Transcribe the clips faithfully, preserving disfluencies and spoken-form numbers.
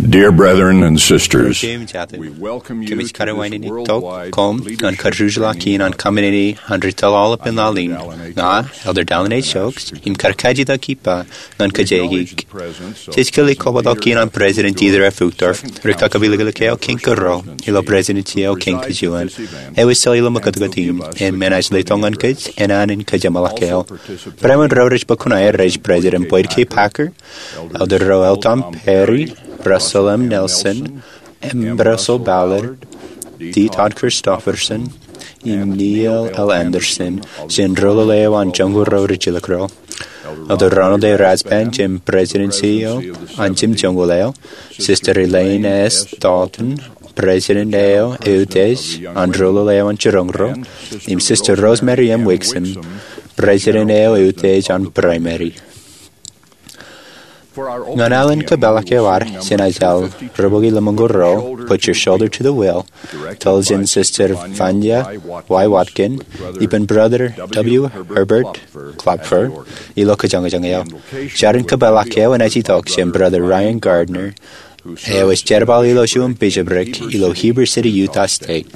Dear brethren and sisters, we welcome you to this worldwide leadership meeting of the Allied Fellowship. Kōmij karuwainene tok koṃ ñan kajjitōk in an kōṃṃani an ri tōl aolepān laḷ in. Ña, Elder Dallin H. Oaks, im kar kajjitōk ippa ñan kōjeañ. Jej kile kobatoki in an President Dieter F. Uchtdorf, ri kakapilōklōk eo kein kōrā ilo Presidency eo kein kajuon. Ewōr sel ilo ṃōkōtkot in, im enaaj letok ñan kōj, enana in kōjeṃḷọk e. Barāinwōt ro rej bōk kuṇaer ej President Boyd K. Packer, Elder ro L. Tom Perry, Russell M. Nelson, M. Russell Ballard, D. Todd Christofferson, im Neil L. Andersen, jān doulul eo an joñoul ro rijilōk ro. Elder Ronald A. Rasband, jān Presidency eo an jimjuonñoul eo, Sister Elaine S. Dalton, President eo eutiej an doulul eo an jiroñ ro, im Sister Rosemary M. Wixom, President eo eutiej an Primary. Ñan alen kōpeḷḷọk eo ad jān Aiseḷ rubukwi lemñoul ruo, Put Your Shoulder to the Wheel, tōl jān Sister Vanya Y. Watkin, ippān Brother W. Herbert Klopfer, ilo kōjañjañ eo. Jarin kōpeḷḷọk eo enaaj itok jān Brother Ryan Gardner, eo ej jerbal ilo juon bishopric ilo Heber City, Utah State.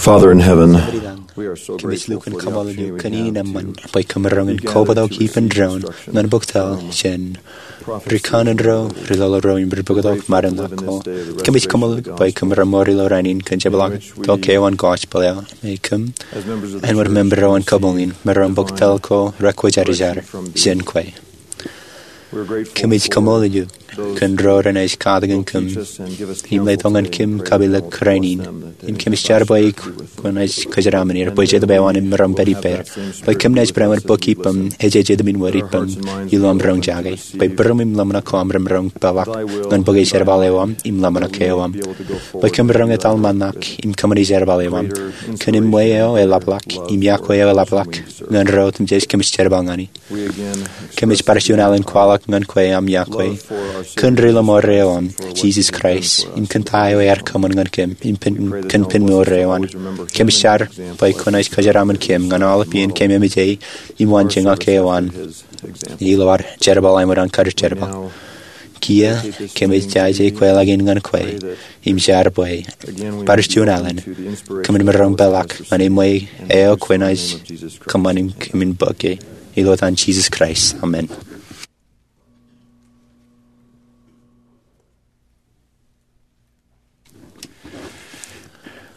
Father in heaven, kōmij lukkuun kaṃṃoolol eok kōn in eṃṃan bwe kōm maroñ in kobatok ippān doon ñan bōktaḷ jān ri kanaan ro, ri lọlo ro im ri bōktok ṃarinḷọk ko. Kōmij kaṃṃoolol eok bwe kōm remour ilo rainin kōn jepḷaaktok eo an gospel eo, im kōm āinwōt member eo an kabuñ in, maroñ bōktaḷ ko rekwōjarjar jān kwe. Kōmij kaṃool eok kōn ro renaaj katakin kōm im letok ñan kōm kapeḷḷọk rainin. Im kōmij jar bwe kwōnaaj kōjeraṃṃan er bwe jet bwebwenato im maroñ pād ippāer, bwe kōm naaj barāinwōt bōk ippaṃ, ej jet im wōr ippaṃ ilo aṃ roñjake, bwe būruōm im ḷōmṇak ko aṃ remaroñ peḷḷọk ñan bōke jerbal eo aṃ im ḷōmṇak eo aṃ, bwe kōm roñ etal ṃōṇōṇō im kōṃṃani jerbal eo aṃ kōn eṃṃan eo eḷapḷọk im iọkwe eo eḷapḷọk ñan ro otemjej kōmij jerbal ñan. Kōmij bar juon alen kwaḷọk ñan kwe aṃ iọkwe kōn ri lọmọọr eo aṃ, Jisōs Kraist, im kōn ta eo ear kōṃṃan ñan kōm im kōn pen mour eo an. Kōmij jar bwe kwōnaaj kōjeraṃṃan kōm ñan aolep iien kōm emejej im wanjeṇ eo an ilo ad jerbal im ewōr an kar jerbal. Kiiō kōmij jaje kweilọk in ñan kwe im jar bwe bar juon alen kōmin maroñ peḷḷọk ñan eṃṃan eo kwōnaaj kōṃṃan im kōmin bōke. Ilo etan Jisōs Kraist, amen.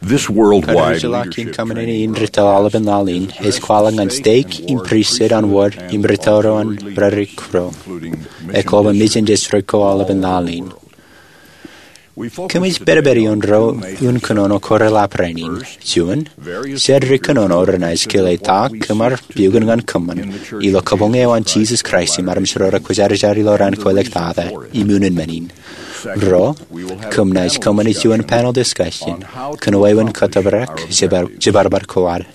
This worldwide leadership training program in Kōṃṃani in retail aolepān laḷ in ej kwaḷọk ñan steik im pristut an wōd im retail ro an rūkaki ro, ekwe bwe mejān district ko aolepān laḷ in. Kōmij pedped ioon ruo unin kōnono ko reḷap rainin. Juon, jar ri kōnono renaaj kile ta kōm ar pukot ñan kōṃṃan ilo kabuñ eo an Jisōs Kraist im armej ro rekwōjarjar ilo raan ko ḷọk tata im unin men in. Ruo, kōm naaj kōṃṃani juon panel discussion kōn wāween kōttōpar jibar, jibarbad ko ad.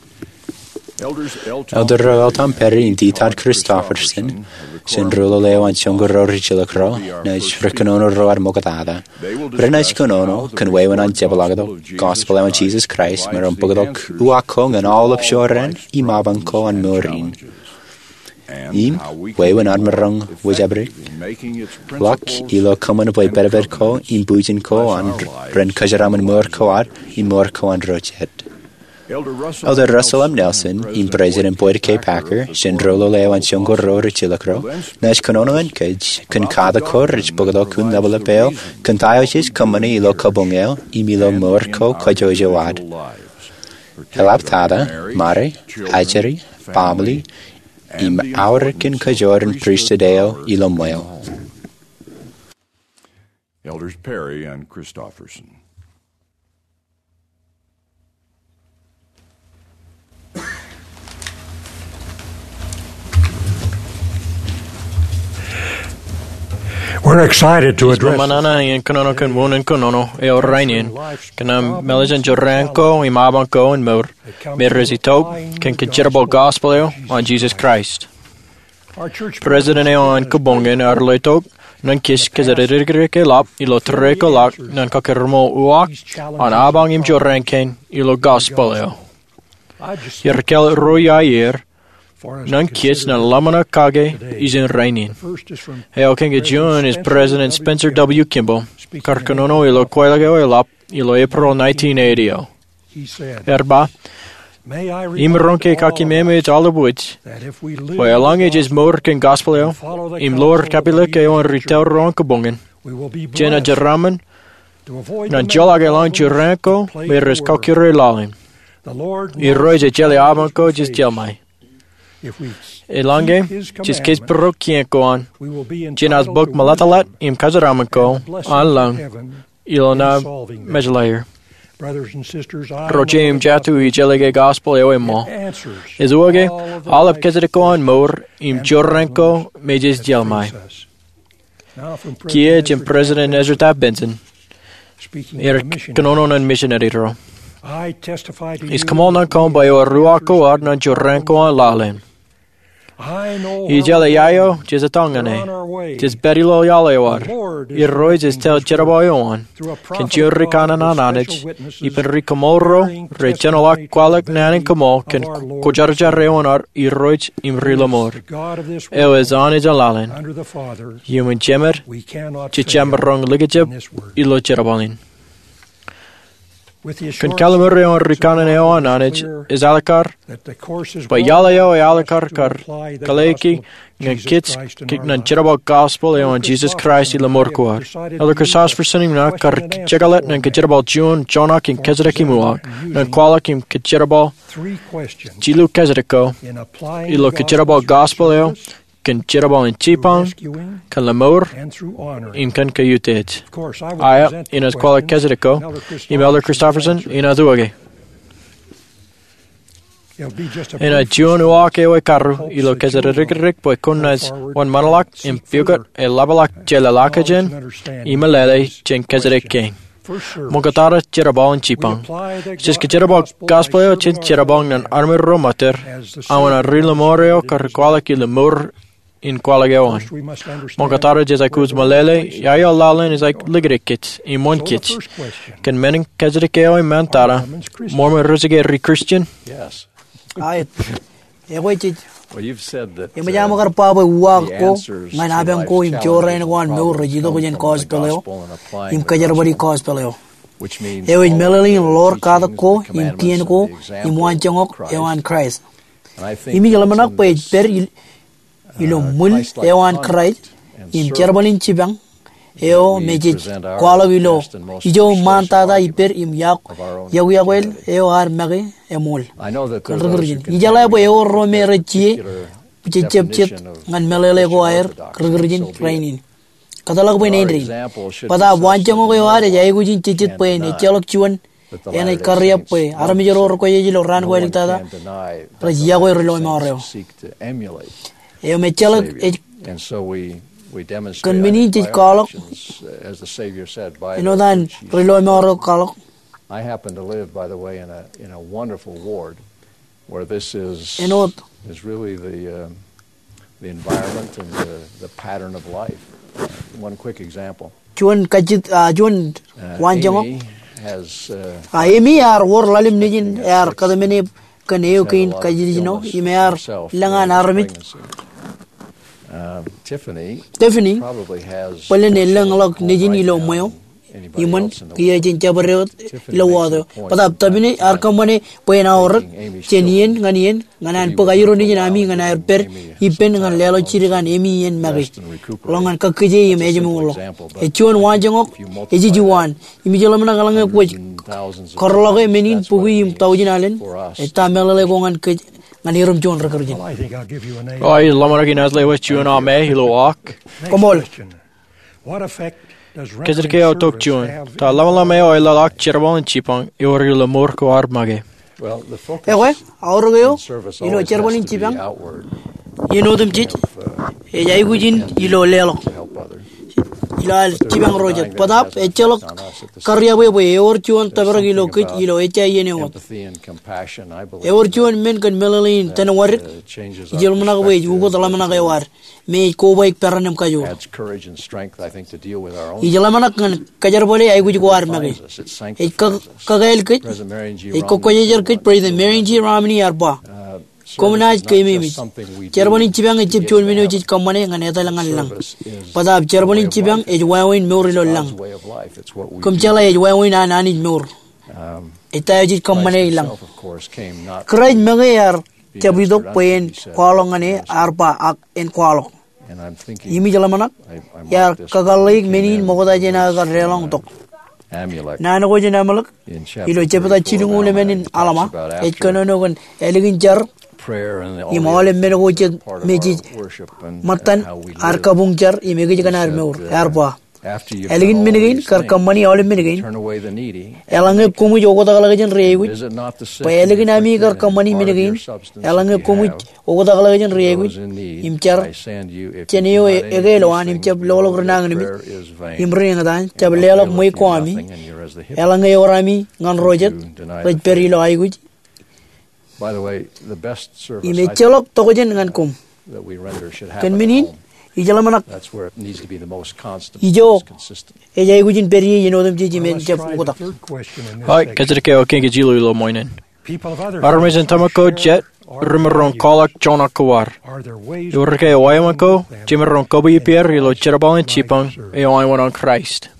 Elder ro, Elder Tom Perry im Dieter Christofferson, jān ri-lale eo an Joñoul Ro Rijjilōk ro, naaj ri kōnono ro ad ṃoktata. Renaaj kōnono kōn wāween an jepḷaaktok gospel eo an Jisōs Kraist im maroñ bōktok uwaak ko ñan aolep jorrāān im abañ ko an mour in. Im wāween ad maroñ wōjabdikḷọk ilo kōṃṃan bwe pedped ko im bwijin ko an ren kōjeraṃṃan mour ko ad im mour ko an ro jet. Elder Russell M. Nelson im President Boyd K. Packer, jān ri-lale eo an Joñoul Ro Rijjilōk ro, naaj kōnono ñan kōj kōn katak ko rej bōktok un ḷapḷap eo kōn ta eo jej kōṃṃani ilo kabuñ eo im ilo mour ko kajjojo ad. Eḷap tata, ṃare, ajri, baaṃle, im aorōk in kōjro in pristut eo ilo ṃweo. Elders Perry and Christofferson. We're excited to address. Ij ṃōṇōṇō in kōnono kōn unin kōnono eo rainin kōn aṃ mālejin jorrāān ko im abañ ko in mour me rej itok kōn kōjeraṃṃan gospel eo an Jisōs Kraist. President eo an kabuñ in ear letok ñan kōj kōjatdikdik eḷap ilo tōre ko ḷọk ñan kakōrmool uwaak an abañ im jorrāān kein ilo gospel eo. Iar kāāl ruo iar ñan kōj ñan ḷōmṇak kake ijin rainin. Eo kōn ke juon ej President Spencer W. Kimball, kar kōnono ilo kweilọk eo eḷap ilo April nineteen eighty eo. Ear ba, imaroñ ke kaki meme ej aolep wōj, bwe eḷaññe jej mour kōn gospel eo im ḷoor kapilōk eo an retail ro an kabuñ in, jenaaj jeraaṃṃan ñan joḷọk elōñ jorrāān ko me rej kakkure laḷ in. Irooj ej jeḷā abañ ko jej jeḷā ṃae. Eḷaññe jej kōjparok kien ko an, jenaaj bōk ṃōḷeḷḷe im kōjeraṃṃan ko an lōñ ilo ṇa mejālọir. Ro jeiū im jatū, ij jeḷā ke gospel eo eṃṃool. Ej uwaake aolep kōjatdikdik ko an mour im jorrāān ko me jej jeḷā ṃae. Kiiō jān President Ezra Taft Benson, ear kōnono ñan misineri ro. Ij kaṃool ñan koṃ bwe ewōr uwaak ko ad ñan jorrāān ko an laḷ in. Ij jeḷā ia eo jej etal ñan e. Jej pād ilo iaḷ eo ad. Irooj ej tōl jerbal eo an kōn juon ri kanaan an Anij, ippān ri kaṃool ro rej jenoḷọk kwaḷọk naan in kaṃool kōn kwōjarjar eo an ad Irooj im ri lọmọọr, eo ej Anij an laḷ in. Iuṃwin Jemed, jejjab maroñ likjab ilo jerbal in. Kōn kalliṃur eo an ri kanaan eo an Anij, ej alikkar bwe iaḷ eo ealikkar kar kōḷḷāiki ñan kōj ñan jerbal gospel eo an Jisōs Kraist ilo mour ko ad. Elder Christofferson im ña kar jekḷọk ñan kōjerbal juon joñak in kōjatdikdik im uwaak ñan kwaḷọk im kōjerbal jilu kōjatdikdik ko ilo kōjerbal gospel eo kōn jerbal in jipañ, kōn lōṃour, im kōn kautiej. Aō, inaaj kwaḷọk kōjatdikko, im Elder Christofferson enaaj uwaake. Enaaj juon uwaak eo ekarru ilo kōjatdikdik bwe kwōnaaj wōnṃaanḷọk im pukot eḷapḷọk jeḷāḷọkjeṇ im meḷeḷe jān kōjatdikdik kein. Ṃoktata jerbal in jipañ. Jej kōjerbal gospel eo jān jerbal ñan armej ro ṃōttar, aō an ri lōṃour eo kar kwaḷọk ilo mour in kwaḷọk eo an. Ṃoktata jej aikuj meḷeḷe ia eo laḷ in ej likūtkōj im wōnkōj. Kōn men in kōjatdikdik eo iṃaan tata, Mormon rej ke ri-Christian? Aet. Ekwe jej, eṃōj aṃ kar ba bwe uwaak ko ñan apañ ko im jorrāān ko an mour rej itok jān gospel eo im kōjerbali gospel eo, eo ej meḷeḷe in ḷoor katak ko im tien ko im waanjoñak eo an Kraist. Im ij ḷōmṇak bwe ej pād ilo ṃwil eo an Kraist im jerbal in jipañ eo me jej kwaḷọk ilo ijo ṃaantata ippād im yokwe, yokwe eo ad make eṃool kōn ri-Christian. Ijeḷā bwe ewōr ro me rej jijet jejjab jet ñan meḷeḷe ko aer ri-Christian rainin. Kōtḷọk bwe āindein. Bōtaab waanjoñak eo ad ej aikuj in jejjet bwe en ejjeḷọk juon enaaj karreoḷọk bwe armej ro rekwōjarjar ilo raan ko āliktata rej yokwe ri lọmọọr eo. Eo me ejjeḷọk ej kōn men in jej kwaḷọk āinwōt an ri lọmọọr eo kwaḷọk. I happen to live, by the way, in a, in a wonderful ward where this is, āinwōt, is really the, uh, the environment and the, the pattern of life. One quick example. Juon kajjitōk, ah, juon waanjoñak. Amy has, uh, ah, Amy ear wōr ḷalem nejin, ear kōtmāne kōn eo kein kajjitōk ijin eo, im ear lōñ an armej. Tiffany bōlen elōñḷọk nejin ilo ṃweo. Iṃōn, kiiō jen jabdewōt ilo wōt eo. Bōtaab Tiffany ear kōṃṃane bwe en aorōk jān iien ñan iien ñan an bōk aerro nejin ami ñan aer pād ippān ñan leḷọk jidik an Amy iien make ḷọk ñan kakkije im ājmourḷọk. Ej juon waanjoñak ej ijin waan, im ij ḷōmṇak eḷaññe kwōj kōrḷọke men in bukwi im taujin alen, ej ta meḷeḷe ko ñan kōj ñan erom juon ri-Christian? O, ij ḷōmṇak inaaj lewōj juon aṃ ilo aō. Koṃṃool. Kōjatdikdik eo tok juon. Ta ḷōmṇak eo eḷḷọk jerbal in jipañ ewōr ilo mour ko ad make? Ekwe, aorōk eo ilo jerbal in jipañ iien otemjej ej aikuj in ilo leḷọk, ilo ad jipañ ro jet. Bōtaab ejjeḷọk karreoḷọk bwe ewōr juon tōprak ilo kōj ilo ejja iien eo wōt. Ewōr juon men kōn meḷeḷe in tōn wōdik. Ij ḷōmṇak bwe ej ukōt ḷōmṇak eo ad me ej kobaik peran im kajoor. Ij ḷōmṇak ñan kōjerbale aikuj ko ad make. Ej kō, kakāāl kōj, ej kōkwōjarjar kōj. President Marion G. Romney ear ba, koṃ naaj keememej. Jerbal in jipañ ejjab juon men eo jej kōṃṃane ñan etal ñan lañ. Bōtaab jerbal in jipañ ej wāween mour ilo lañ. Kōm jeḷā ej wāween an Anij mour. Ej ta eo jej kōṃṃane i lañ. Kraist make ear jab itok bwe en kwaḷọk ñan e, ear ba, ak en kwaḷọk. Im ij ḷōmṇak iar kakōḷḷeik men in ṃokta jān aō kar deḷọñtok. Naan ko jān Amalek ilo jebta jilñuul emān in Alma ej kōnono kōn ālikin jar im aolep men ko jet me jej ṃōttan ad kabuñ jar im ekōjkan ad mour. Ear ba, ālikin men kein kar kōṃṃani aolep men kein, eḷaññe koṃij oktakḷọk jān ri aikuj. Bwe ālikin ami kar kōṃṃani men kein, eḷaññe koṃij oktakḷọk jān ri aikuj im jar jān eo eke ilowaan im jab loḷọk ri nañinmej im ri eñtaan, jab leḷọk ṃweiuk ko ami, eḷaññe ewōr ami ñan ro jet rej pād ilo aikuj. Im ejjeḷọk tokjān ñan koṃ. Kōn men in, ij ḷōmṇak ijo ej aikuj in pād ie iien otemjej im en jab oktak. Kōjatdikdik eo kein kōj jilu ilo ṃoṇ in. Armej in tōmak ko jet, remaroñ kwaḷọk joñak ko ad. Ewōr ke wāween ko jemaroñ kōbwe ippāer ilo jerbal in jipañ eo an Kraist?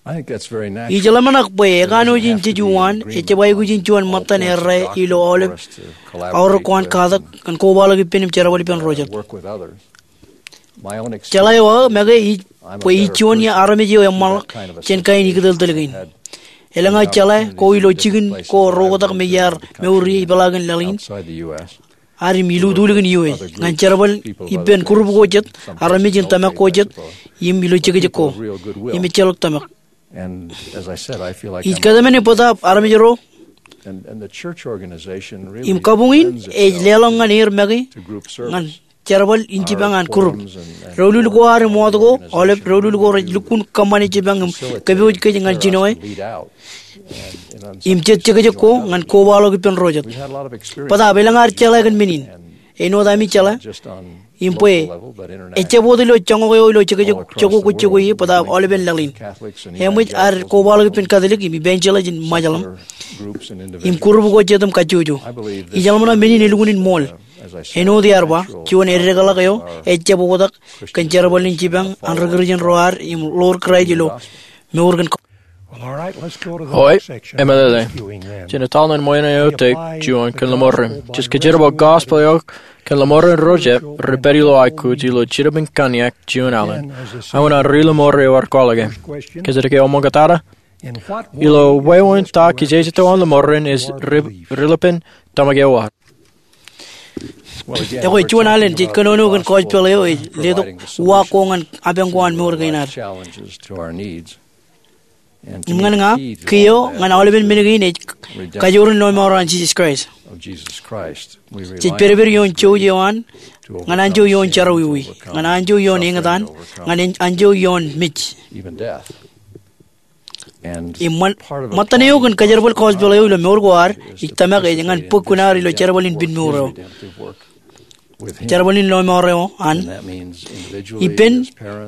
Ij ḷōmṇak bwe ekanooj in jeju waan ejjab aikuj in juon ṃōttan errā ilo aolep aorōk ko an katak kōn kobaḷọk ippān im jerbal ippān ro jet. Jeḷā eo aō make ij bwe ij juon armej eo eṃṃanḷọk jān kain ikōtōltōl kein. Elōñ aō jeḷā ko ilo jikin ko reoktak me iar mour ie ipeḷaakin laḷ in. ad im ilutulkin iwōj ñan jerbal ippān group ko jet, armej in tōmak ko jet, im ilo jekjek ko, im ejjeḷọk tōmak. Ij kōtmāne bōtaab armej ro im kabuñ in ej leḷọk ñan er make ñan jerbal in jipañ an group. Doulul ko ad im wōt ko, aolep doulul ko rej lukkuun kōṃṃane jipañ im kōpooj kōj ñan jinoe im jet jekjek ko ñan kobaḷọk ippān ro jet. Bōtaab elōñ ad jeḷā kōn men in. Āinwōt ami jeḷā im bwe ejjab wōt ilo joñak eo ilo jekjek jokwe kwōj jokwe ie, bōtaab aolepen laḷ in. Eṃōj ad kobaḷọk ippān Catholic im Evangelist in Ṃajeḷ im group ko jet im kajjojo. Ij ḷōmṇak men in elukkuun in ṃool. Āinwōt iar ba, juon eddekḷọk eo ejjab oktak kōn jerbal in jipañ an ri Kūrjin ro ad im ḷoor Kraist ilo mour kōn. Eo, emeḷeḷe. Jen etal ñan ṃool eo tok juon kōn lọmọọren. Jej kōjerbal gospel eo kōn lọmọọren ro jab rej pād ilo aikuj ilo jinōb in kōnniaak juon alen. Aolep an ri lọmọọren eo ar kwaḷọk e. Kōjatdikdik eo ṃōñā tata. Ilo wāween ta kijejeto an lọmọọren ej ri-, ri-lipen tōmak eo ad. Ekwe, juon alen jej kōnono kōn gospel eo ej letok uwaak ko ñan apañ ko an mour kein ad. Im ñan ña, kiiō ñan aolepen men kein ej kajoor in lọmọọr an Jisōs Kraist. Jej pedped ioon jouj eo an, ñan anjọ ioon jerọwiwi, ñan anjọ ioon eñtaan, ñan en-, anjọ ioon mej. Im ṃōn, ṃōttan eo kōn kajerbal gospel eo ilo mour ko ad, ij tōmak ej ñan bōk kuṇaad ilo jerbal in pinmour eo. Jerbal in lọmọọr eo an. Ippān,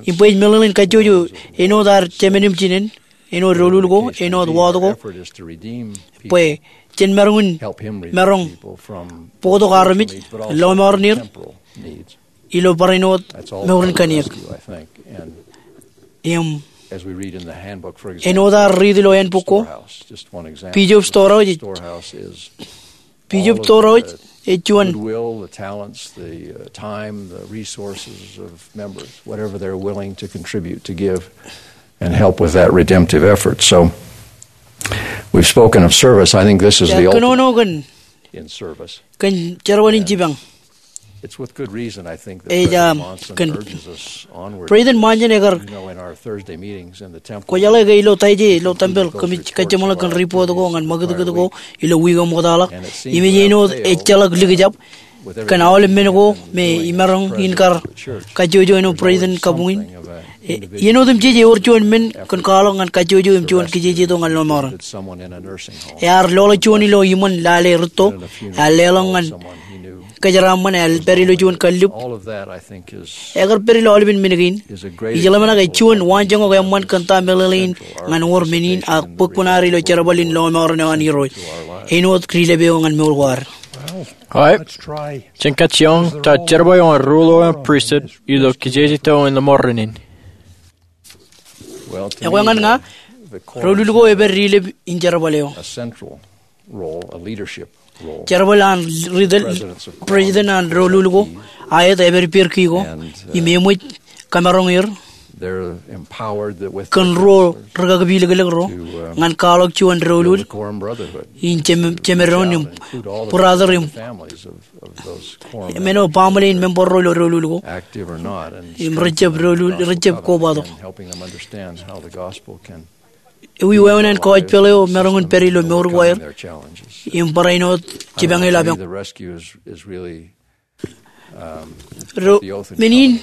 im bwe ej meḷeḷein kajjojo āinwōt ad jemān im jinen, āinwōt doulul ko, āinwōt wōt ko. Bwe jen maroñ in, maroñ bōktok armej, lọmọọren er ilo barāinwōt mour in kōnniaak. Im āinwōt ad riit ilo handbook ko, Bishop Storhouse, Bishop Storhouse ej juon. Goodwill, the talents, the, uh, time, the resources of members, whatever they're willing to contribute, to give, and help with that redemptive effort. So, we've spoken of service. I think this is the ultimate in service. Kōn jerbal in jipañ. It's with good reason, I think, that President Monson urges us onward. President Monson ekar, you know, in our Thursday meetings in the temple, kwōjeḷā ke ilo Taijde ilo tempel kōmij kajjeṃḷọk kōn report ko ñan ṃakūtkūt ko ilo wiik eo ṃoktaḷọk. Im ej āinwōt ejjeḷọk likjab kōn aolep men ko me imaroñ in kar kajjojo āinwōt president kabuñ in. Āinwōt im jej ewōr juon men kōn kwaḷọk ñan kajjojo im juon kijejeto ñan lọmọọren. Ear loḷọk juon ilo iṃōn lale rūtto, ear leḷọk ñan kōjeraaṃṃan, ear pād ilo juon kallib. Ekar pād ilo aolepen men kein. Ij ḷōmṇak ej juon waanjoñak eṃṃan kōn ta meḷeḷein ñan wōr men in ak bōk kuṇaad ilo jerbal in lọmọọren eo an Irooj āinwōt ri-lepe eo ñan mour ko ad. Jen kajjioñ ta jerbal eo an ruo eo an pristut ilo kijejeto in lọmọọren in. Ekwe ñan ña, doulul ko epād ri-lep in jerbal eo. Jerbal an ri-, president an doulul ko, aet epād ippāer ki ko, im eṃōj kamaroñ er kōn ruo rikakpilōklōk ro ñan kwaḷọk juon doulul in jemād, jemād doon im brother im men eo baaṃle in member ro ilo doulul ko im rejab doulul, rejab kobatok. Ewi wāween an gospel eo maroñ in pād ilo mour ko aer im barāinwōt jipañ ilo apañ. Ro men in.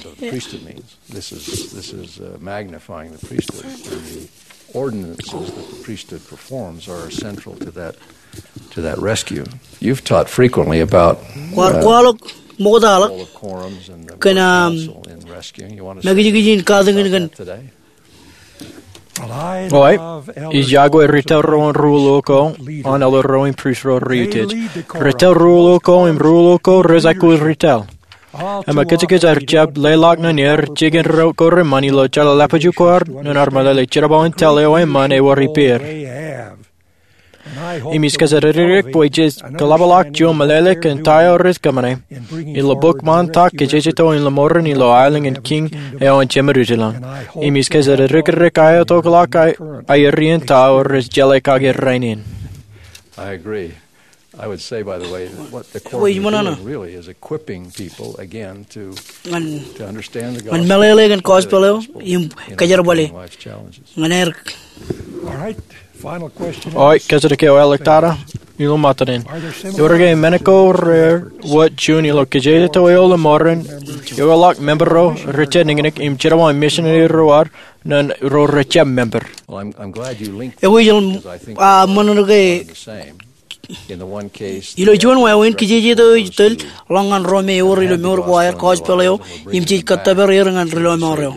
This is, this is, uh, magnifying the priesthood. And the ordinances that the priesthood performs are central to that, to that rescue. You've taught frequently about, uh, kwaar kwaḷọk ṃoktaḷọk kōn, um, makijkij in katakin kōn. Eo, ij yokwe ri-tōl ro an ruo ko an elder ro im prist ro rej utiej. Ri-tōl ruo ko im ruo ko rej aikuj ri-tōl. Im kōjkōj ar jab leḷọk ñan er jikin ro ko reṃṃan ilo jeḷāḷọkjeṇ ko ad ñan ar meḷeḷe jerbal in tōl eo eṃṃan ewōr ippāer. Im ij kōjatdikdik bwe jej kōḷapḷọk juon meḷeḷe kōn ta eo rej kōṃṃane ilo bok ṃaan ta kijejeto in lọmọọren ilo aelōñ in Kiiñ eo an Jemedūtlañ. Im ij kōjatdikdik aō tokḷọk aer iien ta eo rej jeḷā kake rainin. I would say, by the way, that what the Core Eo, is doing really is equipping people again to, ñan, to understand the gospel, ñan meḷeḷe kōn gospel eo im kajerbale ñan aer. All right, final question. Eo, kōjatdikdik eo āliktata ilo ṃōttan in. Ewōr ke men ko rewōj juon ilo kijejeto eo ḷōṃarein eo ḷọk member ro rej jab niknik im jerbal misineri ro ad ñan ro rej jab member? Well, I'm, I'm glad you linked that, because I think, ah, ṃōṇōṇō ke ilo juon wāween kijejeto eo ej tōl ḷọk ñan ro me ewōr ilo mour ko aer gospel eo im jej kōttōpar er ñan ri lọmọọr eo.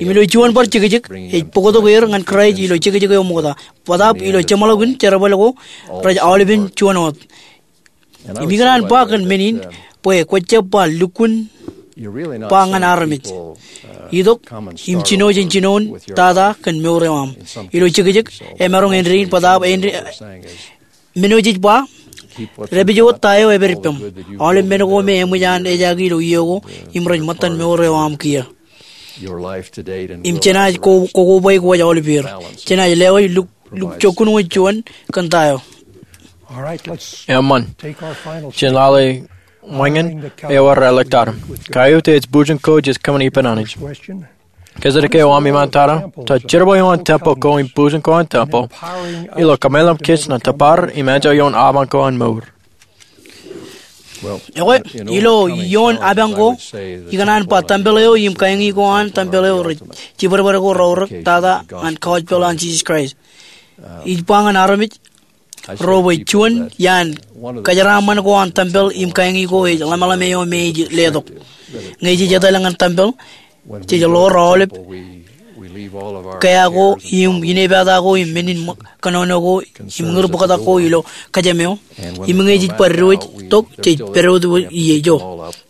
Im ilo juon bar jekjek ej bōktok er ñan Kraist ilo jekjek eo ṃokta. Bōtaab ilo jeṃḷọkin jerbal ko rej aolepen juon wōt. Im ikōṇaan ba kōn men in bwe kwōjab ba lukkuun ba ñan armej. Itok im jino jān jinoin tata kōn mour eo aṃ. Ilo jekjek emaroñ āindein bōtaab āindein men eo jej ba, dāpij wōt ta eo epād ippaṃ. Aolep men ko me eṃōj an ejaake ilo iiō ko im rej ṃōttan mour eo aṃ kiiō. Im jenaaj ko, kokoba e kwōj aolep er. Jenaaj lewōj luk, lukkuun wōt juon kōn ta eo. Eṃṃan. Jen lale ṃōñā eo ad āliktata. Kaiuta ej bujen ko jej kōṃṃani ippān Anij. Kōjatdikdik eo aṃ iṃaan tata, ta jerbal eo an tempel ko im bujen ko an tempel ilo kōmeḷeḷe kōj ñan tōpar im anjọ ioon apañ ko an mour? Ekwe, ilo ioon apañ ko, ikōṇaan ba tempel eo im kaeñi ko an tempel eo rej jibadbad ko reorōk tata ñan gospel an Jisōs Kraist. Ij ba ñan armej ro bwe juon iaan kajeraaṃṃan ko an tempel im kaeñi ko ej ḷōmṇak eo me ej letok. Ñe jej etal ñan tempel, jej ḷoor aolep kea ko im inepata ko im men in kōnono ko im ñūr bōktak ko ilo kōjām eo. Im ñe jej bar diwōj tok, jej pād wōt ijo.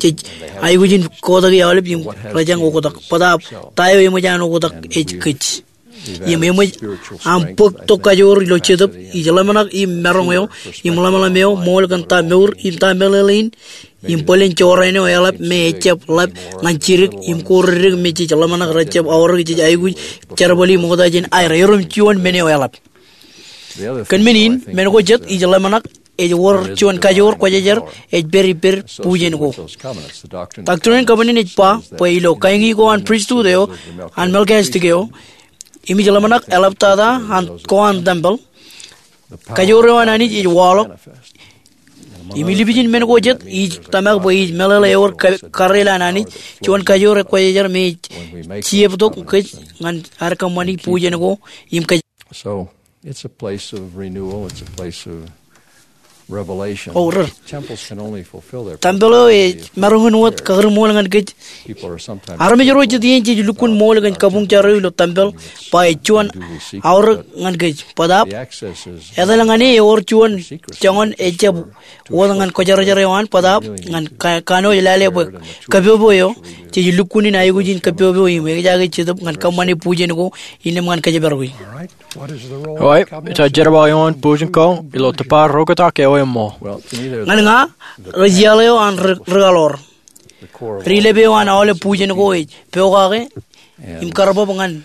Jej aikuj in kotaki aolep im rejañ oktak. Bōtaab ta eo eṃōj an oktak ej kōj. Im eṃōj aṃ bōk tok kajoor ilo Jetōb, ij ḷōmṇak im maroñ eo, im ḷōmṇak eo, ṃool kōn ta mour, im ta meḷeḷein, im bōlen jorrāān eo eḷap me ejjab ḷap ñan jidik, im ko dik me jej ḷōmṇak rejjab aorōk, jej aikuj jerbali ṃokta jān aer erom juon men eo eḷap. Kōn men in, men ko jet ij ḷōmṇak, ej wōr juon kajoor kwōjarjar ej pād ippād bujen ko. Doctrine and Covenants ej ba bwe ilo kaeñi ko an pristut eo an Melchizedek eo, im ij ḷōmṇak eḷaptata an ko an tempel, kajoor eo an Anij ej waḷọk. Im ilipijin men ko jet ij tōmak bwe ij meḷeḷe ewōr ka-, kareel an Anij, juon kajoor ekwōjarjar me ej jeptok kōj ñan ad kōṃṃani bujen ko im kōj. So, it's a place of renewal, it's a place of revelation. O, ri. Temples can only fulfill their purpose. Tempel eo ej maroñ in wōt kakūrṃool ñan kōj. People are sometimes critical about that. Armej ro jet iien jej lukkuun ṃool kōn kabuñ jar eo ilo tempel, ba ej juon aorōk ñan kōj. Bōtaab, etal ñan e ewōr juon joñan ejjab wōt ñan kwōjarjar eo an, bōtaab ñan ka-, kanooj lale bwe kapopo eo, jej lukkuun in aikuj in kapopo im ejaake Jetōb ñan kōṃṃane bujen ko, innām ñan kōjparok e. Eo, ta jerbal eo an bujen ko ilo tōpar oktak eo eṃṃool? Ñan ña, ri jeḷā eo an ri-, rikaḷoor. Ri-lep eo an aolep bujen ko ej pokake im karbab ñan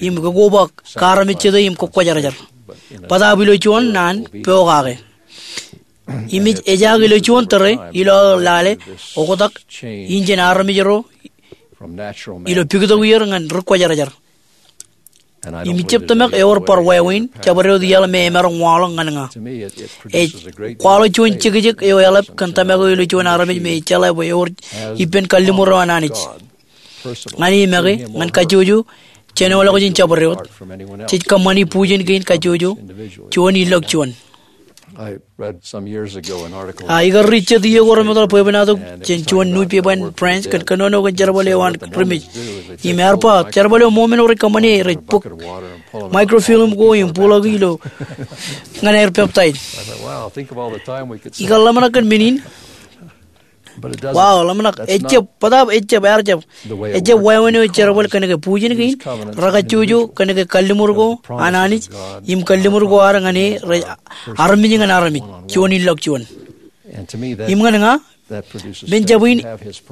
im kokoba kaarmejjete im kokwōjarjar. Bōtaab ilo juon naan pokake. Im ej, ejaak ilo juon tōre ilo aō lale oktak in jān armej ro ilo piktok er ñan ri kwōjarjar. Im ij jab tōmak ewōr bar wāween jabdewōt iaḷ me emaroñ waḷọk ñan ña. Ej kwaḷọk juon jekjek eo eḷap kōn tōmak eo ilo juon armej me ej jeḷā bwe ewōr ippān kalliṃur eo an Anij ñan e make ñan kajjojo jānolọk jān jabdewōt. Jej kōṃṃani bujen kein kajjojo juon ilọk juon. A, ikar ri jet iiō ko remootḷọk bwebwenato jān juon newspaper in France kōn kōnono kōn jerbal eo an ri mej. Im ear ba jerbal eo ṃool men eo rej kōṃṃane rej bōk microfilm ko im buḷọki ilo ñan aer peptaij. Ikar ḷōmṇak kōn men in. Wow, ḷōmṇak, ejjab, bōtaab ejjab, ear jab. Ejjab wāween eo ej jerbal kōnke bujen kein, rekajjojo kōnke kalliṃur ko an Anij, im kalliṃur ko ad ñan e rej armej ñan armej, juon ilọk juon. Im ñan ña, men jab in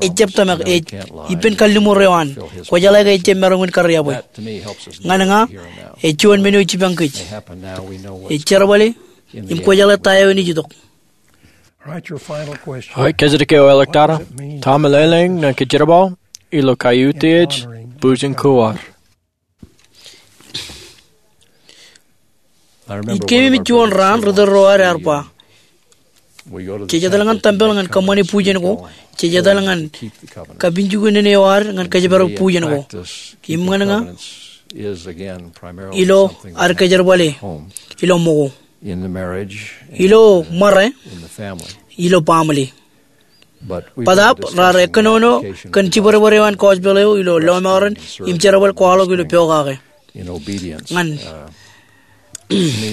ejjab tōmak ej ippān kalliṃur eo an, kwōjeḷā ke ejjab maroñ in karyabwe. Ñan ña, ej juon men eo ej jipañ kōj. Ej jerbale, im kwōjeḷā ta eo enaaj itok. All right, your final question. All right, kōjatdikdik eo eo ḷọk tata. Ta meḷeḷein ñan kōjerbal ilo kaiutiej bwijin kuwar? Ij keememej juon raan ri tōl ro ad ear ba, jej etal ñan tempel ñan kōṃṃane bwijen ko, jej etal ñan kapinjuknen eo ad ñan kōjparok bwijen ko. Im ñan ña, ilo ad kōjerbale ilo ṃōko, ilo ṃōrā, ilo baaṃle. Bōtaab raar ekkōnono kōn jibadbad eo an gospel eo ilo lọmọọren im jerbal kwaḷọk ilo pokake. Ñan,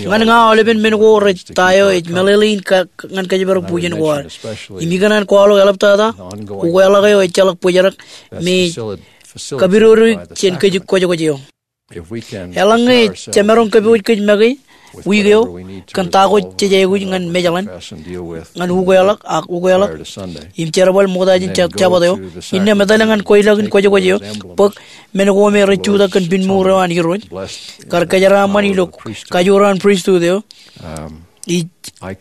ñan ña aolepen men ko rej ta eo ej meḷeḷein ñan kōjparok bwijen ko ad. Im ikōṇaan kwaḷọk eḷaptata ukeḷọk eo ejjeḷọk bōjrak me kapidodoik jān kōj kwōjkwōj eo. Eḷaññe jemaroñ kōpooj kōj make wiik eo kōn ta ko jej aikuj ñan Mejḷan, ñan ukeḷọk ak ukeḷọk im jerbal ṃokta jān Jabōt eo, innām etale ñan kweilọk in kwōjkwōj eo, bōk men ko me rej jutak kōn pinmuur eo an Irooj, kar kōjeraaṃṃan ilo kajoor an pristut eo. Ij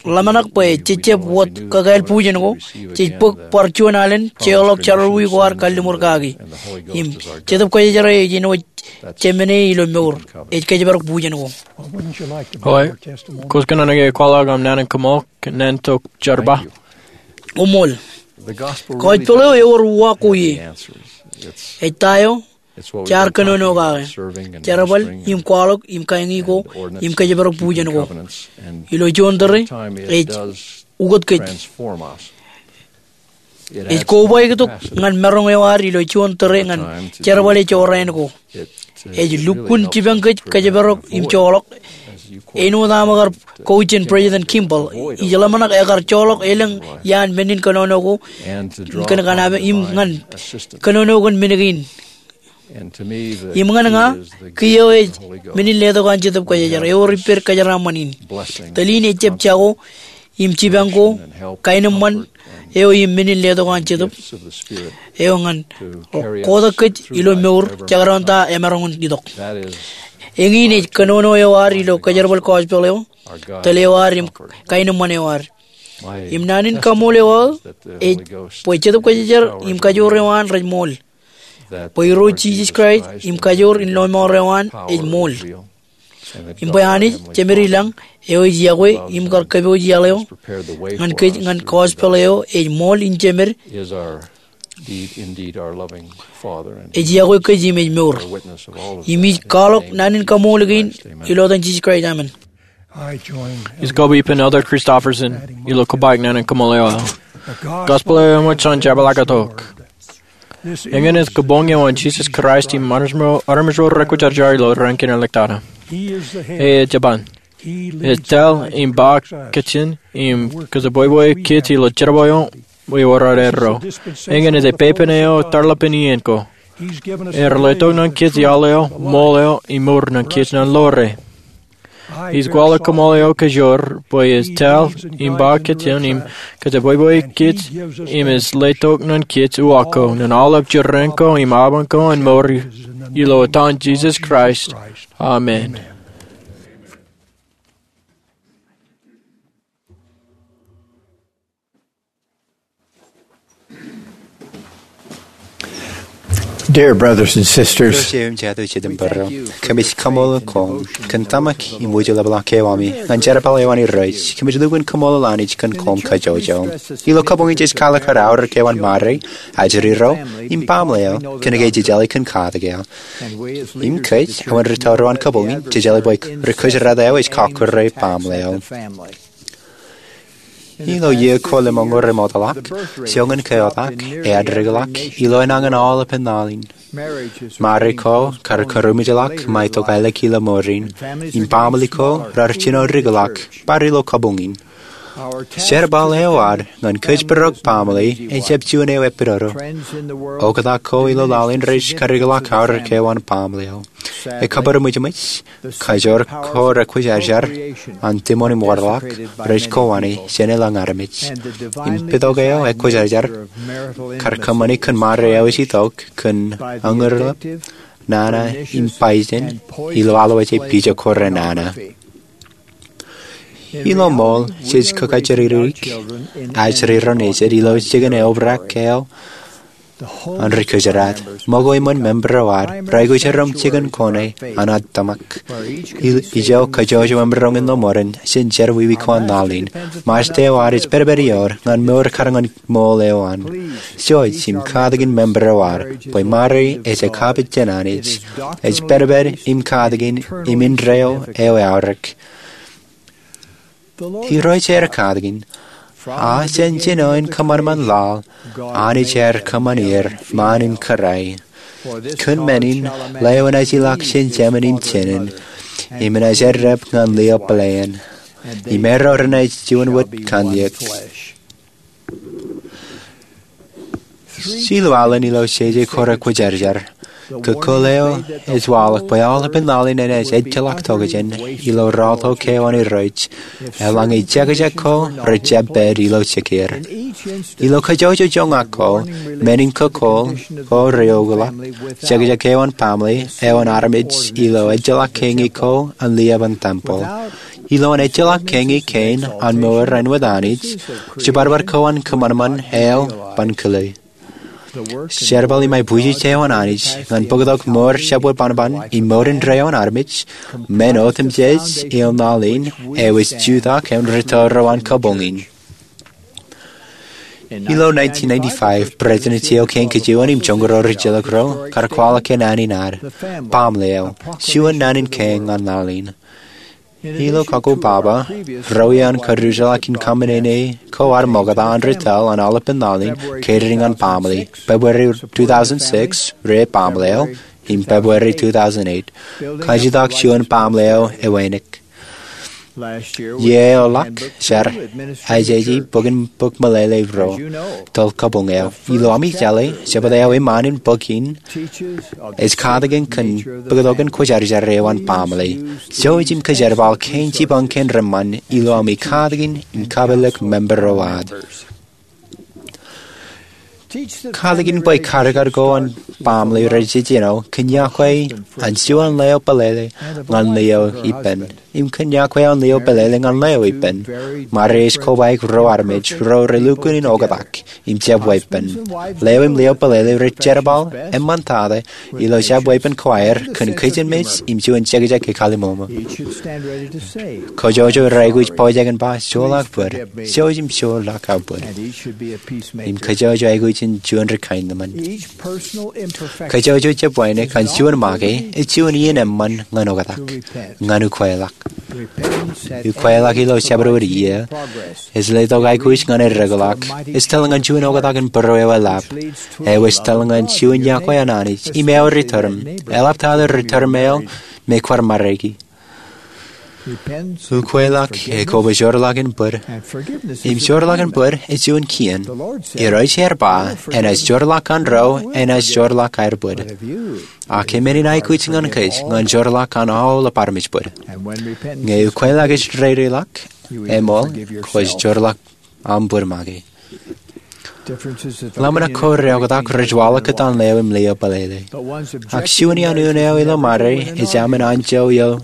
ḷōmṇak bwe jej jab wōt kakāāl bwijen ko, jej bōk bar juon alen jeorḷọk jerọwiwi ko ad kalliṃur kaki. Im Jetōb Kwōjarjar eo ej āinwōt jemān ilo mour ej kōjparok bwijen ko. Oi, kōj kōṇaan ke kwaḷọk aṃ naan in kaṃool kōn naan tok jerbal? Koṃṃool. Gospel eo ewōr uwaak ko ie. Ej ta eo jaar kōnono kake, jerbal im kwaḷọk im kañi ko im kōjparok bwijen ko. Ilo juon tōre ej ukōt kōj. Ej kobaik tok ñan maroñ eo ad ilo juon tōre ñan jerbale jorrāān ko. Ej lukkuun jipañ kōj kōjparok im joḷọk, āinwōt aṃ kar kọwōj jān President Kimball. Ij ḷōmṇak ekar joḷọk elōñ iaan men in kōnono ko, kōn kōṇaan im ñan kōnono kōn men kein. Im ñan ña, kiiō ej men in letok an Jetōb Kwōjarjar ewōr ippād kōjeraaṃṃan in. Tōl in ejjab jako im jipañ ko, kaenōṃṃan eo im men in letok an Jetōb eo ñan kotak kōj ilo mour jekdọọn ta emaroñ in itok. Eñin ej kōnono eo ad ilo kōjerbal gospel eo, tōl eo ad im kaenōṃṃan eo ad. Im naan in kaṃool eo aō ej bwe Jetōb Kwōjarjar im kajoor eo an rej ṃool. Bwe Irooj Jisōs Kraist im kajoor in lọmọọr eo an ej ṃool. Im bwe Anij, Jemed ilañ, eo ej iọkwe im kar kōpooj iaḷ eo ñan kōj ñan gospel eo ej ṃool in Jemed, ej iọkwe kōj im ej mour. Im ij kwaḷọk naan in kaṃool kein ilo etan Jisōs Kraist, amen. Ij kōba ippān Elder Christofferson ilo kōbaik naan in kaṃool eo aō. Gospel eo eṃōj jān jepḷaaktok. Eñin ej kabuñ eo an Jisōs Kraist im armej ro rekwōjarjar ilo raan kein ḷọk tata. E ej jaban. Ej tōl im ba kajjien im kōjebwebwe kōj ilo jerbal eo ewōr ad erro. Eñin ej pepen eo tarlapen iien ko. Ear letok ñan kōj iaḷ eo, ṃool eo, im mour ñan kōj ñan ḷoore. Ij kwaḷọk kaṃool eo kajoor bwe ej tōl im ba kajjien im kōjebwebwe kōj im ej letok ñan kōj uwaak ko ñan aolep jeraaṃṃan ko im aban ko an mour ilo etan Jisōs Kraist. Amen. Dear brothers and sisters, Irooj eo im jatū jitōnbōro, kōmij kaṃṃoolol koṃ kōn tōmak im wūjlepḷọk eo ami ñan jerbal eo an Irooj. Kōmij lukkuun kaṃṃoolol Anij kōn koṃ kajjojo. Ilo kabuñ in jej kwaḷọk aorōk eo an Mari, ajri ro, im baaṃle eo, kōnke jej jeḷā kōn katak eo. Im kōj, āinwōt ri tōl ro an kabuñ in, jej jeḷā bwe ri kōjdat eo ej kọkkure baaṃle eo. Ilo iiō ko lemñoul remootḷọk, sioñ in keotak eañ dikḷọk ilo enañin aolepen laḷ in. Mari ko kar kūrmejḷọk ṃae tokālik ilo mour in, im baaṃle ko raar jino dikḷọk bar ilo kabuñ in. Jerbal eo ad ñan kōjparok baaṃle ejjab juon eo epidodo. Oktak ko ilo laḷ in rej kadikḷọk aorōk eo an baaṃle eo. Ekabūroṃōjṃōj, kajoor ko rekwōjarjar an tiṃoṇ im wōrḷọk rej kowāne jān elōñ armej. Im pād tok eo ekwōjarjar kar kōṃṃane kōn Mari eo ej itok kōn añurḷọk nana im bajjek ilo alwōje pija ko renana. Ilo ṃool, jej kōkajjitōk ajri ro nejid ilo jikin eobrak eo an ri-kōjeraad. Ṃōko iṃōn member ro ad reaikuj jikin kōṇaan an ad tōmak. Ijo kajjojo emaroñ in ṃōrōṃ jān jerọwiwi ko an laḷ in. Ṃajeḷ eo ad ej pedped ioer ñan mour kar ñan ṃool eo an. Jouj im katakin member ro ad bwe Ṃaria ej ekapijin Anij, ej pedped im katakin im indeeo eo eaorōk. Irooj ear katakin, a jān jino in kōṃanṃan laḷ, Anij ear kōṃṃan er ṃaan in kōrā. Kōn men in, lewōj naaj ilọk jān jemān im jinōn, im naaj eddep ñan lio pāleen, im erro renaaj juon wōt kanniōk. Jilu alen ilo jeje kōrā kwōjarjar, kōkōl eo ej waḷọk bwe aolepān laḷ in enaaj ejjeḷọk tokjān ilo rọọltok eo an Irooj, eḷaññe jekjek ko rej jab pād ilo jikier. Ilo kajjojo joñak ko, men in kōkōl ko reokḷọk jekjek eo an baaṃle eo an armej ilo ejjeḷọk keñi ko an lio ban tempel. Ilo an ejjeḷọk keñi kein an mour āinwōt Anij, jibadbad ko an kōṃanṃan eo ban kile. Jerbal im aibwijeje eo an Anij ñan bōktok mour jabdewōt bōnbōn im mour indeeo an armej, men otemjej ilo laḷ in, eo ej jutak eo an ri-tōl ro an kabuñ in. Ilo nineteen ninety-five, President J. O. King kōn juon im joñoul ro rijjilōk ro kar kwaḷọk kōn naan in ad, Baaṃle eo, juon naan in kein ñan laḷ in. Ilo kako baba, ro iaan kōjjeḷā kōn kōṃṃane ko ad ṃokta an ri-tōl an aolepān laḷ in, kōttar ñan baaṃle, February two thousand six, rej baaṃle eo, im February two thousand eight, kajjitōk juon baaṃle eo ewānōk. Iiō eo ḷọk, jar, ajeje bōkin bōk meḷeḷe ro, tōl kabuñ eo. Ilo ami jeḷā, jebta eo iṃaan in bōk in, ej katakin kōn bōktok in kwōjarjar eo an baaṃle. Jouj im kōjerbal kein jipañ kein reṃṃan ilo ami katakin im kapeḷḷọk member ro ad. Katakin bwe karikar ko an baaṃle rej jejino kōn iọkwe an juon lio pālele ñan lio ippān, im kōn iọkwe an lio pālele ñan lio ippān. Ṃaria ej kobaik ro armej ro relukkuun in oktak im jab weeppān. Lio im lio pālele rej jerbal eṃṃantata ilo jab weeppān ko aer kōn kajin mej im juon jekjek ekkālimomo. Kajjojo rej aikuj pojak in ba, joḷọk bōd, jouj im joḷọk aō bōd. Im kajjojo aikuj in juon ri-kaenōṃṃan. Kajjojo jab wānōk an juon make ej juon iien eṃṃan ñan oktak, ñan ukweḷọk. Ukweḷọk ilo jabdewōt iiō ej letok aikuj ñan eddekḷọk, ej tōl ñan juon oktak in būrueeḷap, eo ej tōl ñan juon iọkwe an Anij im eo ri-tōrm, eḷaptata ri-tōrm eo me kwaar ṃariki. Ukweḷọk ekoba joorḷọk in bōd, im joorḷọk in bōd ej juon kien. Irooj ear ba, enaaj joorḷọk an ro enaaj joorḷọk aer bōd. Ak men in aikuj ñan kōj ñan joorḷọk an aolep armej bōd. Ñe ukweḷọk ej dedeḷọk, eṃool, kwōj joorḷọk aṃ bōd make. Ḷōmṇak ko reoktak rej waḷọk kōtaan lio im lio pālele. Ak juon iaan unin eo ilo Ṃaria ej aṃ in anjọ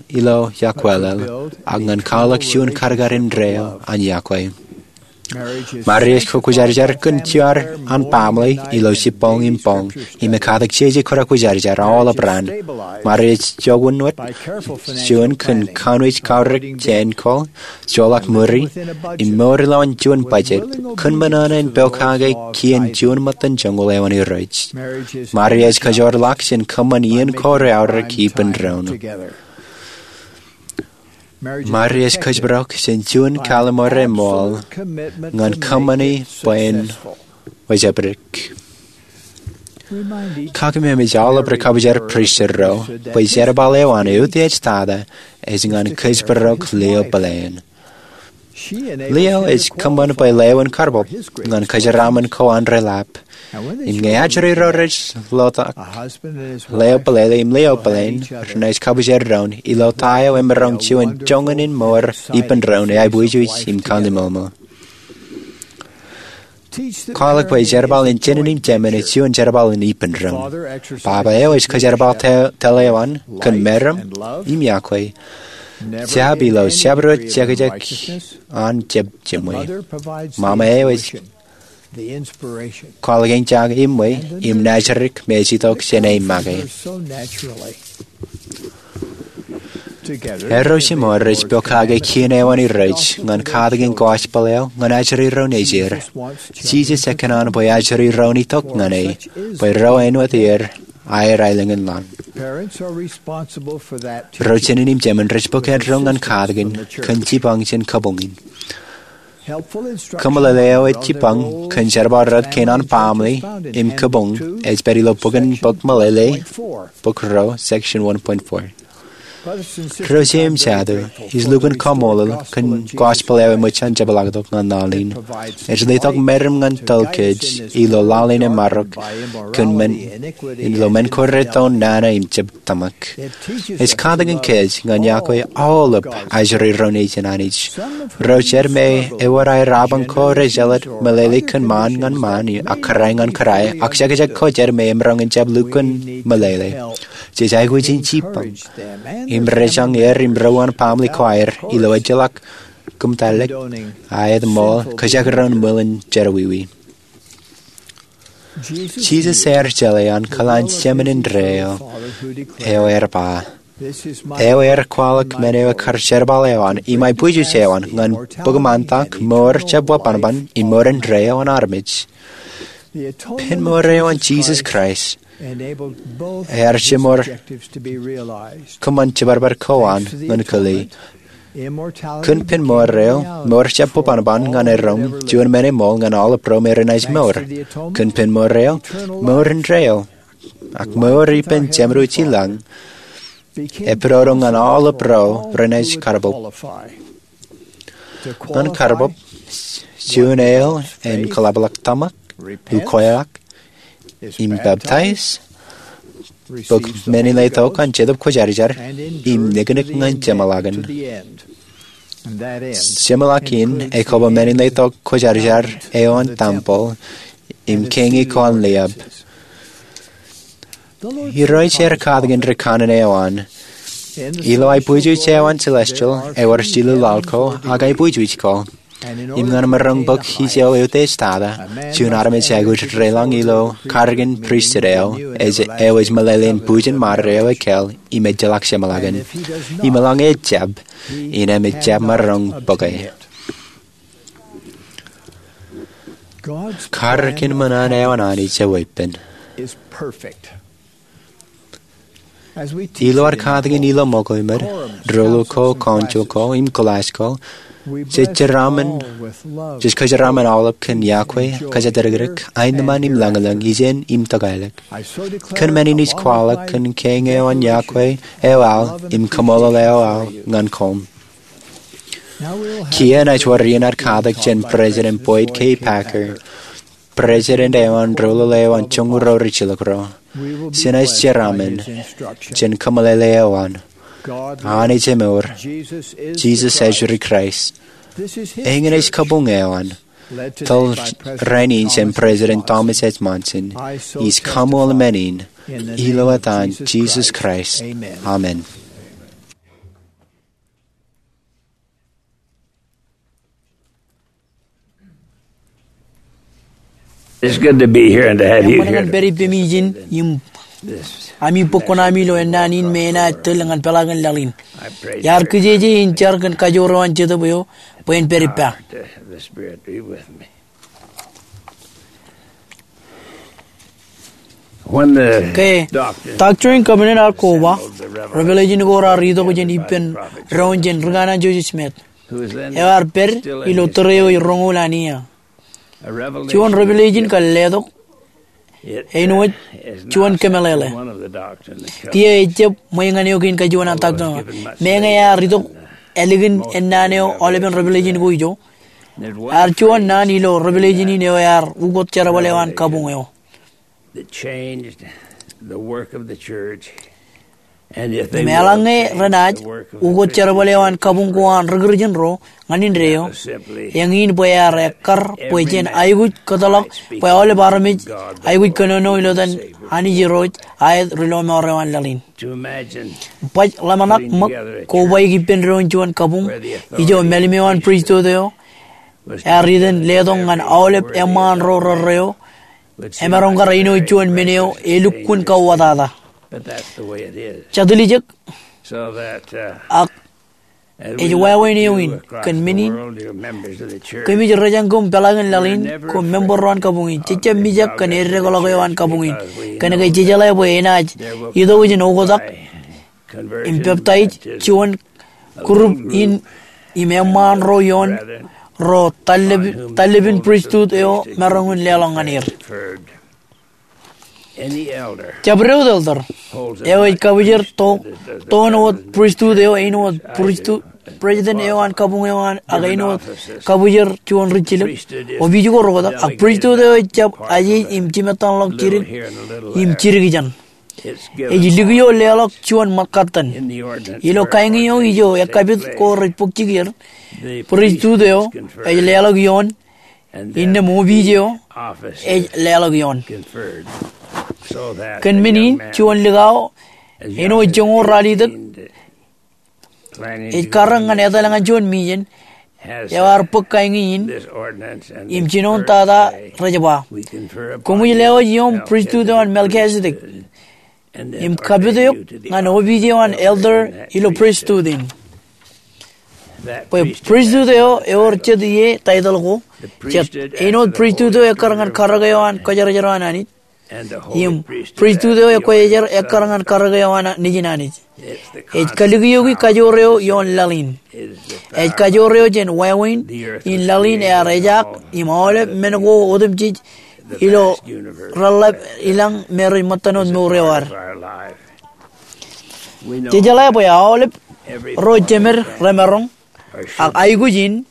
ilo iọkweḷọk, ak ñan kwaḷọk juon karikar indeeo an iọkwe. Ṃaria ej kwōjarjar kōn juon an baaṃle ilo jibboñ im boñ, im ekatakin jeje kōrā kwōjarjar aolep raan. Ṃaria ej jokwe wōt juon kōn kanooj kaorōk jāān ko, joḷọk ṃuri, im mour ilowaan juon budget, kōn ṃōṇōṇō in pokake kien juon ṃōttan joñoul eo an Irooj. Ṃaria ej kajoorḷọk jān kōṃṃan iien ko reaorōk ippān doon. Ṃaria ej kōjparok jān juon kālmore ṃool ñan kōṃṃani bwe en wōjepdik. Kōkāāinwōt aolep ri-kabjar pristut ro bwe jerbal eo an utiej tata ej ñan kōjparok lio pāleen. Lio ej kōṃṃan bwe lewōj karbōb ñan kōjeraaṃṃan ko an ri-lap. Im ñe ajri ro rej lotak lio pālele im lio pāleen, renaaj kabjar doon ilo ta eo emaroñ juon joñan in mour ippān doon eaibwijeej im kalliṃoṃo. Kwaḷọk bwe jerbal in jinen im jemān ej juon jerbal in ippān doon. Baba eo ej kōjerbal tōl eo an kōn meram im iọkwe. Jab ilo jabdewōt jekjek an jab jiṃwe. Mama eo ej kwaḷọk eñjake iṃwe im nājdik me ej itok jān e make. Erro jiṃor rej pokake kien eo an Irooj ñan katakin gospel eo ñan ajri ro nejier. Jisōs ekōṇaan bwe ajri ro en itok ñan e, bwe ro āinwōt er aer aelōñ in laḷ. Ro jānin im jemān rej bōk eddo ñan katakin kōn jipañ jān kabuñ in. Kōmeḷeḷe eo ej jipañ kōn jerbal rot kein an baaṃle im kabuñ ej pād ilo bok in bok meḷeḷe, bok ruo, section one point four. Ro jeiū im jatū, ij lukkuun kaṃṃoolol kōn gospel eo eṃōj an jepḷaaktok ñan laḷ in. Ej letok meram ñan tōl kōj ilo laḷ in emarok kōn men, ilo men ko reton nana im jab tōmak. Ej katakin kōj ñan yokwe aolep ajri ro nejin Anij. Ro jet me ewōr aer apañ ko rej jelōt meḷeḷe kōn ṃaan ñan ṃaan ak kōrā ñan kōrā, ak jekjek ko jet me emaroñ in jab lukkuun meḷeḷe. Jej aikuj in jipañ im rejañ er im ro an baaṃle ko aer ilo ejjeḷọk kōmtallōk, aet ṃool, kōjekdọọn ṃwilen jerọwiwi. Jisōs ear jeḷā an kōḷan Jemān indeeo eo ear ba, eo ear kwaḷọk men eo ekar jerbal eo an im aibwijuj eo an ñan bōk ṃaantak, mour jab wōnṃaanṃaan im mour indeeo an armej. Pen mour eo an Jisōs Kraist ear jiṃor kōṃṃan jibadbad ko an ñan kile. Kōn pen mour eo, mour jab wōnṃaanṃaan ñan erom juon men eṃool ñan aolep ro me renaaj mour. Kōn pen mour eo, mour indeeo, ak mour ippān Jemān wōt ilañ, epidodo ñan aolep ro renaaj karbōb. Ñan karbōb, juon eo en kōḷapḷọk tōmak, ukweḷọk, im peptaij, bōk men in letok an Jetōb Kwōjarjar, im niknik ñan jeṃḷọkin. Jeṃḷọkin ekōbō men in letok kwōjarjar eo an tempel im kein ko an liab. Irooj ear katakin ri kanaan eo an ilo aibwijuj eo an celestial ewōr jilu laḷ ko ak aibwijuj ko. Im ñan maroñ bōk ijo eutiej tata, juon armej ej aikuj deḷọñ ilo karōk in pristut eo, eo ej meḷeḷe in bujen ṃad eo ekāāl im ejjeḷọk jeṃḷọkin. Im eḷaññe ejjab, innem ejjab maroñ bōke. Karōk in ṃōṇōṇō eo an Anij eweeppān. Ilo ad katakin ilo ṃōko im ej, doḷu ko, council ko, im class ko, jej jeraaṃṃan, jej kōjeraaṃṃan aolep kōn yokwe, kōjatdikdik, aenōṃṃan im lañlōñ, ijin im tōkaelōk. Kōn men in ij kwaḷọk kōn kein eo an yokwe eo aō im kaṃṃoolol eo aō ñan koṃ. Kiiō enaaj wōr iien ad katak jān President Boyd K. Packer, President eo an Doḷoḷe eo an Joñoul Ruo Rijilōk Ruo. Jenaaj jeraaṃṃan jān kōmeḷeḷe eo an, Anij emour, Jisōs ej ri Kraist. Eñin ej kabuñ eo an, tōl rainin jān President Thomas S. Monson. Ij kaṃool men in ilo etan Jisōs Kraist, amen. It's good to be here and to have you here. Eṃṃan ñan pād ippemi ijin im ami bōk kuṇaami ilo ennaan in me enaaj tōl ñan peḷaakin laḷ in. Iar kijeje in jar kōn kajoor eo an Jetōb eo bwe en pād ippa. When the Ke Doctrine and Covenants ear koba, Revelation ko raar itok jān ippān doon jān ri kanaan Joseph Smith, eo ear pād ilo tōre eo roñoul an iiō. Juon Revelation kar letok, āinwōt juon kōmeḷeḷe. Kiiō ejjab ṃwe ñan eo kein kajuon an Doctrine. Meñe ear itok ālikin ennaan eo aolepen Revelation ko ijo, ear juon naan ilo Revelation in eo ear ukot jerbal eo an kabuñ eo. That changed the work of the church. Im eḷaññe renaaj ukōt jerbal eo an kabuñ ko an ri Kūrjin ro ñan indeeo, eñin bwe ear ekkar bwe jen aikuj kōtḷọk bwe aolep armej aikuj kōnono ilo etan Anij Irooj, aet ri lọmọọr eo an laḷ in. Baj ḷōmṇak ṃōk kobaik ippān doon juon kabuñ ijo mālim eo an pristut eo ear iten letok ñan aolep eṃṃaan ro rerreo emaroñ kar āinwōt juon men eo elukkuun kauwōtata. Jatū lijek, ak ej wāween eo in kōn men in, kōmij rejañ koṃ peḷaakin laḷ in koṃ member ro an kabuñ in, jejjab mijak kōn eddekḷọk eo an kabuñ in, kōnke jejeḷā bwe enaaj itok ijin oktak im peptaij juon group in im eṃṃaan ro ioon ro tallepin pristut eo maroñ in leḷọk ñan er. Jabdewōt elder eo ej kabwijer toon wōt pristut eo, āinwōt pristut, president eo an kabuñ eo an, ak āinwōt kabwijer juon ri jilōk, opiij ko reoktak, ak pristut eo ejjab ajeej im jimettanḷọk jidik im jidik ijeṇ. Ej likio leḷọk juon ṃōkatan. Ilo kain eo ijo ekkapit ko rej bōk jikier, pristut eo ej leḷọk ioon, innām opiij eo ej leḷọk ioon. Kōn men in, juon likao āinwōt joñoul ralitōk ej karōk ñan etal ñan juon mission eo ear bōk kain in im jinoin tata rej ba, koṃij lewōj ioṃ pristut eo an Melchizedek im kapit eok ñan opiij eo an elder ilo pristut in. Bwe pristut eo ewōr jet ie taitōḷ ko, jet, āinwōt pristut eo ekkar ñan karōk eo an kwōjarjar eo an Anij, im pristut eo ekwōjarjar ekkar ñan karōk eo an Nejin Anij. Ej kalikioki kajoor eo ioon laḷ in. Ej kajoor eo jān wāween in laḷ in ear ejaak im aolep men ko otemjej ilo reḷḷap ilañ me rej ṃōttan wōt mour eo ad. Jejeḷā bwe aolep ro jemed remaroñ ak aikuj in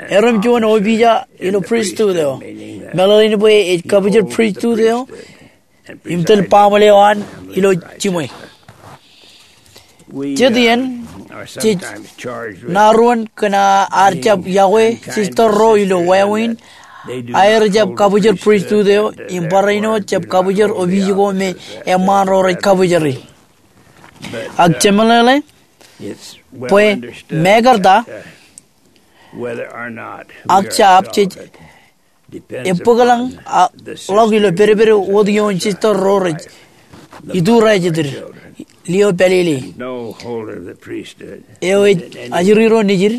erom juon opiij ilo pristut eo, meḷeḷein bwe ej kabwijer pristut eo im tōl baaṃle eo an ilo jiṃwe. Jet iien, jej naruon kōn ad jab iọkwe sister ro ilo wāween aer jab kabwijer pristut eo im barāinwōt jab kabwijer opiij ko me eṃṃaan ro rej kabwijeri. Ak jemeḷeḷe bwe mekarta ak jab jej ebōkḷọk ilo pedped wōt ioon sister ro rej iturajeted lio pālele eo ej ajri ro nejid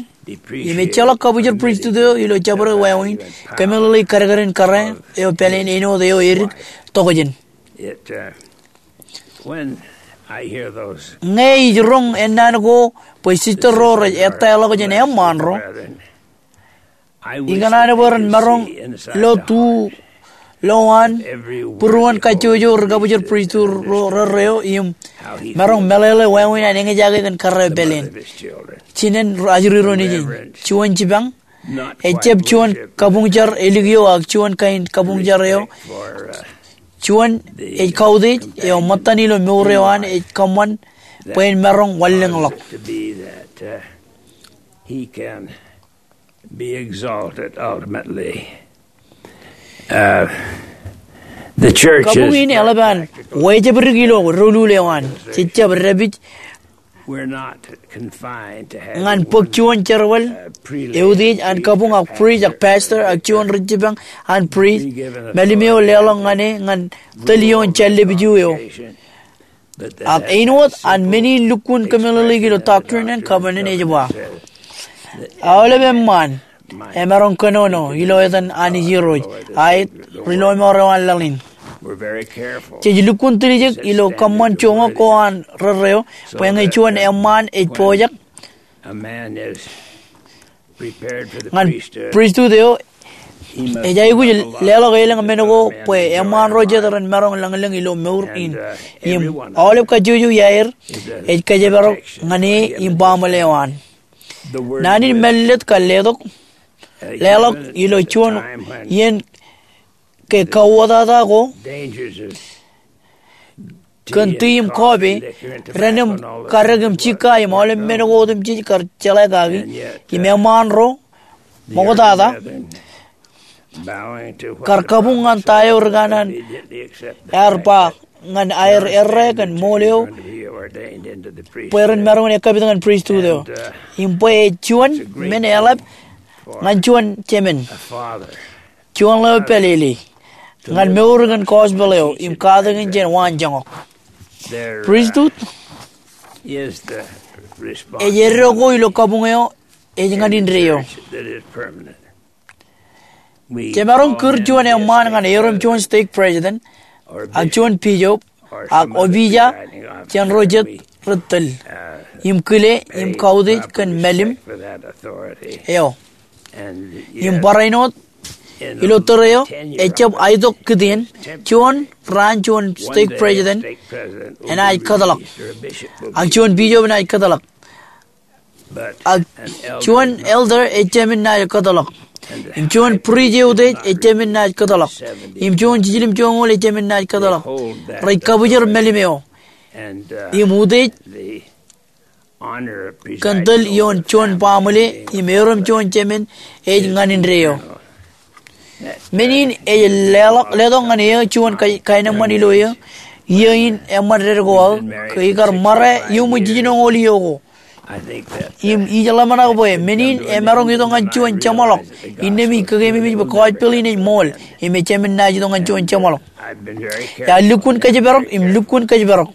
im ejjeḷọk kabwijer pristut eo ilo jabdewōt wāween. Kōmeḷeḷe kadkadin kōrā eo pāleen āinwōt eo edik tokjān. Ñe ij roñ ennaan ko bwe sister ro rej ettaḷọk jān eṃṃaan ro, ikōṇaan bwe ren maroñ lo tu lowaan būruon kajjojo ri kabwijer pristut ro rerreo im maroñ meḷeḷe wāween an eñjake kōn kōrā eo pāleen. Jinen ajri ro nejin, juon jipañ, ejjab juon kabuñjar elikio ak juon kain kabuñjar eo, juon ej kautiej eo ṃōttan ilo mour eo an ej kōṃṃan bwe en maroñ wanlōñḷọk. Kabuñ in eḷap an wejābdik ilo doulul eo an, jejjab dāpij ñan bōk juon jerbal eutiej an kabuñ ak priest ak pastor ak juon ri jipañ an priest mālim eo leḷọk ñan e ñan tōl ioon jallepju eo. Ak āinwōt an men in lukkuun kōmeḷeḷeik ilo Doctrine and Covenants ej ba, aolep eṃṃaan emaroñ kōnono ilo etan Anij Irooj, aet, ri lọmọọr eo an laḷ in. Jej lukkuun tiljek ilo kōṃṃan joñak ko an rerreo bwe ñe juon eṃṃaan ej pojak ñan pristut eo, ej aikuj leḷọk elōñ men ko bwe eṃṃaan ro jet ren maroñ lōñlōñ ilo mour in. Im aolep kajjojo iaer ej kōjparok ñan e im baaṃle eo an. Naan in mālōtlōt kar letok, leḷọk ilo juon iien ke kauwōtata ko kōn tii im kọọpe, ren im kadek im jikka im aolep men ko otemjej kar jeḷā kaki, im eṃṃaan ro ṃoktata kar kabuñ ñan ta eo ri kanaan ear ba ñan aer errā kōn ṃool eo bwe ren maroñ in ekkapit ñan pristut eo. Im bwe ej juon men eḷap ñan juon jemān, juon ḷeo pālele, ñan mour kōn gospel eo im katakin jān waanjoñak. Pristut ej eddo ko ilo kabuñ eo ej ñan indeeo. Jemaroñ kūr juon eṃṃaan ñan erom juon stake president, ak juon bishop, ak opija jān ro jet rej tōl im kile im kautiej kōn mālim eo. Im barāinwōt ilo tōre eo, ejjab aetok kitien, juon raan juon stake president enaaj kōtḷọk, ak juon bishop enaaj kōtḷọk, ak juon elder ejāmin naaj kōtḷọk, im juon bridge eutiej ejāmin naaj kōtḷọk, im juon jiljilimjuonñoul ejāmin naaj kōtḷọk. Rej kabōjrak mālim eo im utiej kōn tōl ioon juon baaṃle im erom juon jemān ej ñan indeeo. Men in ej leḷọk, letok ñan eō juon ka-, kaenōṃṃan ilo eō, iiō in eṃṃan dedik ko aō, ke ikar ṃare iuṃwin jiljinoñoul iiō ko. Im ij ḷōmṇak bwe men in emaroñ itok ñan juon jeṃḷọk innām ij kōkeememej bwe gospel in ej ṃool im ejāmin naaj itok ñan juon jeṃḷọk. Iar lukkuun kōjparok im lukkuun kōjparok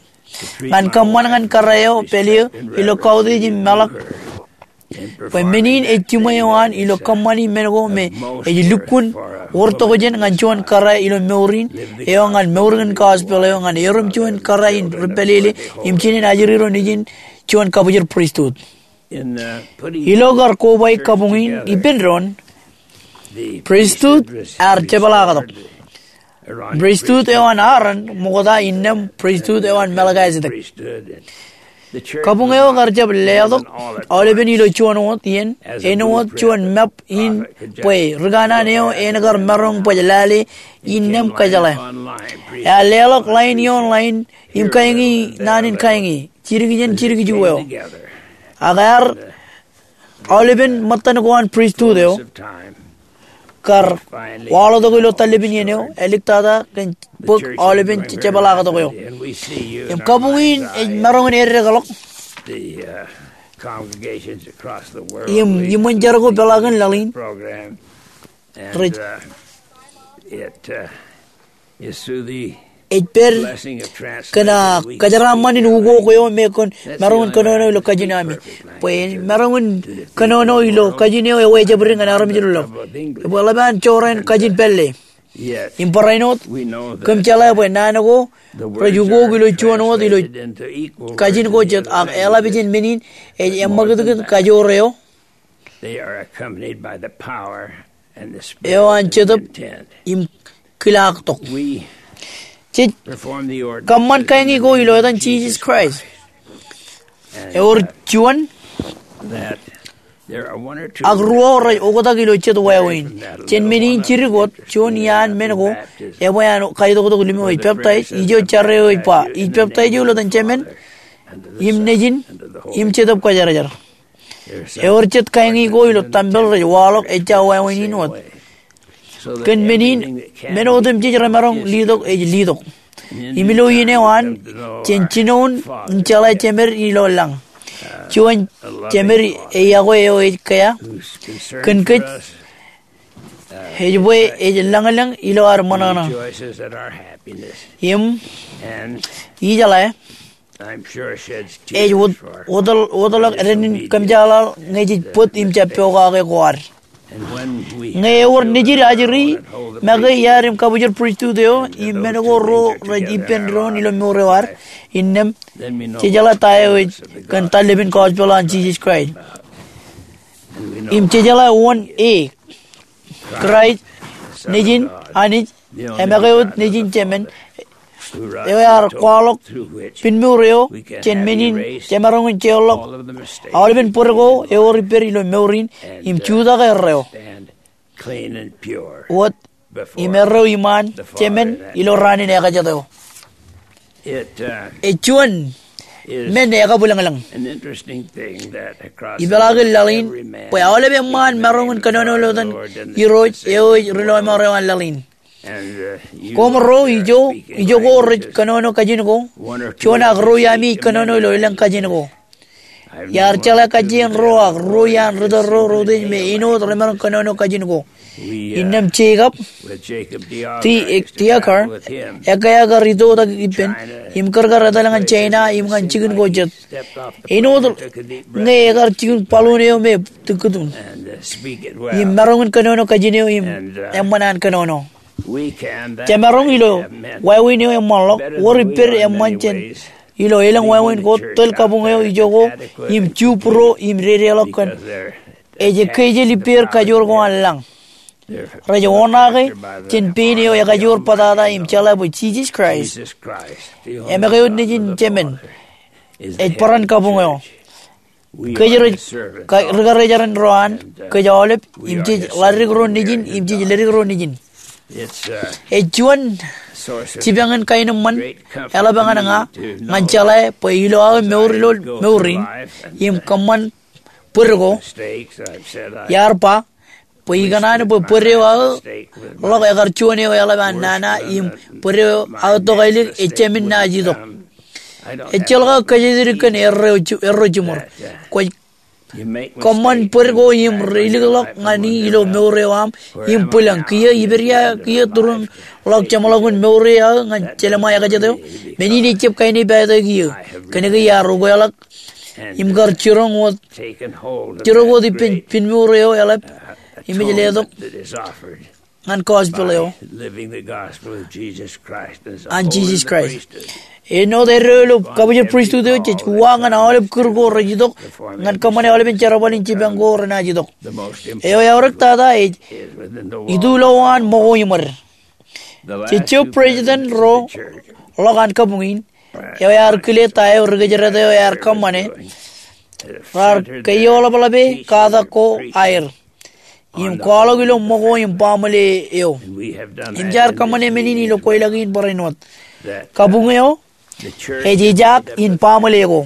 ñan kōṃṃan ñan kōrā eo pāle eō ilo kautiej im meḷọk bwe men in ej jiṃwe eo an ilo kōṃṃani men ko me ej lukkuun wōr tokjān ñan juon kōrā ilo mour in eo ñan mour kōn gospel eo ñan erom juon kōrā in ri pālele im jinen ajri ro nejin juon kabōjrak pristut. Ilo kar koba kabuñ in ippān doon, pristut ear jepḷaaktok. Pristut eo an Aaron ṃokta innām pristut eo an Melkisedek. Kabuñ eo kar jab leḷọk aolepen ilo juon wōt iien āinwōt juon map in bwe ri kanaan eo en kar maroñ baj lale innām kōjeḷā. Ear leḷọk line ioon line im kaeñi naan in kaeñi, jidik jān jidik juon eo. Ak ear aolepen ṃōttan ko an pristut eo kar waḷọktok ilo tōl lepin iien eo, āliktata kōn bōk aolepen jepḷaaktok eo. Im kabuñ in ej maroñ in eddekḷọk im iṃōn jar ko peḷaakin laḷ in rej ej pād kōn kōjeraaṃṃan in ukok eo me kwōn maroñ in kōnono ilo kajin ami. Bwe en maroñ in kōnono ilo kajin eo ewōr jabdewōt ñan armej ilo ḷọk. Bwe eḷap an jorrāān kajin pālle. Im barāinwōt kōm jeḷā bwe naan ko rej ukok ilo juon wōt ilo kajin ko jet ak eḷap jān men in ej eṃṃakūtkūt kajoor eo eo an Jetōb im kilaaktok. Jej kōṃṃan kaeñi ko ilo etan Jisōs Kraist. Ewōr juon ak ruo rej oktak ilo jet wāween. Jān men in jidik wōt juon iaan men ko ebwe an kaitoktok lōm eo ej peptaij, ijo jar eo ej ba, ij peptaij eō ilo etan Jemān im Nejin im Jetōb Kwōjarjar. Ewōr jet kaeñi ko ilo tempel rej waḷọk ejja wāween in wōt. Kōn men in, men otemjej remaroñ litok ej litok. Im ilo iien eo an, jen jinoin in jeḷā jemed ilo lañ. Juon jemed eo ej kea kōn kōj ej bwe ej lañlōñ ilo ad ṃōṇōṇō. Im ijeḷā ej wōtlọk dān in kōmjeḷaḷ ñe jej bōd im jab pokake ko ad. Ñe ewōr nejid ajri make iar im kabōjrak pristut eo im men ko ro rej ippān doon ilo mour eo ad, innām jejeḷā ta eo ej kōn tōl lepin gospel an Jisōs Kraist. Im jejeḷā wōn e Kraist, Nejin Anij, e make wōt Nejin Jemān, eo ear kwaḷọk pinmour eo jān men in jemaroñ in jeorḷọk aolepen bōd ko ewōr ippād ilo mour in im jutak erreo wōt im erreo iṃaan Jemān ilo raan in ekajet eo. Ej juon men ekabwilōñlōñ ipeḷaakin laḷ in bwe aolep eṃṃaan maroñ in kōnono ilo etan Irooj eo ej Ri-lọmọọr eo an laḷ in. Koṃro ijo, ijoko rej kōnono kajin ko, juon ak ruo iaami ej kōnono ilo elōñ kajin ko. Iar jeḷā kajjien ruo ak ruo iaan ri-tōl ro rot ej me āinwōt remaroñ kōnono kajin ko. Innām Jacob D. Diaker, ekkā ear itoitak ippān im kūrkar etal ñan China im ñan jikin ko jet. Āinwōt ñe ekar jikin balloon eo me tikkutun im maroñ in kōnono kajin eo im eṃṃan an kōnono. Jemaroñ ilo wāween eo eṃṃanḷọk, wōr ippād eṃṃan jān ilo elōñ wāween ko tōl kabuñ eo ijoko im ju būro im dedeḷọk kōn ej ekkejel ippāer kajoor ko an lañ. Rej oṇaake jān pein eo ekajoor bōtata im jeḷā bwe Jisōs Kraist eṃōkaj wōt Nejin Jemān, ej barāinwōt kabuñ eo. Kōj rej, ka, ri-karijeran ro an, kōj aolep, im jej ḷaddik ro nejin, im jej leddik ro nejin. Ej juon jipañ in kaenōṃṃan eḷap ñan ña, ñan jeḷā bwe ilo aō mour ilo mour in, im kōṃṃan bōd ko, iar ba, bwe ikōṇaan bwe bōd eo aō ḷọk ekar juon eo eḷap an nana im bōd eo aō tokālik ejāmin naaj itok. Ejjeḷọk aō kōjatdikdik kōn erro jiṃor. Kwōj kōṃṃan bōd ko im ri-ilikḷọk ñan i ilo mour eo aṃ im bwilōñ. Kiiō ipād ia kiiō tūrūnḷọk jeṃḷọkin mour eo aō ñan Jelemaia ekajet eo? Men in ejjab kaenōṃṃan ippato kiiō. Kōnke iar ukeḷọk im kar jiroñ wōt, jiroñ wōt ippān pinmour eo eḷap im ej letok ñan gospel eo an Jisōs Kraist. Āinwōt eddo ilo kabōjrak pristut eo, jej uwaak ñan aolep kūr ko rej itok ñan kōṃṃane aolepen jerbal in jipañ ko renaaj itok. Eo eaorōk tata ej ituḷọk an ṃōko iṃōd. Jejjo president ro ḷọk an kabuñ in eo ear kile ta eo ri-kōjdat eo ear kōṃṃane, raar kaeoḷapḷọke katak ko aer im kwaḷọk ilo ṃōko im baaṃle eo. Im jaar kōṃṃane men in ilo kweilọk in barāinwōt. Kabuñ eo ej ijaak in baaṃle ko.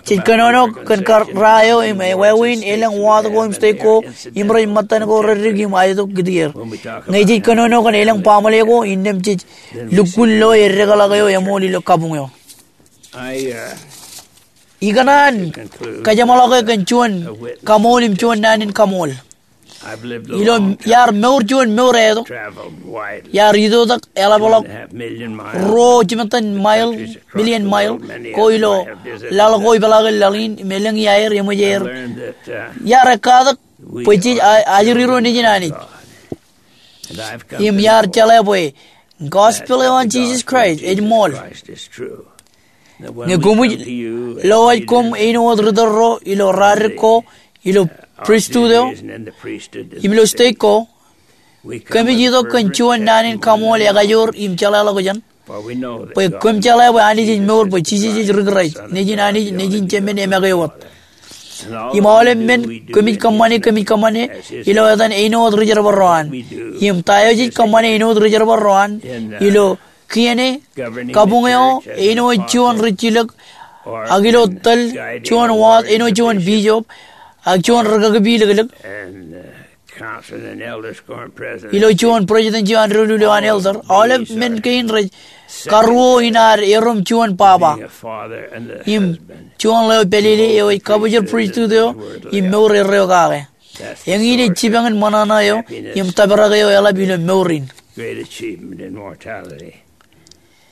Jej kōnono kōn kar ra eo im wāween elōñ wōt ko im stek ko im rej ṃōttan ko reddik im aetok kitier. Ñe jej kōnono kōn elōñ baaṃle ko, innām jej lukkuun lo eddekḷọk eo eṃool ilo kabuñ eo. Ikōṇaan kajeṃḷọke kōn juon kaṃool im juon naan in kaṃool. Ilo iar mour juon mour etok, iar itoitak eḷapḷọk ruo jimettan mile, million mile, ko ilo laḷ ko ipeḷaakin laḷ in, im elōñ iaer, eṃōj aer. Iar ekkatak bwe jej a, ajri ro nejin Anij im iar jeḷā bwe gospel eo an Jisōs Kraist ej ṃool. Ñe koṃij lowaj koṃ āinwōt ri-tōl ro ilo radik ko, ilo pristut eo, im ilo stek ko, kōmij itok kōn juon naan in kaṃool ekajoor im jeḷāḷọkjeṇ bwe kōm jeḷā bwe Anij ej mour, bwe Jisōs ej ri-Kraist, Nejin Anij, Nejin Jemān, eṃōkaj wōt. Im aolep men kōmij kōṃṃane, kōmij kōṃṃane ilo etan āinwōt ri-jerbal ro an. Im ta eo jej kōṃṃane āinwōt ri-jerbal ro an ilo kien e, kabuñ eo āinwōt juon rijjilōk, ak ilo tōl juon wōt āinwōt juon bishop, ak juon rikaki pilōklōk, ilo juon president eo an doulul eo an elder. Aolep men kein rej karuo in ad erom juon baba im juon ḷeo pālele eo ej kabōjrak pristut eo im mour erreo kake. Eñin ej jipañ in ṃōṇōṇō eo im tōprak eo eḷap ilo mour in.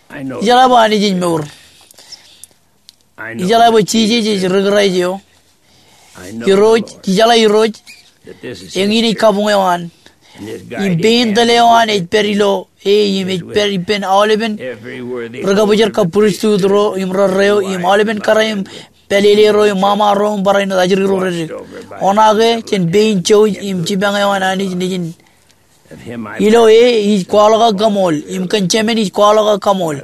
Ijeḷā bwe Anij ej mour. Ijeḷā bwe Jisōs ej ri-Kraist eo. Irooj, ijeḷā Irooj, eñin ej kabuñ eo an. Im pein tōl eo an ej pād ilo e im ej pād ippān aolepen ri-kabōjrak kab pristut ro im rerreo im aolepen kōrā im pālele ro im ṃaṃa ro im barāinwōt ajri ro reddik. Oṇaake jān pein jouj im jipañ eo an Anij Nejin. Ilo e ij kwaḷọk aō kaṃool im kōn Jemān ij kwaḷọk aō kaṃool.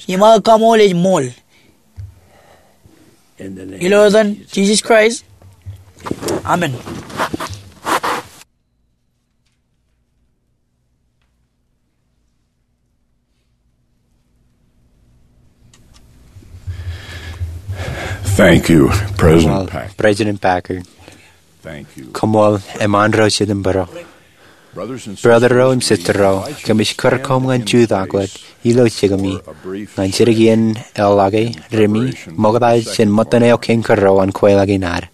Im aō kaṃool ej ṃool. Ilo etan Jisōs Kraist. Amen. Thank you, President Koṃṃool, Packer. President Packer. Thank you. Koṃṃool, eṃṃaan ro jitōnbōro. Brother ro im sister ro, kōmij kūr koṃ ñan jutak wōt ilo jikimi ñan jidik iien eḷḷọke rimi ṃokta jān ṃōttan eo kein kūr ro an kweilọk in ad.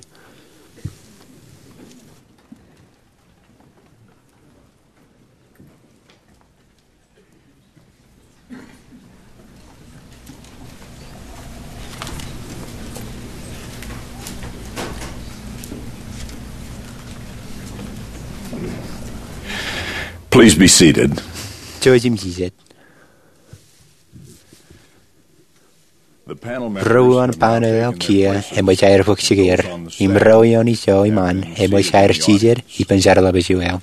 Please be seated. Jouj im jijet. Ro uwaan panel eo kiiō eṃōj aer bōk jikier, im ro ioon ijo iṃaan eṃōj aer jijet ippān jar ḷapij eo.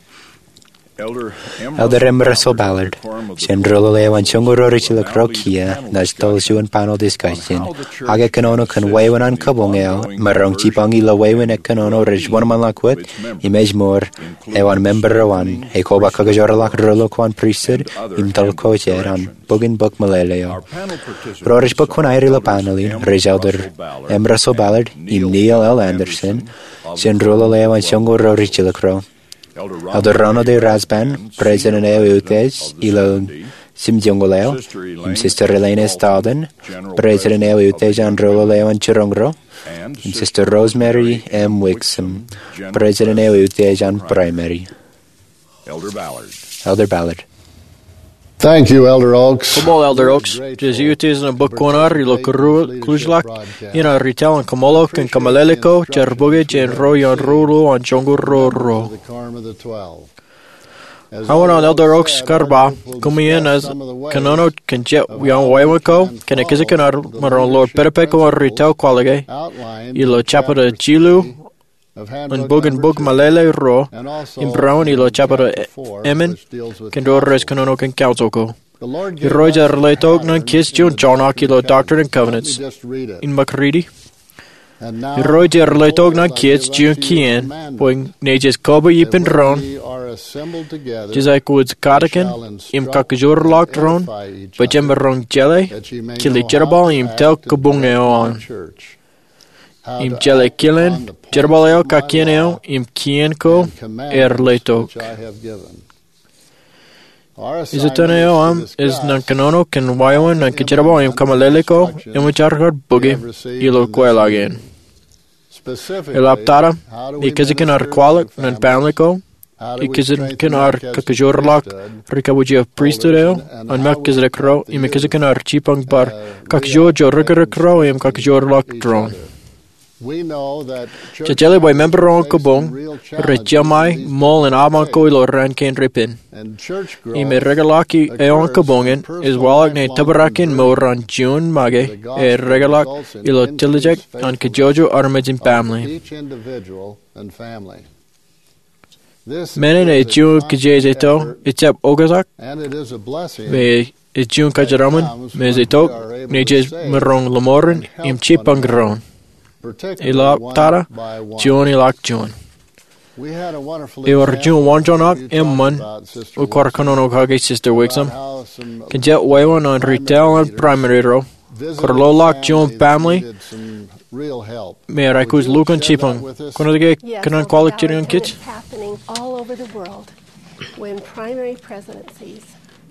Elder M. Russell Ballard, jān ro lale eo an joñoul ruo rijjelōk ro kiiō, naaj toḷ juon panel discussion, ak ekōnono kōn wāween an kabuñ eo, maroñ jipañ ilo wāween ekōnono rej wōnṃaanḷọk wōt, im ej mour, eo an member ro an, ekoba kakijoorḷọk ro lo ko an pristut, im toḷ ko jet an bōk in bōk meḷeḷe eo. Ro rej bōk kuṇaer ilo panel in, rej Elder M. Russell Ballard, im Neil L. Andersen, jān ro lale eo an joñoul ruo rijjelōk ro. Elder Ronald A. Rasband, president eo eutiej ilo jimjuoñoul eo, im sister Elaine S. Dalton, president eo eutiej an ro lale eo an jiroñ ro, im sister Rosemary M. Wixom, president eo eutiej an primary. Elder Ballard. Thank you, Elder Oaks. Koṃṃool, Elder Oaks. Jej eutiej ñan bōk kuṇaer ilo kūrujḷọk in ad ri taḷ in kaṃṃoolol kōn kōmeḷeḷe ko jar bōke jān ro ioon ro lale eo an joñoul ruo ruo. Aō an Elder Oaks kar ba, koṃwin naaj kōnono kōn jet ioon wāween ko kōn ekōjkan ad maroñ ḷoor pedped ko an ri taḷ kwaḷọke ilo jabta jilu an bōk in bōk meḷeḷe ro, im barāinwōt ilo jabta emān, kōn ro rej kōnono kōn council ko. Irooj ear letok ñan kōj juon joñak ilo Doctrine and Covenants. Im ṃōk riiti. Irooj ear letok ñan kōj juon kien, bwe ñe jej kōba ippān doon, jej aikuj katakin im kakijoorḷọk doon, bwe jemaroñ jeḷā kile jerbal im taḷ kabuñ eo an. Im jeḷā kilen jerbal eo, kakien eo, im kien ko ear letok. Ej itok eo aṃ ej ñan kōnono kōn wāween an kōjerbal im kōmeḷeḷe ko eṃōj aer kar bōke ilo kweilọk in. Eḷap tata, ekōjkan ad kwaḷọk ñan baaṃle ko, ekōjkan ad kakijoorḷọk ri kabwij eo pristut eo an Melchizedek ro, im ekōjkan ad jipañ bar kakijoor rijirjirek ro im kakijoorḷọk doon. Jej jeḷā bwe member eo an kabuñ rej jemāe ṃool in aṃ ko ilo raan kein repen. Im erekeḷọk eo an kabuñ in ej waḷọk ñan tōprak in mour an juon make, erekeḷọk ilo tiljek an kajjojo armej im baaṃle. Men in ej juon kijejeto, ejjab oktak, im ej juon kōjeraṃṃan, im ej itok ñe jej maroñ lọmọọren im jipañ doon. Eḷap tata, juon ilọk juon. Ewōr juon waanjoñak eṃṃan, eo kwaar kōnono kake, Sister Wixom, kōn jet wāween an ri taḷ an primary ro, kwaar lolọk juon baaṃle, im ear aikuj lukkuun jipañ. Kwōnaaj ke kōṇaan kwaḷọk jidik ñan kōj?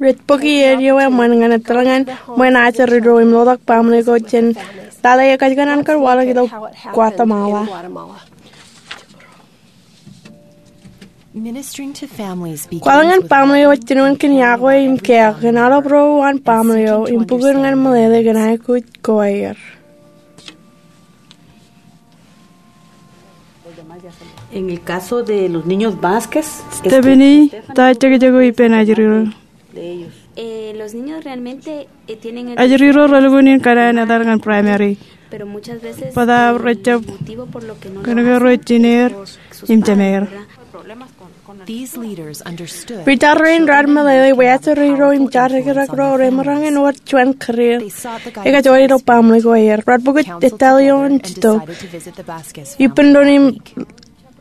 Rej bōki edio eṃṃan ñan etal ñan ṃōn ajri ro im lolọk baaṃle ko jān lale eo kōjkan an kar waḷọk ilo Guatemala. Kwaḷọk ñan baaṃle eo ej jinoin kōn iakwe im keok kōn aolep ro uwaan baaṃle eo im bukun ñan meḷeḷe kōn aikuj ko aer. En el caso de los niños Vázquez, Stephanie, ta jekjek eo ippān ajri ro? Eh, los niños realmente, eh, tienen el... Ajri ro relukkuun in kōṇaan etal ñan primary. Pero muchas veces, bōtab, eh, rejjab, motivo por lo que no lo hacen, kōnke ro jineer im jemeer. These leaders understood. Ri jar rein raar meḷeḷe bwe ajri ro im jar rekrek ro remaroñ in wōr juon kōrā ekajoor ilo baaṃle ko aer. Raar bōk etal ioon Jetōb ippān doon im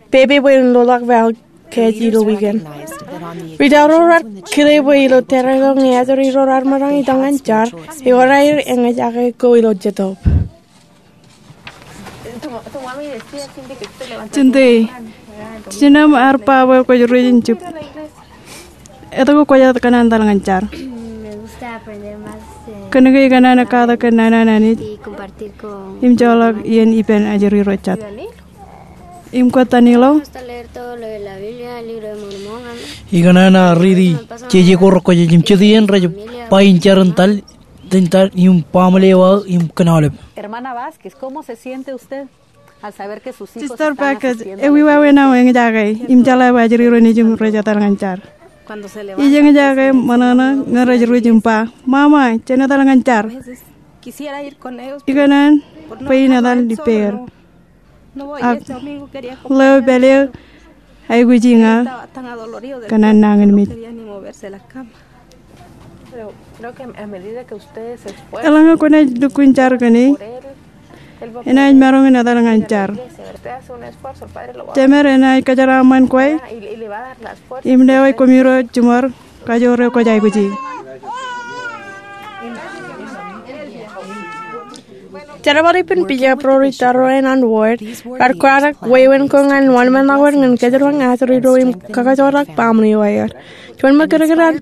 pepe bwe en lolọk waḷọk kāāj ilo wiik in. Ri jar ro raar kile bwe ilo tōre eo ñe ajri ro raar maroñ itok ñan jar, ewōr aer eñjake ko ilo Jetōb. Jinte, jinōṃ ear ba bwe kwōj ruj in jab etke kwōjjab kōṇaan etal ñan jar. Kōnke ikōṇaan katak kōn naan an Anij im joḷọk iien ippān ajri ro jet. Im kōttan ilo. Ikōṇaan riiti jeje ko rekwōjarjar im jet iien rej ba in jar in etal, in etal im baaṃle eo aō im kōn aolep. Hermana Vázquez, ¿cómo se siente usted al saber que sus hijos están asistiendo a la iglesia? Sister Beckett, ewi wāween aṃ eñjake im jeḷā bwe ajri ro nejūṃ rej etal ñan jar? Ij eñjake ṃōṇōṇō ñe rej ruj im ba, "Mama, jen etal ñan jar." Ikōṇaan bwe in etal ippāer. Ak leo pād eo aikuji ña kōn an nañinmej. Eḷaññe kwōnaaj lukkuun jar kōn e, enaaj maroñ in etal ñan jar. Jemed enaaj kōjeraaṃṃan kwe im lewōj koṃiro jiṃor kajoor eo kwōj aikuji. Jerbal ippān bishop ro ri tōre ro an ward raar kwaḷọk wāween ko ñan wōnṃaanḷọk wōt ñan kōjatdọọn ajri ro im kakajoorḷọk baaṃle eo aer. Juon ṃōk kōdkōd an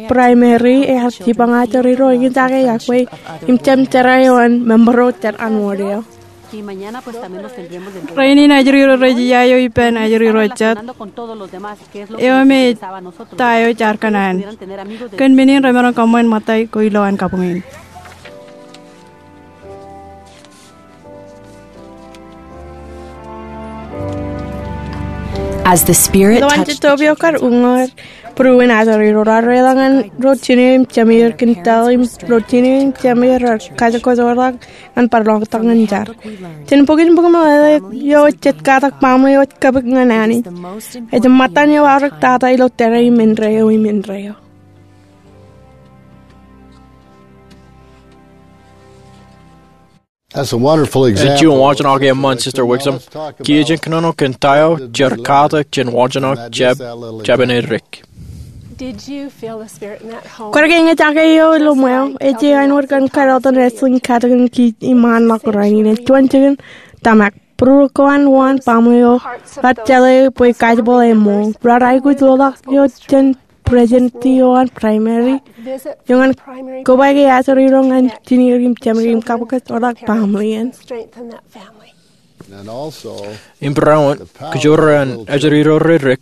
primary ear jipañ ajri ro eñjake iọkwe im jab jera eo an member ro jet an ward eo. Rainin ajri ro rej iiaio ippān ajri ro jet eo me ta eo jaar kōṇaan. Kōn men in remaroñ kōṃṃan ṃōttan ko ilowaan kabuñ in. As the Spirit touched the children. Ilowaan Jetōb eo kar uññūr būruon ajri ro raar reḷọk ñan ro jine im jemeer kōn etal im ro jine im jemeer raar kajjojo ḷọk ñan bar ḷotak ñan jar. Jān bok in bok in ṃōttan eo jet katak baaṃle eo ej kōbōk ñan Anij. Ej ṃōttan eo aorōk tata ilo tōre im indeeo im indeeo. That's a wonderful example. Ej juon wōnṃaanḷọk eṃṃan, Sister Wixom. Kiiō jen kōnono kōn ta eo jar katak jān wōnṃaanḷọk jab, jab in erik. Did you feel the Spirit in that home? Kwōj ke eñjake eo ilo ṃweo? Ej āinwōt kōn kadeḷọñ etal in katakin kij iṃaan ḷọk rainin. Ej juon jikin tōmak. Būruon ko an wōn baaṃle eo raar jeḷā bwe kajjitōk eṃṃool. Raar aikuj ḷoḷḷọk eo jān president eo an primary eo ñan kobaik ajri ro ñan jineer im jemeer im kabōkḷọk baaṃle in. Im barāinwōt, kajoor an ajri ro rej dik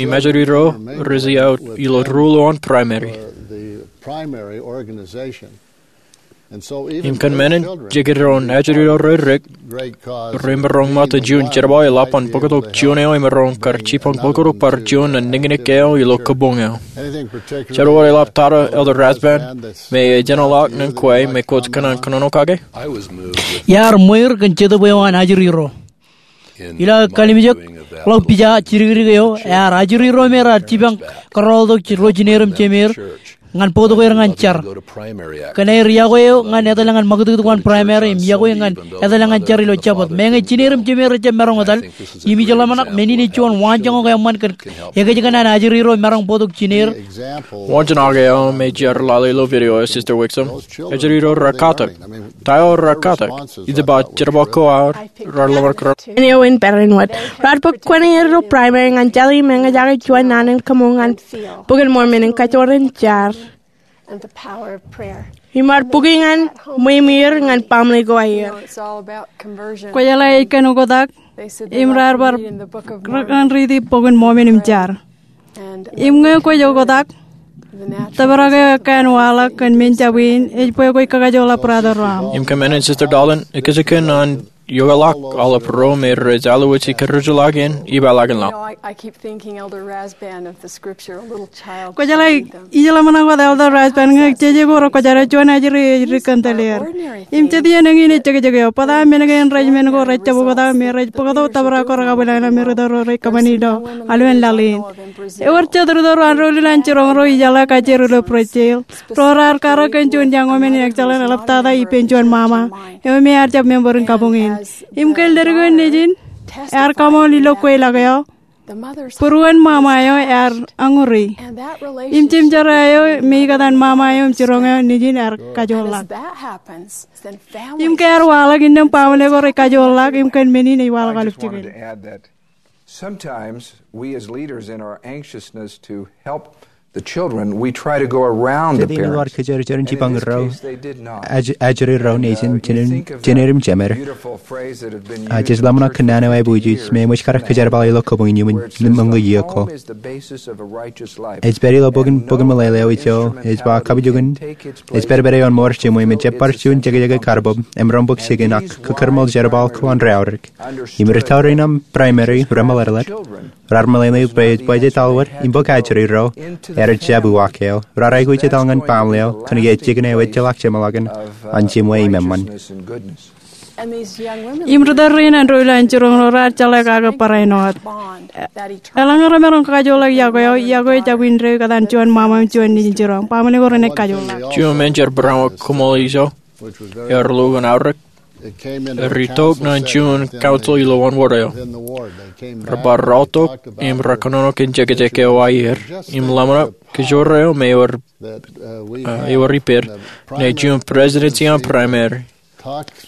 im ajri ro rej iiaut ilo ruo eo an primary. Im kōn men in, jekdọọn ajri ro rej dik remaroñ ṃōttan juon jerbal eḷap an bōktok juon eo emaroñ kar jipañ bōktok bar juon nañinñeik eo ilo kabuñ eo. Jen wōt eḷap tata Elder Rasband me ejjeḷọk ñan kwe me kwōj kōṇaan kōnono kake. Iar ṃweir kōn Jetōb eo an ajri ro. Ilo kallimjek ḷọk pija jidikdik eo, ear ajri ro me raar jipañ kōrọọltok ro jineer im jemeer ñan bōktok er ñan jar. Kōn aer iọkwe eo ñan etal ñan ṃakūtkūt ko an primary im iọkwe ñan etal ñan jar ilo Jabōt. Meñe jineer im jemeer rej jab maroñ etal, im ij ḷōmṇak men in ej juon waanjoñak eṃṃan kōn ekōjkan an ajri ro maroñ bōktok jineer. Waanjoñak eo me jar lale ilo video eo, Sister Wixom, ajri ro raar katak. Ta eo raar katak? Ij ba jerbal ko aō raar ḷōmṇak. Āinwōt, raar bōk kōn er ilo primary ñan jar im eñjake juon naan in kaṃṃool ñan Bok in Mormon im kajoor in jar. Im raar bōki ñan ṃweiṃweer ñan baaṃle ko aer. Kwōjeḷā ej kōn oktak im raar bar rekōṇaan riiti Bok in Mormon im jar. Im ñe kwōj oktak, tōprak eo ekkā en waḷọk kōn men jab in ej bwe kwōj kakajoorḷọk brother ro aṃ. Im kōn men in, Sister Dalton, ekōjkan an iokḷọk aolep ro me rej alwōj ikōrọọlḷọk in ippaḷọkin ḷọk. Kwōjeḷā, ij ḷōmṇak wōt Elder Rasband ñe jeje ko rekwōjarjar juon ajri ej dik kōn tōl er. Im jet iien eñin ej jekjek eo, bōtab men kein rej men ko rej jab oktak me rej bōktok tōprak ko rekabwilōñlōñ me rūtto ro rej kōṃṃani ilo aolep laḷ in. Ewōr jet rūtto ro an ro ilo an jiroñ ro ijeḷā kajjioñ ilo Brazil ro raar karōk kōn juon young woman in ekjālōn eḷaptata ippān juon ṃaṃa eo me ear jab member in kabuñ in. Im kōn ledik eo nejin, ear kaṃool ilo kweilọk eo. Būruon ṃaṃa eo ear añuri. Im jimjerā eo me ikōtaan ṃaṃa eo im jiroñ eo nejin ear kajoor ḷọk. Im ke ear waḷọk innām baaṃle ko rej kajoor ḷọk im kōn men in ej waḷọk aolep jikin. Sometimes we as leaders, in our anxiousness to help the children, we try to go around the parents. Kōjeorjeor in jipañ ro, ajri ro nejin, jener im jemed. Jej ḷōmṇak kōn naan eo aebwijij me eṃōj kar kōjerbal ilo kōbwiin iuṃwin ṃōñā iiō ko. Ej pād ilo bok in, bok in meḷeḷe eo ijo ej ba kabujukin ej pedped ioon mour jiṃwe me jab bar juon jekjek karbōb, emaroñ bōk jikin ak kōkōrṃool jerbal ko an raorōk. Im ri tọujin aṃ primary remeḷeḷe, raar meḷeḷe bwe ej bajjek aolep im bōk ajri ro, ear jab uwaak eo, raar aikuj etal ñan baaṃle eo kōnke ej jikin eo ejjeḷọk jeṃḷọkin an jiṃwe im eṃṃan. Im ri tōl rein an ro ilowaan jiroñ ro raar jeḷā kake barāinwōt. Eḷaññe remaroñ kakajoorḷọk yokwe eo, yokwe eo jab indeeo ikōtaan juon ṃaṃa im juon nejin jiroñ. Baaṃle ko renaaj kajoorḷọk. Juon menjer būruon koṃṃool ijo, ear lukkuun aorōk, rej itok ñan juon council ilowaan wōr eo. Rebar rọọltok im rekōnono kōn jekjek eo aer im ḷōmṇak kōjro eo me ewōr, ewōr ippād ṇe juon presidency an primary.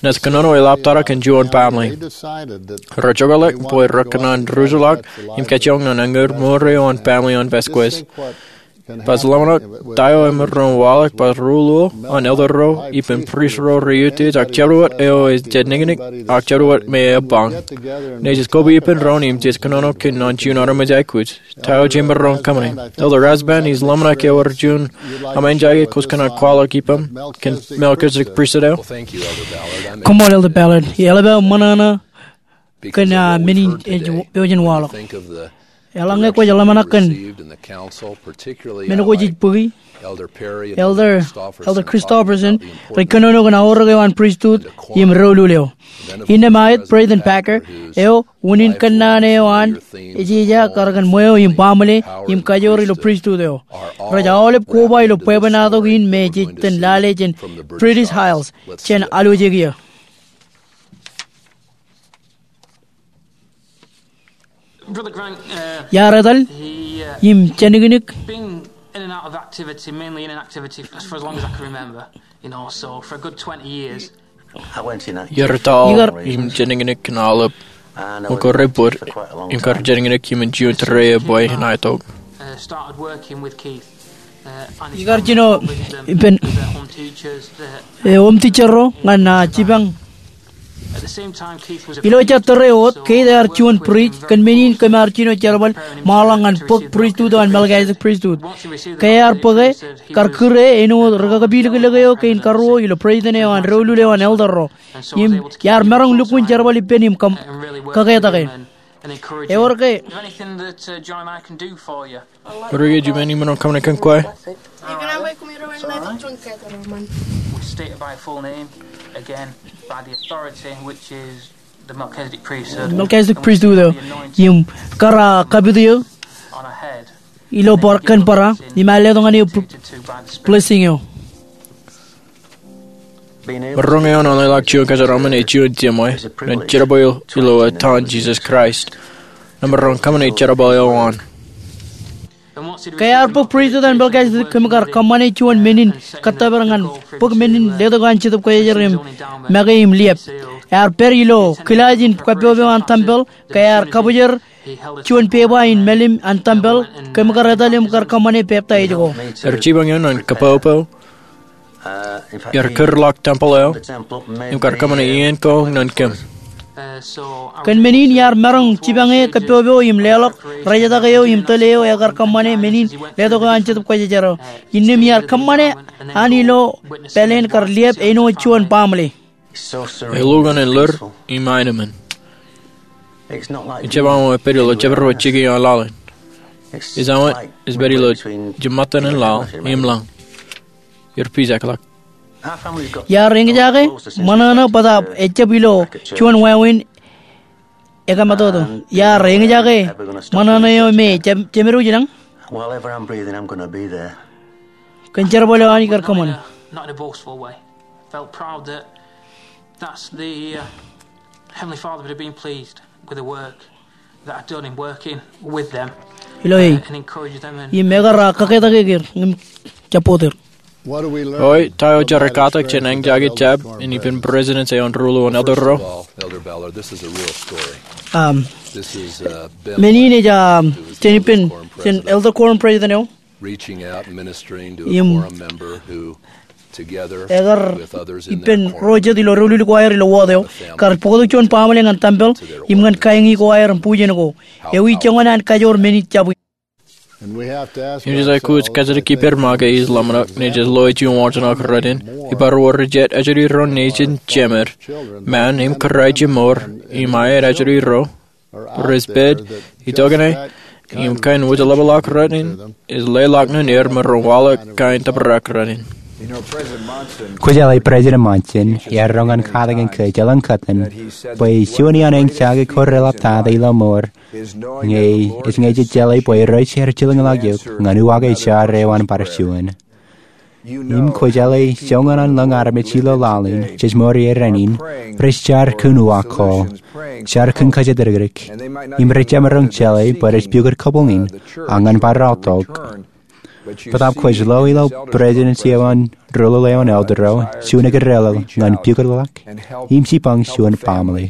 Naaj kōnono eḷaptata kōn juon baaṃle. Rej jokḷọk bwe rekōṇaan ruj ḷọk im kajjioñ ñan eñoul mour eo an baaṃle an Vasquez. Baj ḷōmṇak ta eo emaroñ waḷọk baj ruo an elder ro ippān priest ro rej utiej ak jerbal eo ej jab niknik ak jerbal me ebañ. Ṇe jej kōba ippān doon im jej kōnono kōn an juon armej aikuj. Ta eo jemaroñ kōṃṃane. Elder Rasband, ij ḷōmṇak ewōr juon aṃ anjae kōj kōṇaan kwaḷọk ippaṃ kōn Melchizedek Priesthood eo. Koṃṃool Elder Ballard. Eḷap aō ṃōṇōṇō kōn men in ej pojak in waḷọk. Eḷaññe kwōj ḷōmṇak kōn men ko jej bōki, Elder, Elder Christofferson rej kōnono kōn aorōk eo an priesthood im doulul eo. Innām aet Braden Packer eo, unin kōnnaan eo an ejeja kar kōn ṃweo im baaṃle im kajoor ilo priesthood eo. Rej aolep koba ilo bwebwenato in me jej itōn lale jān British Isles jān alwōjek iiō. Iar etal im jeniknik. Iar etal im jeniknik kōn aolep ṃōk rej bōd im kar jeniknik iṃōn juon tōre eo bwe en aetok. Ikar jino ippān, e, home teacher ro ñan, a, jipañ. Ilo ejja tōre wōt, Keith ear juon priest, kōn men in kōm ar jino jerbal ṃaanḷọk ñan bōk priesthood eo an Melchizedek Priesthood. Ke ear bōke, kar kūr e āinwōt ri kakapilōklōk eo kein karuo ilo president eo an doulul eo an elder ro. Im iar maroñ lukkuun jerbal ippān im kōm, kaketak e. Ewōr ke Ewōr ke juon men in maroñ kōṃṃane kōn kwe? Melchizedek Priesthood eo. Im kar kapit eō ilo bar, kōn barā, im ear letok ñan eō blessing eo. Maroñ eoon an leḷọk juon kōjeraṃṃan ej juon jiṃwe ñan jerbal eo ilo etan Jisōs Kraist. Nōṃba, maroñ kōṃṃane jerbal eo an. Ke ear bōk priesthood an Melchizedek, kōm kar kōṃṃane juon men in kōttōpar ñan bōk men in letok an Jetōb Kwōjarjar im make im liep. Ear pād ilo kilaaj in kappok eo an tempel, ke ear kabōjrak juon pepa in mālim an tempel, kōm kar etal im kar kōṃṃane peptaij ko. Ej jipañ eō ñan kappok eo. Iar kūrḷọk tempel eo im kar kōṃṃane iien ko ñan kōm. Kōn men in iar maroñ jipañ e kappok eo im leḷọk rejetak eo im tōl eo ekar kōṃṃane men in letok eo an Jetōb Kwōjarjar eo. Innām iar kōṃṃane an ilo pāleen kar liep āinwōt juon baaṃle. Ej lukkuun ḷōr im aenōṃṃan. Ejjab aṃ epād ilo jebdewōt jikin an laḷ in. Ej aṃ, ej pād ilo jiṃṃatan an laḷ im lañ. Iar pijak ḷọk. Iar eñjake ṃōṇōṇō bōtab ejjab ilo juon wāween ekōmātoto. Iar eñjake ṃōṇōṇō eo me jemedwōj ilañ. Kōn jerbal eo an ikar kōṃṃane. Not in a boastful way. Felt proud that that's the, uh, Heavenly Father would have been pleased with the work. Ilo e, im ekar kōketak er im jab bōk er. Oi, ta eo jar katak jān āngjake jab in ippān Presidents eo an Ruo ilo an Elder ro? Men in ej jān ippān, jān Elder Quorum President eo. Im ekar ippān ro jet ilo doulul ko aer ilo wōt eo, kar bōktok juon baaṃle ñan tempel im ñan kaeñi ko aer im bujen ko. Ewi joñan an kajoor men in jab in? Im jej aikuj kajjitōk ippād ṃōk ke ij ḷōmṇak, ṇe jej lo ej juon wajin ak rot in, ibar wōr jet ajri ro nejin jemed, ṃaan im kōrā ijin mour, im aet ajri ro, rej pād itokan e, im kain wōj ḷapḷọk rot in ej leḷọk ñan er im ren waḷọk kain tōprak rot in. Kwōjeḷā President Monson ear roñ an katakin ke jeḷā kōttan bwe juon iaan āngjake ko reḷaptata ilo mour, ñe ej ñe jej jeḷā bwe rej jilkinḷọk eok ñan uwaak eo jar eo an bar juon. Im kwōjeḷā joñan an lōñ armej ilo laḷ in jej mour ie rainin, rej jar kōn uwaak ko, jar kōn kōjatdikdik, im rej jab maroñ jeḷā bwe rej pukot kōpool in, ak ñan bar aotok. Bōtaab kwōj lo ilo Presidents eo an Ruo ilo an Elder ro juon ikōrā ḷọk ñan pukotḷọk im jipañ juon baaṃle.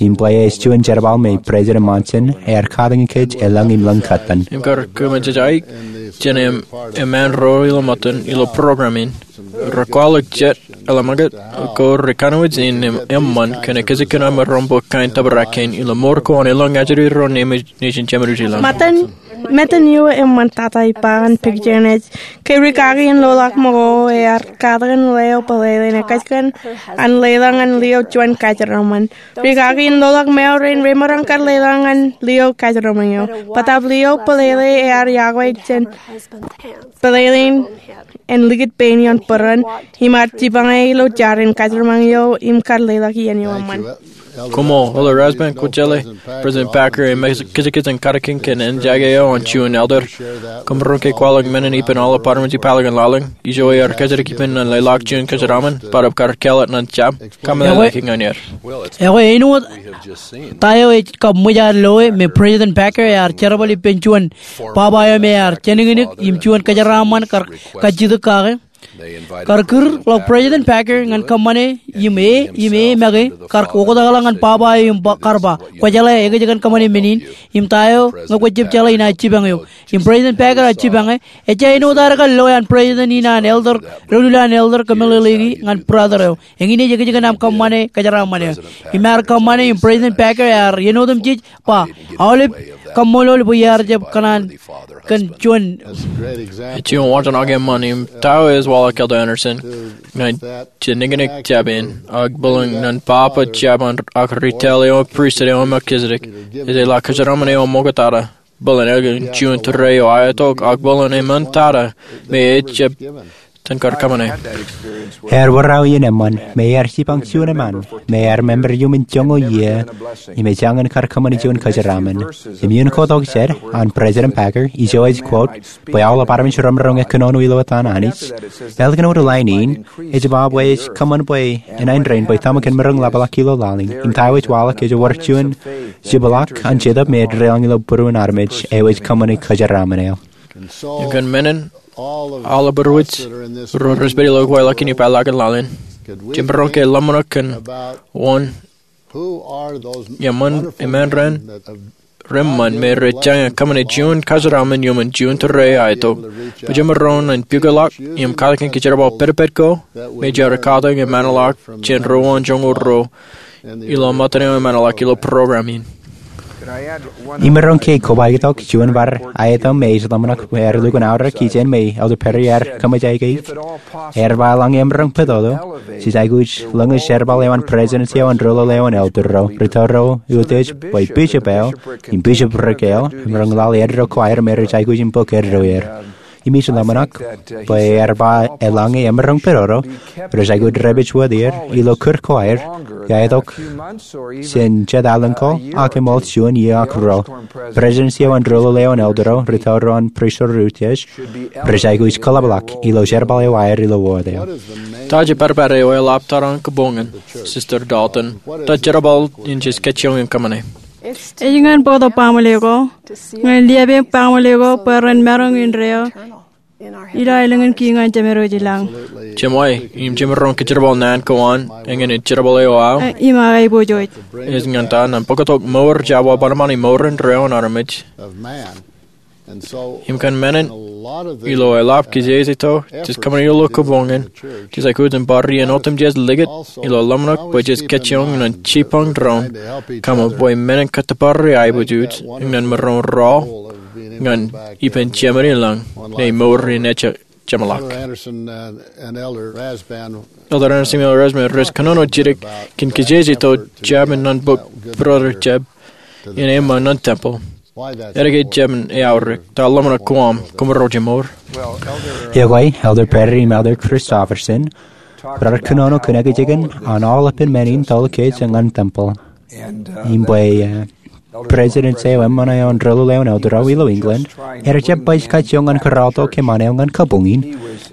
Im bwe ej juon jerbal me President Monson ear katakin kōj elōñ im lōñ kōttan. Im kar kōmij aikuj jān eṃṃan ro ilo ṃōttan ilo program in, rekwaḷọk jet eḷaññe ko ri kanooj in eṃṃan kōn ekkejel kōn aṃ maroñ bōk kain tōprak kein ilo mour ko an elōñ ajri ro nejin jemed ilo. Ṃōttan eo eṃṃantata ippa an picture in ej ke rikaki in loḷọk ṃōko ear katakin leo bōlele in ekkejel kōn an leḷọk ñan lio juon kajeraṃṃan. Rikaki in loḷọk ṃeo rein remaroñ kar leḷọk ñan lio kajeraṃṃan eo. Bōtaab lio bōlele ear iọkwe jān bōlele in en likūt pein ioon bōran im ear jipañe ilo jar in kajeraṃṃan eo im kar leḷọk iien eo eṃṃan. Koṃṃool, Elder Rasband. Kwōjeḷā President Packer ej kajekaj in katakin kōn āngjake eo an juon elder. Koṃ maroñ ke kwaḷọk men in ippān aolep armej ipālọkin laḷ in. Ijo ear kajjitōk ippān ñan leḷọk juon kajeraṃṃan bōtaab kar kāālōt ñan jab. Kōmij ḷōmṇak ñan er. Ekwe āinwōt ta eo ej kab ṃōj ad loe me President Packer ear jerbal ippān juon baba eo me ear jeniknik im juon kajeraṃṃan kar kajjitōk kake. Kar kūr ḷọk President Packer ñan kōṃṃane im e, im e make kar oktakḷọk ñan baba eo im kar ba, kwōjeḷā ekkejel kōn kōṃṃane men in, im ta eo ñe kwōj jab jeḷā inaaj jipañ eok. Im President Packer ear jipañ e, ejja āinwōt ad kar loe an President in an elder, doulul an elder kōmeḷeḷeiki ñan brother eo. Eñin ej ekkejel kōn aṃ kōṃṃane kōjeraṃṃan eo. Im ear kōṃṃane im President Packer ear iien otemjej ba, aolep kaṃṃoolol bwe iar jab kōṇaan kōn juon. Ej juon wajin ak eṃṃan im ta eo ej waḷọk Elder Andersen ñan jeniknik jab in, ak bōlen ñan baba jab an ak ri taḷ eo an pristut eo an Melchizedek, ej jeḷā kōjeraṃṃan eo ṃoktata. Bōlen elōñ juon tōre eo aetok ak bōlen eṃṃantata me ej jab ten kar kōṃṃane. Ear wōr aō iien eṃṃan me ear jipañ juon eṃṃan me ear member iuṃwin joñoul iiō im ej jañin kar kōṃṃane juon kōjeraṃṃan. Im iien ko tok jān an President Packer, ijo ej quote bwe aolep armej remaroñ kōnono ilo etan Anij. Ālikin wōt lain in, ej ba bwe ej kōṃṃan bwe enaaj rein bwe tōmak in maroñ ḷapḷọk ilo laḷ in. Im ta eo ej waḷọk ej wōr juon jibḷaak an Jetōb me ej deḷọñ ilo būruon armej eo ej kōṃṃane kōjeraṃṃan eo. Im kōn men in, aolep ro rej pād ilo kweilọk in ipālọkin laḷ in, jemaroñ ke ḷōmṇak kōn wōn eṃṃan, eṃṃan ren reṃṃan me rej jañin kōṃṃane juon kōjeraṃṃan iuṃwin juon tōre aetok. Bwe jemaroñ in pukotḷọk im katakin ke jerbal pedped ko me jar katakin eṃṃanḷọk jān ruo an joñoul ruo ilo ṃōttan eo eṃṃanḷọk ilo program in. Imaroñ ke kobaik tok juon bar aetōṃ me ij ḷōmṇak bwe ear lukkuun aorōk ijin me Elder Perry ear kōṃṃan aikuj. Ear ba eḷaññe emaroñ pād tok, jej aikuj lōñiōs jerbal eo an President eo an Ruo ilo an Elder ro, rūtto ro utiej bwe bishop eo im bishopric eo emaroñ ḷaḷ eddo ko aer me rej aikuj in bōk eddo er. Im ij ḷōmṇak bwe ear ba eḷaññe emaroñ pād tok, rej aikuj dāpij wōt er ilo kūr ko aer, iaetok jān jet alen ko ak eṃool juon iiō ak ruo. President eo an Ruo ilo an Elder ro, rūtto ro an pristut utiej, rej aikuj kōḷapḷọk ilo jerbal eo aer ilo wōt eo. Ta jepatpat eo eḷap tōre an kōpoñin, Sister Dalton? Ta jerbal in jej kajjioñ in kōṃṃane? Ej ñan bōktok baaṃle ko ñan liapeeṃ baaṃle ko bwe ren maroñ indeeo ilo aelōñ in kiiñ ñan Jemedwōj i lañ. Jemwāwē, im jemaroñ kōjerbal naan ko an, eñin ej jerbal eo aō. Im aō aiboojoj. Ej ñan ta, ñan bōktok mour jab wa bōnbōn imour indeeo an armej. Im kōn men in, ilo eḷap kijeje ito, jej kōṃṃani ilo kōboñ in, jej aikuj in bar iien otemjej likūt ilo ḷōmṇak bwe jej kajjioñ ñan jipañ doon, kōṃṃan bwe men in kōttōpar ri aiboojoj ñan maroñ rọọl ñan ippān Jemān i lañ, ñe mour in ejjeḷọk. Elder Andersen im Elder Rasband rej kōnono jidik kōn kijeje ito jab in ñan bōk brother Jeb in eṃṃan ñan tempel. Edike Jeb in eaorōk, ta ḷōmṇak ko aṃ, koṃ ro jemaroñ. Iọkwe, Elder Perry im Elder Christofferson rar kōnono kōn ekōjkan an aolepān men in toḷ kōj ñan tempel. Im bwe, eh, President eo eṃṃan eo an Rūḷaḷ eo an Elder ro ilo England, ear jab baj kajjioñ ñan kōrọọltok kōṃṃan eo ñan kabuñ in,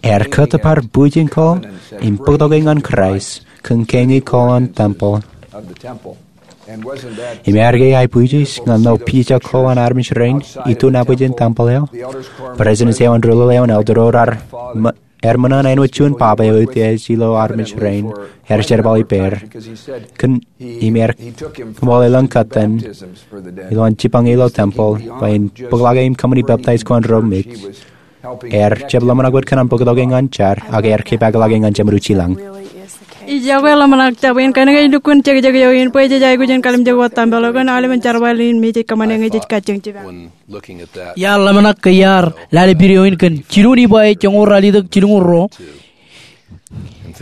ear kōttōpar bwijin ko im bōktok e ñan Kraist kōn keñe ko an tempel. Im ear ke aiboojoj ñan ḷeo pija ko an armej rein iturin abwijin tempel eo? President eo an Rūḷaḷ eo an Elder ro rar ṃō- ear ṃōṇōṇō āinwōt juon baba eo eutiej ilo armej rein, ear jerbal ippāer. Kōn, im ear kōṃṃool elōñ kōttan ilo an jipañ ilo tempel bwe en bōkḷọk e im kōṃṃani peptaij ko an ro mej. Ear jab ḷōmṇak wōt kōn an bōktok e ñan jar, ak ear kōpeḷḷọk e ñan Jemedwōj i lañ. Ij iọkwe ḷōmṇak, jab in kōnke ej lukkuun jekjek eo in bwe jej aikuj in kalimjek wōt tempel eo kōn aolepān jerbal in me jej kōṃṃane ñe jej kajjioñ jipañ. Iar ḷōmṇak ke iar lale video in kōn jilu Nifai joñoul ralitōk jilñuul ruo.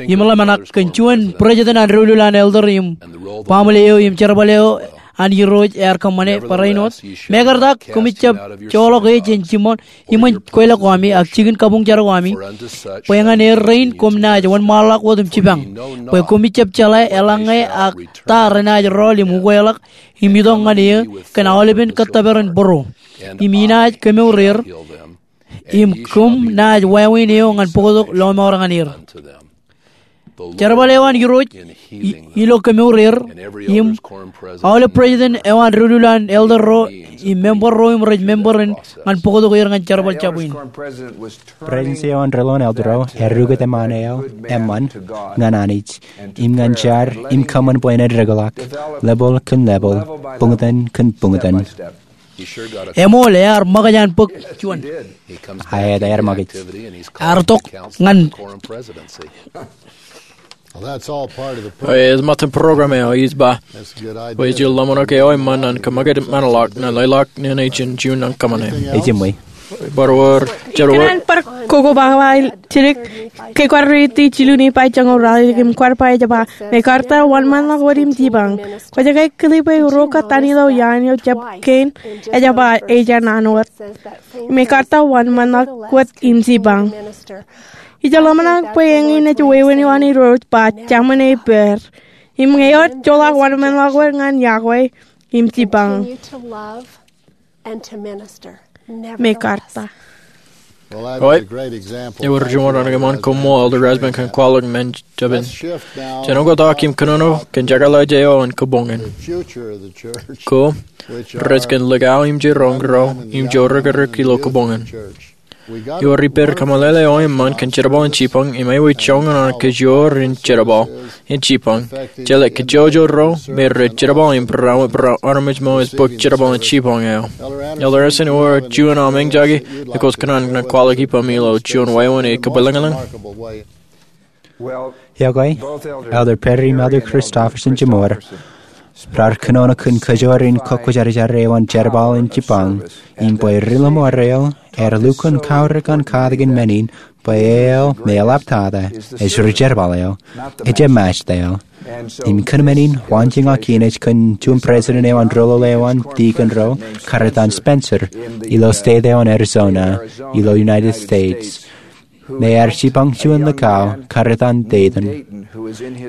Im ḷōmṇak kōn juon president an doulul an elder im baaṃle eo im jerbal eo an Irooj ear kōṃṃane barāinwōt. Mekarta koṃij jab joḷọk e jān jiṃor iṃōn kweilọk ko ami ak jikin kabuñ jar ko ami bwe ñan er rein koṃ naaj wōnṃaanḷọk wōt im jipañ bwe koṃij jab jeḷā eḷaññe ak ta renaaj rọọl im ukweḷọk im itok ñan eō kōn aolepān kōttōpar in bōro. Im inaaj kemour er im koṃ naaj wāween eo ñan bōktok lọmọọr ñan er. Jerbal eo an Irooj i- ilo kemour er im aolep president eo an doulul an elder ro im member ro im rej member in ñan bōktok er ñan jerbal jabwin. President eo an doulul an elder ro ear ukōt eṃṃan eo eṃṃan ñan Anij im ñan jar im kōṃṃan bwe en eddekḷọk, level kōn level, buñtōn kōn buñtōn. Eṃool, ear ṃōkaj an bōk juon. Aet, ear ṃōkaj. Ear tok ñan. Ej ṃōttan program eo ij ba bwe ij ḷōmṇak eo eṃṃan an kōṃṃakūt ṃōṇōḷọk ñan lelọk ñan ijin juon an kōṃṃane. Ej ṃōj. Bar wōr, jar wōr. Kōn an bar kokoba jidik ke kwaar riiti jilu Nifai joñoul ralitōk im kwaar ba ej ba, mekarta wōnṃaanḷọk wōt im jipañ. Kwōj ke kile bwe ruo kōttan ilo iaan eo jab kein ej ba ej naan wōt. Mekarta wōnṃaanḷọk wōt im jipañ. Ij ḷōmṇak bwe eñin ej wāween eo an Irooj ba, jaṃin ippāer. Im ñe ewōr joḷọk wōnṃaanḷọk wōt ñan yokwe im jipañ. Mekarta. Ewōr juon raan eṃṃan koṃṃool Elder Rasband kōn kwaḷọk men jabōn. Jen oktak im kōnono kōn jekḷaj eo an kōboñ in. Ko rej kōn likao im jiroñ ro im jorrākrik ilo kōboñ in. Ewōr ippād kōmeḷeḷe eo eṃṃan kōn jerbal in jipañ im āinwōt joñan an kajoor in jerbal in jipañ, jeḷā kajjojo ro me rej jerbal im barāinwōt barāinwōt armej ṃōk ej bōk jerbal in jipañ eo. Elder Andersen, ewōr juon aṃ eñjake me kwōj kōṇaan kwaḷọk ippaṃ ilo juon wāween ekabwilōñlōñ? Iọkwe, Elder Perry im Elder Christofferson jiṃor rar kōnono kōn kajoor in kōkkwōjarjar eo an jerbal in jipañ im bwe ri-lọmọọr eo ear lukkuun kaorōk an katakin men in bwe eo me eḷaptata ej ri-jerbal eo, ej emaaj ta eo. Im kōn men in waanjoñak in ej kōn juon president eo an doulul eo an dikon ro, Karetan Spencer, ilo state eo an Arizona, ilo United States, me ear jipañ juon likao, Karetan Dayton.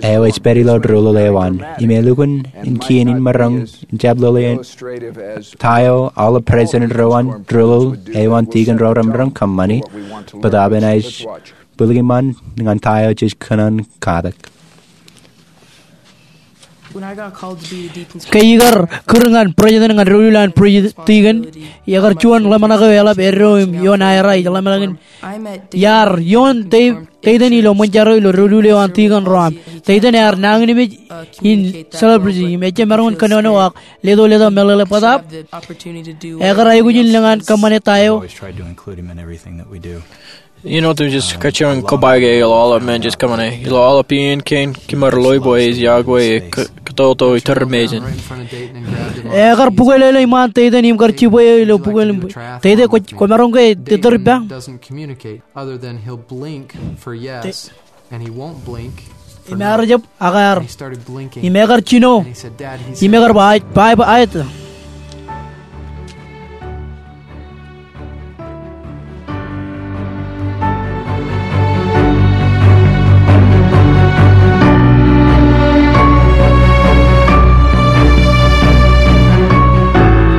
Eo ej pād ilo doulul eo an, im elukkuun in kien in maroñ in jab lōḷe in ta eo aolep president ro an doulul eo an dikon ro remaroñ kōṃṃani, bōtab enaaj bwilōñlōñ ñan ta eo jej kōṇaan katak. Ke ikar kūr ñan president ñan doulul an pre-, deacon, ekar juon ḷōmṇak eo eḷap eddo im ioon aera ij ḷōmṇak in. Iar ioon Dave Dayton ilo ṃōn jar eo ilo doulul eo an deacon ro aṃ. Dayton ear nañinmej in celebrity im ejjab maroñ in kōnono ak leto letok meḷeḷe bōtab ekar aikuj in lōñ an kōṃṃane ta eo. Always tried to include him in everything that we do. You know, to just kajjioñ kōpaik e ilo aolep men, just kōṃṃane ilo aolep iien kein, kimaroñ ḷọk bwe ej yokwe e k-, kōtōtō iturin mejān. Ekar bukweḷeḷe iṃaan Dayton im kar jibwe eo ilo bukweḷeḷe. Dayton, kwō, kwōmaroñ ke ettōr ippa? Doesn't communicate other than he'll blink for yes, and he won't blink for no. Im ear jab ak ear. And he started blinking. Im ekar jino. And he said, "Dad, he's here." Im ekar ba, "Aet, ba, ba, aet."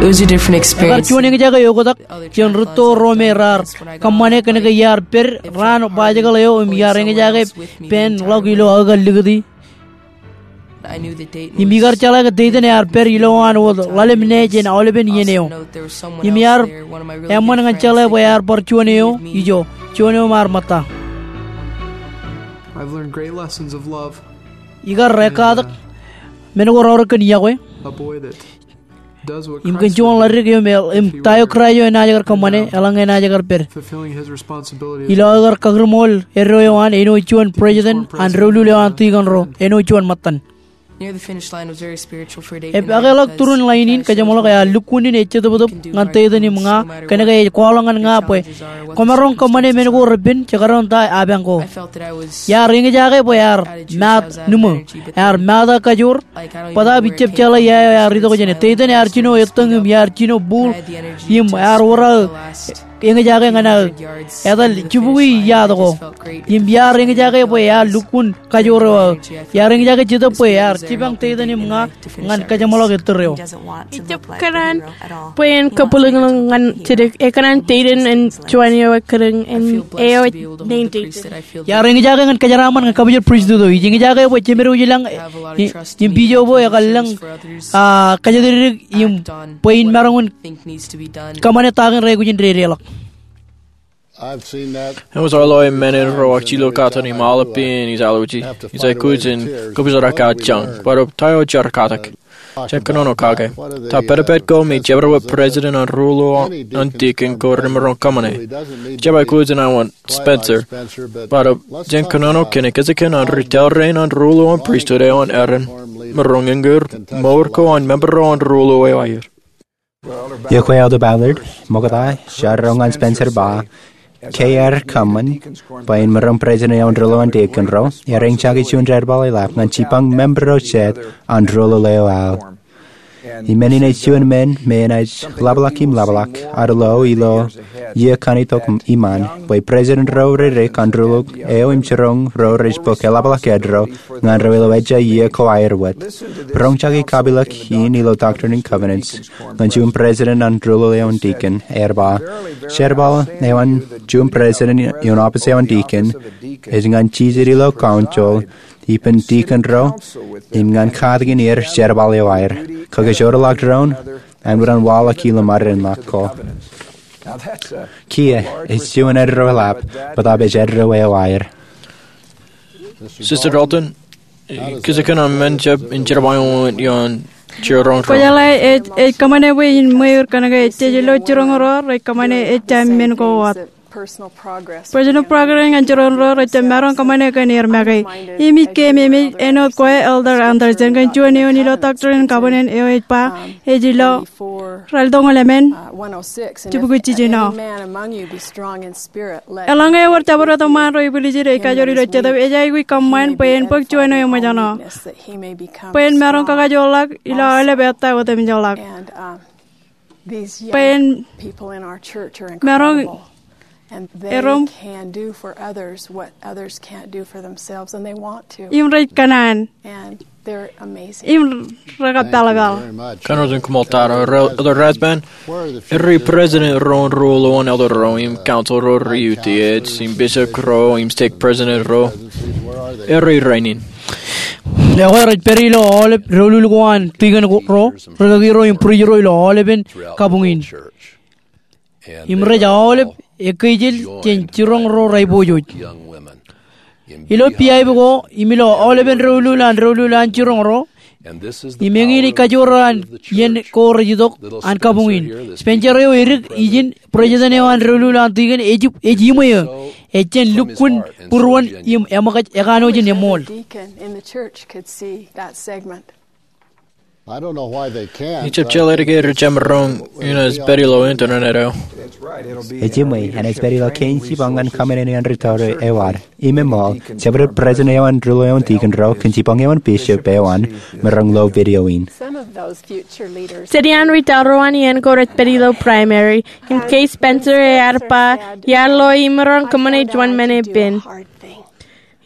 It was a different experience. Ekar juon eñjake eoktak jān rūtto ro me raar kōṃṃane kōnke iar pād raan bajjekōḷ eo im iar eñjake pād ḷọk ilo aō kar likūti. Im ikar jeḷā ke Dayton ear pād ilowaan wōt ḷalem ṇe jān aolepen iien eo. Im iar eṃṃan ñan jeḷā bwe ear bar juon eo ijo, juon eo im ar ṃōtta. I've learned great lessons of love. Ikar ekkatak men ko raorōk kōn yokwe. A boy that Im kōn juon ḷaddik eo me, im ta eo Kraist eo enaaj kar kōṃṃane, eḷaññe enaaj kar pād. Ilo aō kar kakūrṃool eddo eo an, āinwōt juon president an doulul eo an deacon ro, āinwōt juon ṃōttan. Epakeḷọk turin ḷain in, kajeṃḷọk ear lukkuun in ej jetōptōp ñan Dayton im ña, kōnke ej kwaḷọk ñan ña bwe kwōmaroñ kōṃṃane men ko repen, jekdọọn ta apañ ko. Iar eñjake bwe ear maat nuṃō, ear maat aō kajoor, bōtaab ij jab jeḷā ia eo ear itok jāne. Dayton ear jino ettōñ im iar jino būḷ im ear wōr aō eñjake ñan aō etal jibukwi iiō ko. Im iar eñjake bwe ear lukkuun kajoor eo aō. Iar eñjake Jetōb bwe ear jipañ Dayton im ña ñan kajeṃḷọk ettōr eo. Ij jab kōṇaan bwe en kabwilōñlōñ ñan jidik, ekōṇaan Dayton en juon eo ekkar in eo ej naan Dayton. Iar eñjake ñan kōjeraaṃṃan ñan kabōjrak pristut eo. Ij eñjake bwe jemed eo ilañ im bishop eo ekar lōñ, a, kōjatdikdik im bwe in maroñ in kōṃṃane ta kein reaikuj in dedeḷọk. Eṃōj aō ḷọk men in ro ak jilōk katten im aolep iien ij alwōji. Ij aikuj in kōpoojar kajjioñ. Bōtab ta eo jar katak. Jen kōnono kake. Ta pedped ko me jabdewōt president an ruo eo an deacon ko remaroñ kōṃṃane. Ij jab aikuj in awa Spencer. Bōtab jen kōnono kōn ekkejek an ri tōl rein an ruo eo an pristut eo an Aaron. Maroñ eñin mour ko an member eo an ruo eo aer. Iọkwe Elder Ballard, ṃokta, jar ro ñan Spencer ba, ke ear kōṃṃan, bwe en maroñ president eo an ruo eo an deacon ro, ear eñjake juon jerbal eḷap ñan jipañ member ro jet an ruo eo aer. Im men in ej juon men me enaaj ḷapḷọk im ḷapḷọk, ad lo ilo iiō kaṇ itok iṃaan, bwe president ro redik an ruo eo im jiroñ ro rej bōk eḷapḷọk eddo ñan ro ilo ejja iiō ko aer wōt. Roñjake kapilōk in ilo Doctrine and Covenants ñan juon president an ruo eo an deacon, ear ba, jerbal eo an juon president ioon office eo an deacon ej ñan jijet ilo council ippān deacon ro im ñan katakin er jerbal eo aer. Kōkajorḷọk doon, āinwōt an waḷọk ilo mārenḷọk ko. Kiiō, ej juon eddo eḷap, bōtab ej eddo eo aer. Sister Dalton, kōjkan an men jab in jerbal eo an jiroñ ro. Kwōjeḷā ej, ej kōṃṃane bwe in ṃweiur kōnke ejjeḷọk jiroñ ro rej kōṃṃane ejja men ko wōt. Personal progress ñan jiroñ ro rej jab maroñ kōṃṃane kōn er make. Im ij keememej āinwōt kwe Elder Andersen kōn juon eoon ilo Doctrine and Covenants eo ej ba, ej ilo raltoñoul emān, jibukwi jiljino. Eḷaññe ewōr jabdewōt eṃṃaan ro ibwiljid ej kajoor ilo Jetōb, ej aikuj kōṃṃan bwe en bōk juon eo eṃōjṇọ, bwe en maroñ kakajoorḷọk ilo aolep ettā otemjekḷọk. Bwe en maroñ erom im rej kōṇaan im rekappaḷpaḷ. Kōn ro jen koṃṃool tata. Elder Rasband, eri president ro an ruo eo an elder ro im council ro rej utiej im bishop ro im stake president ro, eri rainin. Ekwe rej pād ilo aolep doulul ko an tikōn ro, ri kaki ro im bwidej ro ilo aolepen kabuñ in. Im rej aolep ekkejel jān jiroñ ro rej pojoj. Ilo piaip ko im ilo aolepen doulul an doulul an jiroñ ro, im eñin ej kajoor an iien ko rej itok an kabuñ in. Spencer eo edik ijin president eo an doulul an tikōn ej, ej iṃweo. Ej jān lukkuun būruon im eṃōkaj ekanooj in eṃool. Ij jab jeḷā ke rej jab maroñ in ej pād ilo internet eo. Ej iṃwe, enaaj pād ilo kein jipañ ñan kōṃṃane an ri tōre eo ad. Im eṃṃool, jabdewōt president eo an ruo eo an tikōn ro kōn jipañ eo an bishop eo an maroñ lo video in. City an ri tōre eo an iien ko rej pād ilo primary. Im ke Spencer ear ba, iar lo imaroñ kōṃṃane juon men epen.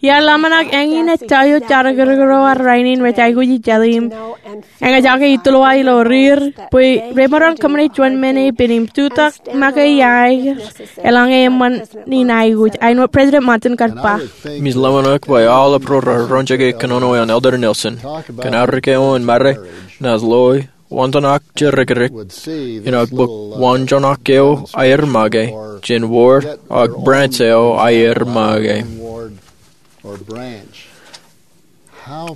Iar ḷōmṇak eñin ej ta eo jar kōrkōro ad rainin rej aikuj i jeḷā im eñjake ituḷ wa ilo riir bwe remaroñ kōṃṃane juon men epen im jutak make iaer eḷaññe eṃṃan in aikuj. Āinwōt President Monson kar ba, im ij ḷōmṇak bwe aolep ro raar roñjake kōnono eo an Elder Nelson kōn arro ke eo an mare naaj lo wantoṇak jerkakrak in ak bōk wantoṇak eo aer make jān ward ak branch eo aer make.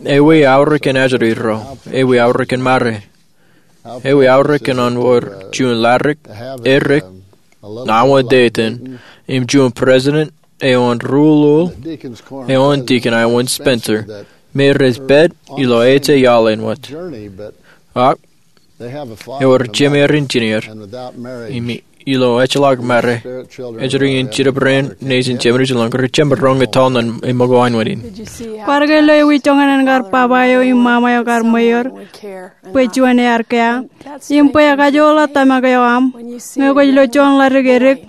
Ewi aorōk in ajri ro? Ewi aorōk in mare? Ewi aorōk in an wōr juon ḷadik, edik, ṇa wōt etan, im juon president eo an ruo eo an tikōn eo an Spencer, me rej pād ilo ej iaḷ āinwōt. Ak ewōr jemeer engineer, im ilo ejjeḷọk mare, ejjeḷọk in jitōb rein nejin Jemerusalem, kōn rej jab maroñ etal ñan eṃṃakūt āinwōt in. Kwaar ke lo ewi joñan eṇ kar baba eo im mama eo kar ṃweier bwe juon ear kea, im bwe ekajoorḷọk tōmak eo aṃ ñe kwōj lo juon ḷadik edik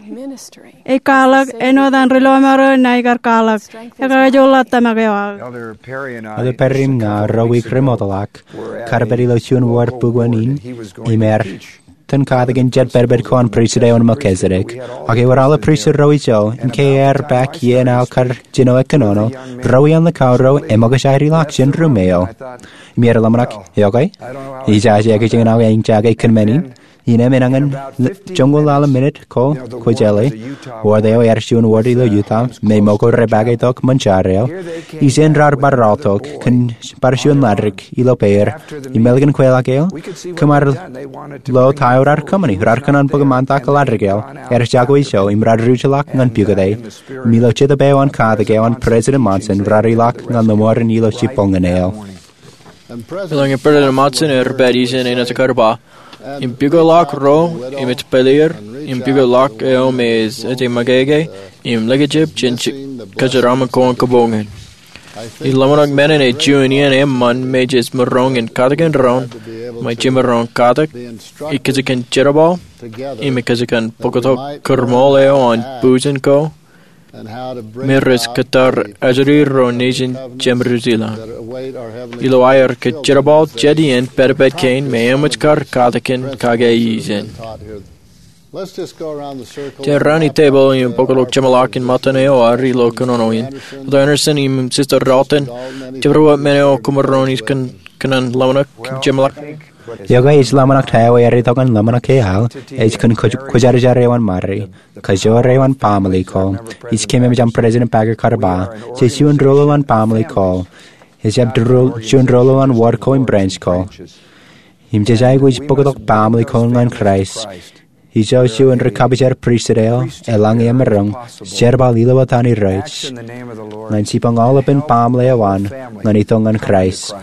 ej kwaḷọk āinwōt an ri lọmọọr eo ṇae kar kwaḷọk. Ekajoorḷọk tōmak eo aō. Elder Perry im ña ruo wiik remootḷọk kar pād ilo juon ward bukwōn in, im ear itōn katakin jet pedped ko an pristut eo an Melchizedek. Ak ewōr aolep pristut ro ijo, im ke ear bōk iien aō kar jino kōnono, ro iaan likao ro eṃōkaj aer ilọk jān ruum eo. Im ear ḷōmṇak, okay, ijaje ekōjkan aō eñjake kōn men in. Innām enañin joñoul ḷalem minit ko kwōjeḷā, ward eo ear juon ward ilo Utah me ṃōko rej bōk tok ṃōn jar eo. Ijin raar bar aḷ tok kōn bar juon ḷadik ilo peir. Im ālikin kweilọk eo, kōm ar lo ta eo raar kōṃṃani. Raar kōṇaan bōk ṃaantak ḷadik eo, ear jako ijo im raar ruj ḷọk ñan pukot e. Im ilo jetōb eo an katak eo an President Monson raar ilọk ñan ḷōṃarein ilo jibboñōn eo. Eḷaññe President Monson ear pād ijin enaaj kar ba, im pukot ḷọk ro, im ej pāleer, im pukot ḷọk eo me ej ej makeke, im likjab jān kōjeraaṃṃan ko an kabuñ in. Ij ḷōmṇak men in ej juon iien eṃṃan me jej maroñ in katakin doon, im jej maroñ katak ekkejkan jerbal, im ekkejkan bōktok kōrmool eo an bujen ko, me rej kōttar ajri ro nejin Jemerusalem. Ilo aer kōjerbal jet iien pedped kein me eṃōj kar katakin kake ijin. Jen raan i tepel im bōktok jeṃḷọk in ṃōttan eo ad ilo kōnono in. Elder Andersen im Sister Dalton, jabdewōt men eo koṃ maroñ in kōn kōn an ḷōmṇak jeṃḷọk. Iọkwe, ij ḷōmṇak ta eo ear itok ñan ḷōmṇak ke aḷ, ej kōn kwōjarjar eo an mari, kajoor eo an baaṃle ko. Ij kememej aṃ President Packer kar ba, jej juon doulul an baaṃle ko. Ejjab doulul, juon doulul an ward ko im branch ko. Im jej aikuj bōktok baaṃle ko ñan Kraist. Ijo juon ri kapijer pristut eo, eḷaññe emaroñ jerbal ilo etan Irooj ñan jipañ aolepen baaṃle eo an ñan itok ñan Kraist.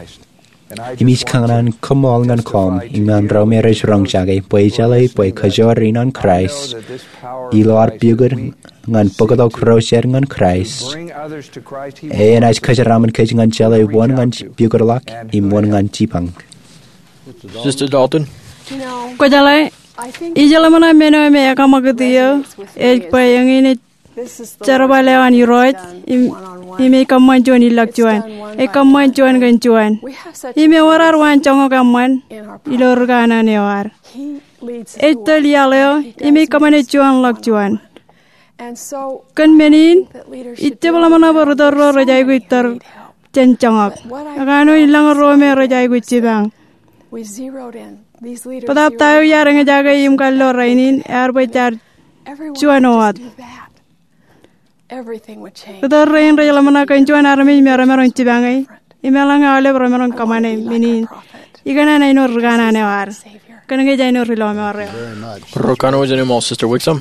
Im ij kōṇaan koṃṃool ñan koṃ im ñan ro me rej roñjake bwe ijeḷā bwe kajoor in an Kraist ilo ad pukot ñan bōktok ro jet ñan Kraist. Enaaj kōjeraaṃṃan kōj ñan jeḷā wōn ñan pukotḷọk im wōn ñan jipañ. Sister Dalton. Kwōjeḷā, ij ḷōmṇak men eo me ekaṃakūt eō ej bwe eñin ej jerbal eo an Irooj im, im ej kōṃṃan juon ilọk juon. Ej kōṃṃan juon kōn juon. Im ewōr ad waan joñak eṃṃan ilo ri kanaan eo ad. Ej tōl iaḷ eo im ej kōṃṃane juon ḷọk juon. Kōn men in, ij jab ḷōmṇak bwe ri tōl ro rej aikuj tōl jān joñak. Ekanooj lañ ro me rej aikuj jipañ. Bōtaab ta eo iar eñjake im kallo rainin ear bwe jaar juon wōt. Ri tōl rein rej ḷōmṇak kōn juon armej me remaroñ jipañe im eḷaññe aolep remaroñ kōṃṃane men in. Ikōṇaan āinwōt ri kanaan eo ad. Kōnke ej āinwōt ri lọmọọr eo. Ro kanooj in eṃṃool, Sister Wixom.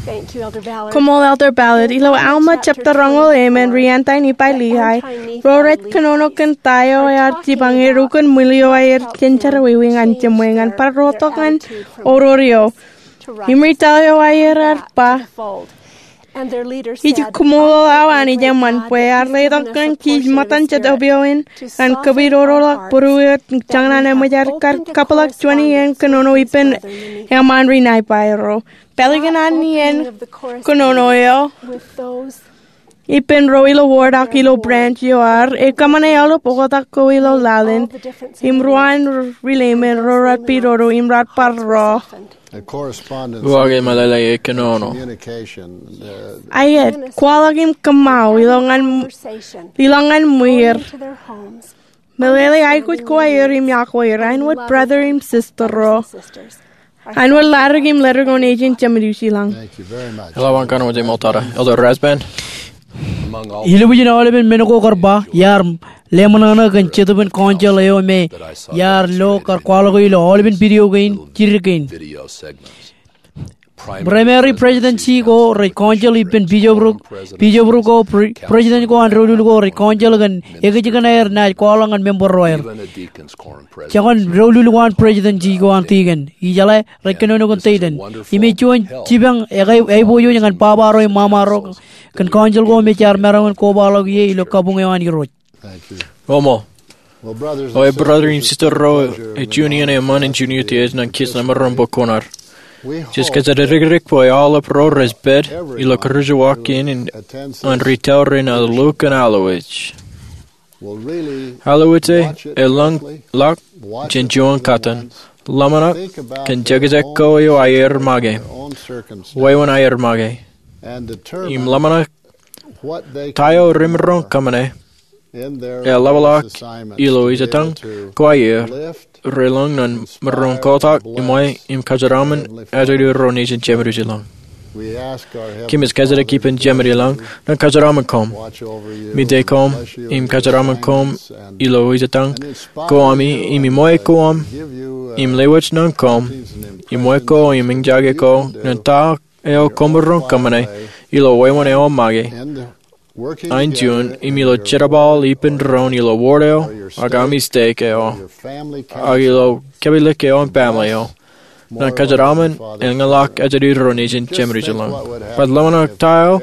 Koṃṃool, Elder Ballard. Ilo Alma jebta roñoul emān, ri-anti-Nifai Liai ro rej kōnono kōn ta eo ear jipañ er ukōn ṃwiin eo aer jān jerọwiwi ñan jeṃṃwe ñan bar rotok ñan oror eo. Im ri tōl eo aer ear ba, ij koṃṃool awa Anij eṃṃan bwe ear letok ñan kij ṃōttan jet opioid ñan kōpoodoḷọk būruō eo jañin an eṃōj aer kar kabwilōk juon iien kōnono ippān eṃṃaan ri Nifai ro. Pālikin an iien kōnono eo ippān ro ilo ward ak ilo branch eo aer, ekōṃṃane aolep oktak ko ilo laḷ in, im ruwaan ri Leiman ro raar pidodo im raar bar ro. Uwaak im eḷaḷe e kōnono. Aet, kwaḷọk im kōṃṃao, ilọk ñan, ilọk ñan ṃwiir. Meḷeḷe aikuj ko aer im iọkwe er, āinwōt brother im sister ro. Āinwōt ladik im ledik eo nejin Jemedūs ilañ. Eḷap an kōnono ej ṃool tata. Elder Rasband. Ilubwijin aolepen men ko kar ba, iar leṃōṇōṇō kōn Jetōbin Council eo me iar lo kar kwaḷọk ilo aolepen video kein, jidik kein. Primary Presidency ko rej council ippān bishopric, bishopric ko, pre-, president ko an doulul ko rej council kōn ekijjikōn aer naaj kwaḷọk ñan member ro aer. Jekōn doulul ko an presidency ko an deacon. Ijeḷā rej kōnono kōn deacon. Im ej juon jipañ eo ej aiboojoj ñan baba ro im mama ro kōn council ko me jaar maroñ in kobaḷọk ie ilo kabuñ eo an Irooj. Koṃṃool. O e brother im sister ro, ej juon iien eṃṃan in junior tiej ñan kiiō ṇe maroñ bōk kuṇaer. Jej kōjatdikdik bwe aolep ro rej pād ilo kūrjewōj kein an retail rein alukkuun Allowedge. Allowedge e, elōñ ḷọk jān juon kōttan. Ḷōmṇak kōn jekjek ko eo aer make. Wāween aer make. Im ḷōmṇak ta eo remaroñ kōṃṃane eḷapḷọk ilo ijetañ ko aer relōñ ñan maroñ kotak im ṃwe im kōjeraṃṃan ajri ro nejin Jemedūs ilañ. Kōmij kōjatdikdik ippān Jemān ilañ ñan kōjeraṃṃan koṃ, mite koṃ im kōjeraṃṃan koṃ ilo ijetañ ko ami im iṃwe koṃ im lewōj ñan koṃ, iṃwe ko im eñjake ko ñan ta eo koṃ maroñ kōṃṃane ilo wāween eo make. Āinjuon im ilo jerbal ippān doon ilo ward eo ak ami stake eo ak ilo kōpeḷḷọk eo an family eo ñan kōjeraṃṃan im ñan ḷọk ajri ro nejin Jemedūs ilañ. Bwe ḷōmṇak ta eo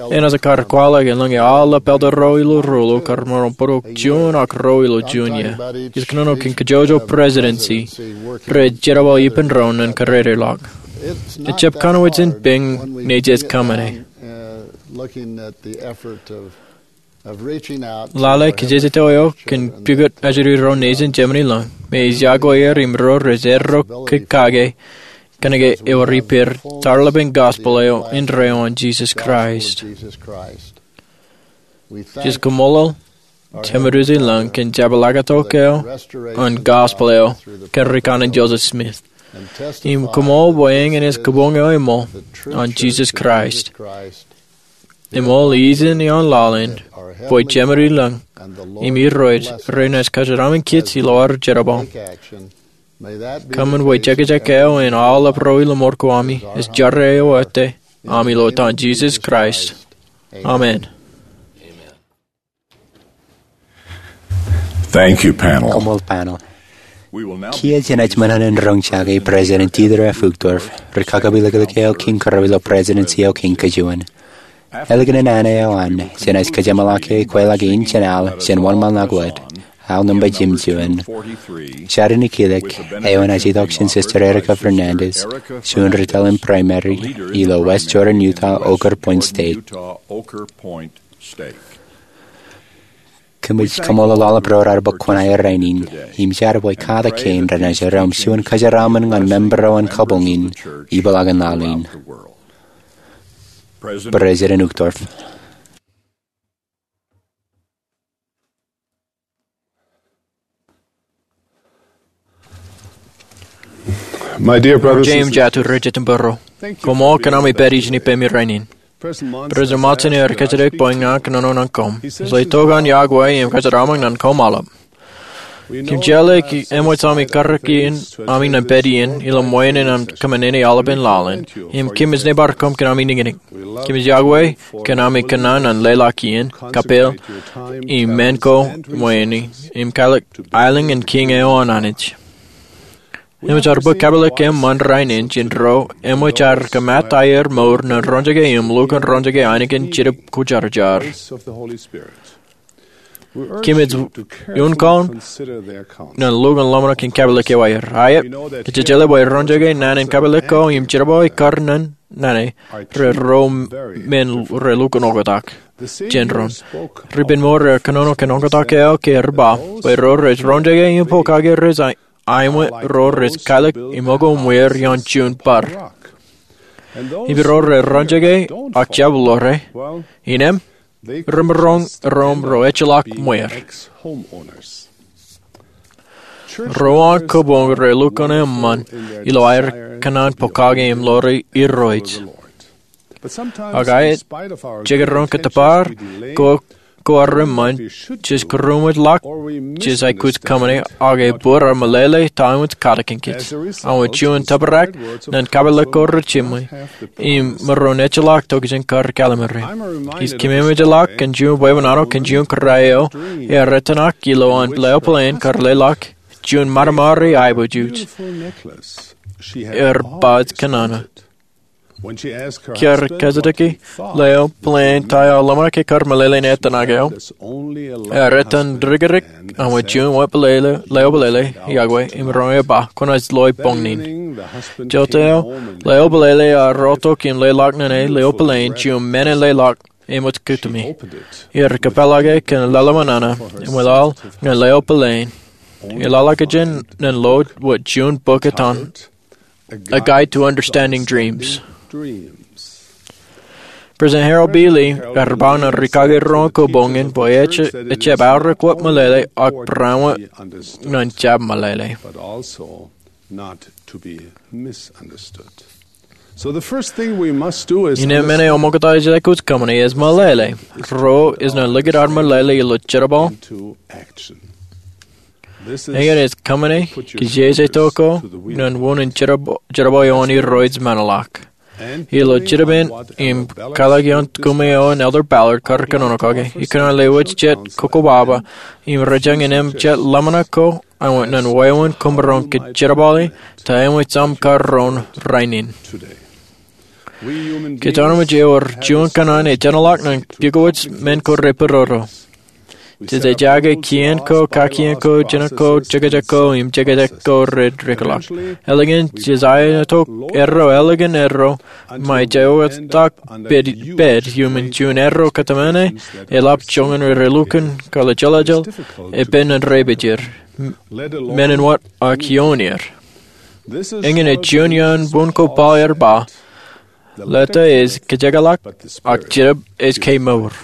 enaaj kar kwaḷọk eḷaññe aolep elder ro ilo ruo ilo kar maroñ bōktok juon ak ruo ilo juon iiō. Ij kōnono kōn kajjojo presidency rej jerbal ippān doon ñan kōrā ḷọk. Ejjab kōnwōj in peñ ṇe jej kōṃṃane. Lale kajjitōk eo kōn pukot ajri ro nejin Jemān ilañ me ij iọkwe er im ro rej erro kōj kake kōnke ewōr ippāer tarlepen gospel eo indeeo an Jisōs Kraist. Jej koṃṃool Jemedūs ilañ kōn jepḷaaktok eo an gospel eo kōn rikōṇaan Joseph Smith. Im koṃṃool bwe eñin ej kabuñ eo eṃool an Jisōs Kraist. Eṃool ijin ioon laḷ in bwe Jemān ilañ im Irooj renaaj kōjeraṃṃan kōj ilo ad jerbal. Kōṃṃan bwe jekjek eo an aolep ro ilo mour ko ami ej jerā eo ettā ami ilo etan Jisōs Kraist. Amen. Thank you, panel. Koṃṃool panel. Kiiō jenaaj ṃōṇōṇō in roñjake President Dieter F. Uchtdorf, ri kakapilōklōk eo kiiñ kōrā ilo presidency eo kiiñ kajuon. Ālikin an eo an, jenaaj kōjeṃḷọk e kweilọk in jān al jān wōnṃaanḷọk wōt, al nōṃba jimjuon. Jar in ikōḷọk, eo enaaj itok jān Sister Erica Fernandez, juon ri tōl in primary ilo West Jordan, Utah, Oquirrh Point State. Kōmij koṃṃool aolep ro raar bōk kuṇaer rainin, im jar bwe katak kein renaaj ro im juon kōjeraṃṃan ñan member eo an kabuñ in, ipeḷaakin laḷ in. President Uchtdorf. My dear brothers and sisters, Ro jeiū im jatū rej jitōnbōro, koṃṃool kōn ami pād ijin ippemi rainin. President Monson ear kōjatdikdik bwe ña kōnono ñan koṃ. Ij tok an iọkwe im kōjatdikdik ñan koṃ aolep. Kōm jeḷā ke eṃōj ami karreoik ami ñan pād iien ilo ṃweo in an kōṃṃane aolepen laḷ in, im kōmij nōbar koṃ kōn ami niñniñ. Kōmij iọkwe kōn ami kōṇaan an leḷọk iien, kapeel, im men ko ṃweo in, im kwaḷọk aelōñ in Kiiñ eo an Anij. Eṃōj ad bōk kabwilōk eṃṃan rainin jān ro eṃōj ad kōmat aer mour ñan roñjake im lukkuun roñjake ainikien Jetōb Kwōjarjar. Kōmij uññū kōn ñan lukkuun ḷōmṇak in kabwilōk eo aer. Aet, kōj jeḷā bwe roñjake naan in kabwilōk ko im jerbal eo kar ñan naan eo, rej ro men rej lukkuun oktak jān ro. Ri-ippān mour ear kōnono kōn oktak eo ke ear ba, bwe ro rej roñjake im pokake rej aemwe ro rej kwaḷọk im ṃōko ṃweer ioon juon bar. Im ro rej roñjake ak jab ḷoore, innem, remaroñ erom ro ejjeḷọk ṃweer. Ro an kōbōñ rej lukkuun eṃṃan ilo aer kōṇaan pokake im ḷoore irooj. Ak aet, jekdọọn kōttōpar ko, ko ad eṃṃan, jej kūrūṃōjḷọk, jej aikuj kōṃṃane, ak ebōd ad meḷeḷe ta eṃōj katakin kōj. Ak wōt juon tōprak ñan kabwilōk ko rej jiṃwe, im maroñ ejjeḷọk tokjān kar kallim̧ur. Ij kōmemeejḷọk kōn juon bwebwenato kōn juon kōrā eo ear etan ak ilo an leo plane kar leḷọk juon maramari aiboojoj. Ear ba ej kōnono. Ke ear kōjatdikdik leo plane ta ear ḷōmṇak ke kar meḷeḷe in etan ak eo, ear etan dikdik, ak wōt juon wōt leo plane, iọkwe, im roñjake ba, kwōnaaj loe boñ in. Jota eo, leo plane ear rotok im leḷọk ñan e leo plane juon men in leḷọk eṃōj kūtumi. Ear kōpeḷḷọk e kōn lale ṃōṇōṇō, im eḷaḷ ñan leo plane. Eḷaḷḷọkjeṇ ñan lo wōt juon bok etan, A Guide to Understanding Dreams. President Harold B. Lee ear ba ñan rikaki ro an kōbōñ in bwe ejjab aorōk wōt meḷeḷe ak bareinwōt ñan jab meḷeḷe. Innem men eo eṃōkaj ej aikuj kōṃṃane ej meḷeḷe. Ruo ej ñan likūt ad meḷeḷe ilo jerbal. Eñin ej kōṃṃane kijeje to ko ñan wūnin jerbal eo an irooj men ḷọk. Ilo jitōb in im kwaḷọk ioon kōṃṃane eo an Elder Ballard kar kōnono kake, ikōṇaan lewōj jet kokobaba im rej jañin im jet ḷōmṇak ko ñan wāween koṃ maroñ kōjerbale ta eṃōj aṃ kar roñ rainin. Kōj armej ewōr juon kōṇaan ej enaḷọk ñan pukowōj men ko repororo. Jej ejake kien ko, kakien ko, jeṇe ko, jekjek ko, im jekjek ko rej rikḷọk. Ālikin jej aitok erro, ālikin erro, ṃae jej oktak pād iuṃwin juon erro kōtmāne, eḷap joñan ri lukkuun kōḷḷā jeḷājeḷ, epen ñan rej pād er. Men in wōt ak ioon er. Eñin ej juon iaan bun ko Paul ear ba, leta ej kajekḷọk, ak jitōb ej kemour.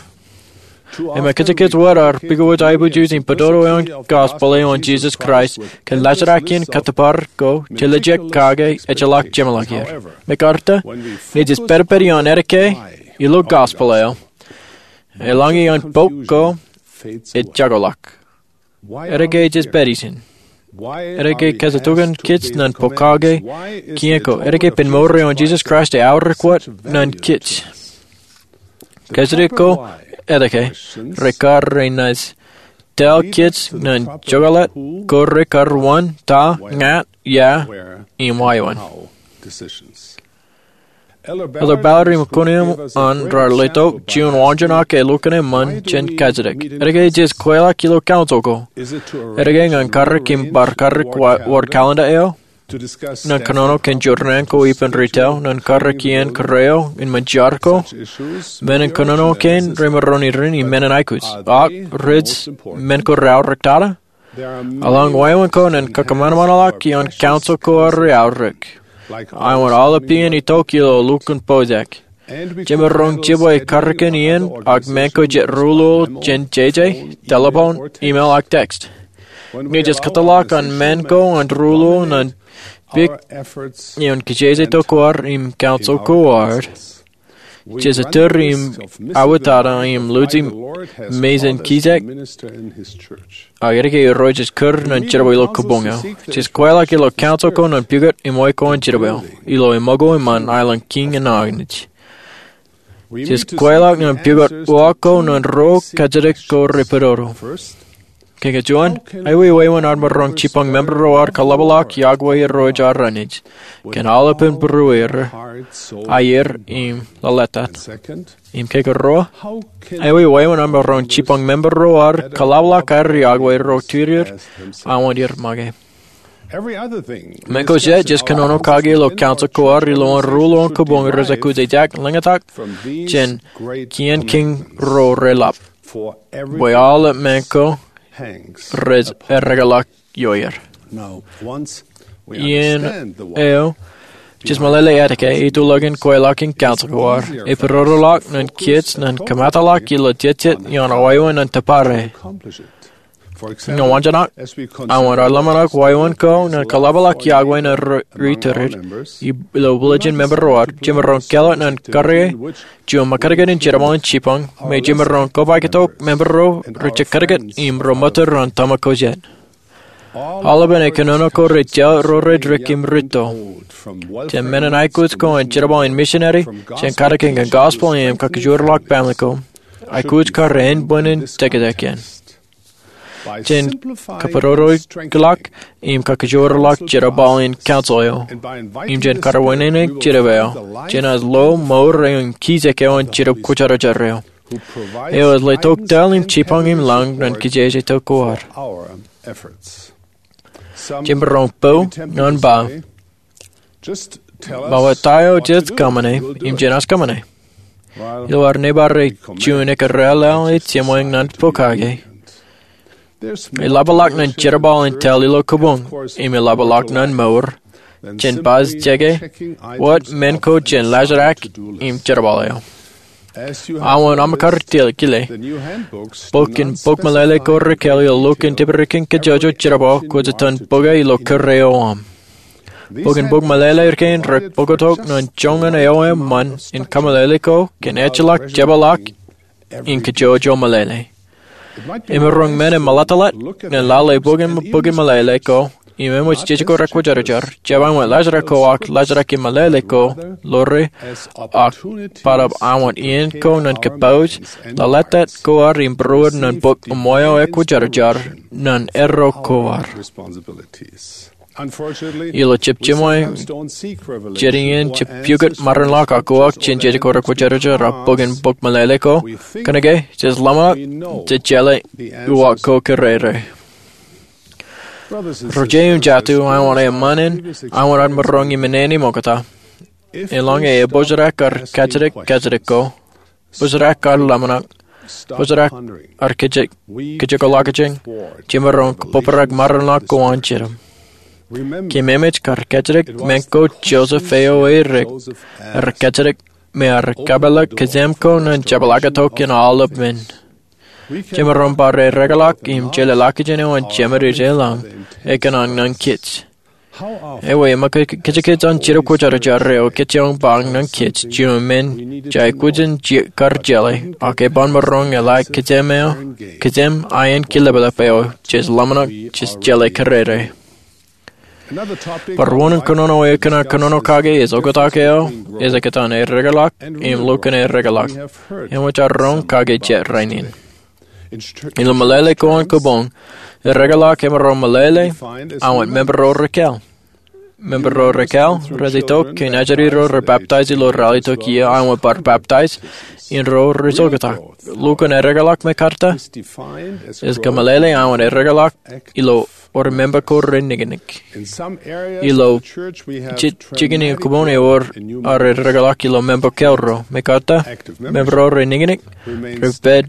Im kajjitōk wōt ad pukowōj aiboojoj im pād ilo an gospel eo an Jesus Christ, kōn laajrak in kōttōpar ko, jeḷā jek kake ejjeḷọk jeṃḷọk er. Mekarta, ñe jej pād pād ioon ālikin ilo gospel eo, eḷaññe an bok ko ej jakoḷọk. Etke jej pād ijin? Etke kōjatdikdik kōj ñan pokake kien ko? Etke ippān mour eo an Jesus Christ eaorōk wōt ñan kōj? Kōjatdikdik ko etke rekar renaaj tōl kōj ñan jokōḷāt ko rekar wōn ta, ña, ia, im wāween. Elder Ballard im kōn eṃṃan raar letok juon wāween ak elukkuun eṃṃan jān kajjitōk. Etke jej kweilọk ilo council ko? Etke ñan karreoik im bar karreoik wōt calendar eo? Ñan kōnono kōn jorrāān ko ippān retail, ñan karreoik iien kōrā eo in ṃōn jar ko? Men in kōnono kein remaroñ iien im men in aikuj. Ak rej men ko reaorōk tata? Eḷaññe wāween ko ñan kōṃanṃanḷọk ioon council ko reaorōk, āinwōt aolep iien itok ilo lukkuun pojak. Jemaroñ jibwe karreoik in iien ak men ko jet ruo-luo jān jeje, telephone, email ak text. Ñe jej kōtḷọk an men ko an ruo-luo ñan Bwe ioon kijeje tok ko ad im council ko ad, jej itok im autata im luji Melchizedek ak eddeke Irooj ej kūr ñan jerbal ilo kabuñ eo. Jej kweilọk ilo council ko ñan pukot eṃṃan ko an jerbal ilo eṃṃan ko eṃṃan aelōñ kiiñ in Anij. Jej kweilọk ñan pukot uwaak ko ñan ro kajjitōk ko repododo. Ke kōj juon, ewōr wāween ad maroñ jipañ member ro ad kaḷapḷọk iọkwe Irooj ad rein, kōn aolepān būrueir, aier im lōḷḷap. Im ke kōruo, ewōr wāween ad maroñ jipañ member ro ad kaḷapḷọk aer iọkwe ro tūrier aō an er make. Men ko jet jej kōnono kake ilo council ko ad ilo an ruo ḷọk kabuñ rej aikuj ejaak ḷōñtak jān kien kiiñ ro reḷap. Bwe aolep men ko rej eddekḷọk ioer. Iien eo, jej meḷeḷe eddeke ituḷọkin kweilọk in council ko ad, ej būrodoḷọk ñan kōj ñan kōmetak ilo jejjet ioon wāween an tōpare. Ñe wōnṃaanḷọk, aō an ḷōmṇak wāween ko ñan kaḷapḷọk iọkwe ñan ri tōre ilo bwilōñin member ro ad, jemaroñ kālet ñan kōrā juon ṃōkajjien jerbal in jipañ, me jemaroñ kobaik tok member ro rej jekdikdik im rej ṃōttan tōmak ko jet. Aolepān kōnono ko rej jab ro rej dik im rūtto. Jān men in aikuj ko an jerbal in misineri, jān katakin gospel im kakajoorḷọk baaṃle ko, aikuj kar ānbwinnin jekjek in jān kabōrorōkḷọk im kakajoorḷọk jerbal in council eo, im jān kar wāween in jerbal eo, jān ilo mour eo im kijek eo an Jetōb Kwōjarjar eo, eo ej letok tōl im jipañ im lañ ñan kijeje tok ko ad. Jemaroñ po ñan ba, ba wōt ta eo jej kōṃṃane im jenaaj kōṃṃane. Ilo ad nōbar juon ekkar raelep ej jeṃṃan ñan pokake, eḷapḷọk ñan jerbal in tōl ilo kabuñ im eḷapḷọk ñan mour jān baj jeke wōt men ko jān laajrak im jerbal eo. Aō an aṃ kar kile, bok in bok meḷeḷe ko rekāāl ilo lukkuun tibirikin kajjojo jerbal kwōj itōn bōke ilo kōrā eo aṃ. Bok in bok meḷeḷe kein rej bōktok ñan joñan eo eṃṃan in kameḷeḷe ko kōn ejjeḷọk jepḷaak in kajjojo meḷeḷe. Emaroñ men in meḷeḷe ñan lale bok in bok meḷeḷe ko im eṃōj jejako rekwōjarjar, jab aṃ wōt laajrak ko ak laajrak in meḷeḷe ko ḷoore, ak bōtab aṃ wōt iien ko ñan kōpooj ḷōḷḷap ko ad im būruod ñan bok eṃṃan eo ekwōjarjar ñan erro ko ad. Ilo jab jiṃwe, jet iien jab pukot maroñ ḷọk ak uwaak jān jejako rekwōjarjar ak bok in bok meḷeḷe ko, kōnke jej ḷōmṇak, jej jeḷā uwaak ko kōrā. Ro jet im jatū, aō an eṃṃan in, aō an maroñ iṃōṇōṇō ṃokta. Eḷaññe ebōjrak ad kajjitōk kajjitōk ko, bōjrak ad ḷōmṇak, bōjrak ad kajjitōk, kajjitōk ḷọkjeṇ, jemaroñ kōbōbrak maroñ ḷọk ko an Jetōb. Keememej kar kajjitōk men ko Joseph eo edik, ear kajjitōk me ear kapeḷḷọk kōjām ko ñan jepḷaaktok in aolep men. Jemaroñ bar eddekḷọk im jeḷā ḷọkjeṇ eo an Jemān ej lañ ekōṇaan ñan kōj. Ewi, ṃōk kōjkōj an Jetōb Kwōjarjar eo kōjeañ ba ñan kōj juon men jej aikuj in kar jeḷā, ak eban maroñ eḷak kōjām eo, kōjām iien kileplep eo jej ḷōmṇak, jej jeḷā kōrā. Bar wōn in kōnono eo ekōṇaan kōnono kake ej oktak eo, ej kōtaan eddekḷọk im lukkuun eddekḷọk. Eṃōj ad roñ kake jet rainin. Ilo meḷeḷe ko an kabuñ, eddekḷọk emaroñ meḷeḷe aō wōt member ro rekāāl. Member ro rekāāl rej itok kōn ajri ro rej peptaij ilo ralitōk iiō aō wōt bar peptaij in ro rej oktak. Lukkuun eddekḷọk me katak ej kōmeḷeḷe aō wōt eddekḷọk ilo wōr member ko reniknik. Ilo jikin kabuñ ewōr ad eddekḷọk ilo member kāāl ro, me katak member ro reniknik, rej pād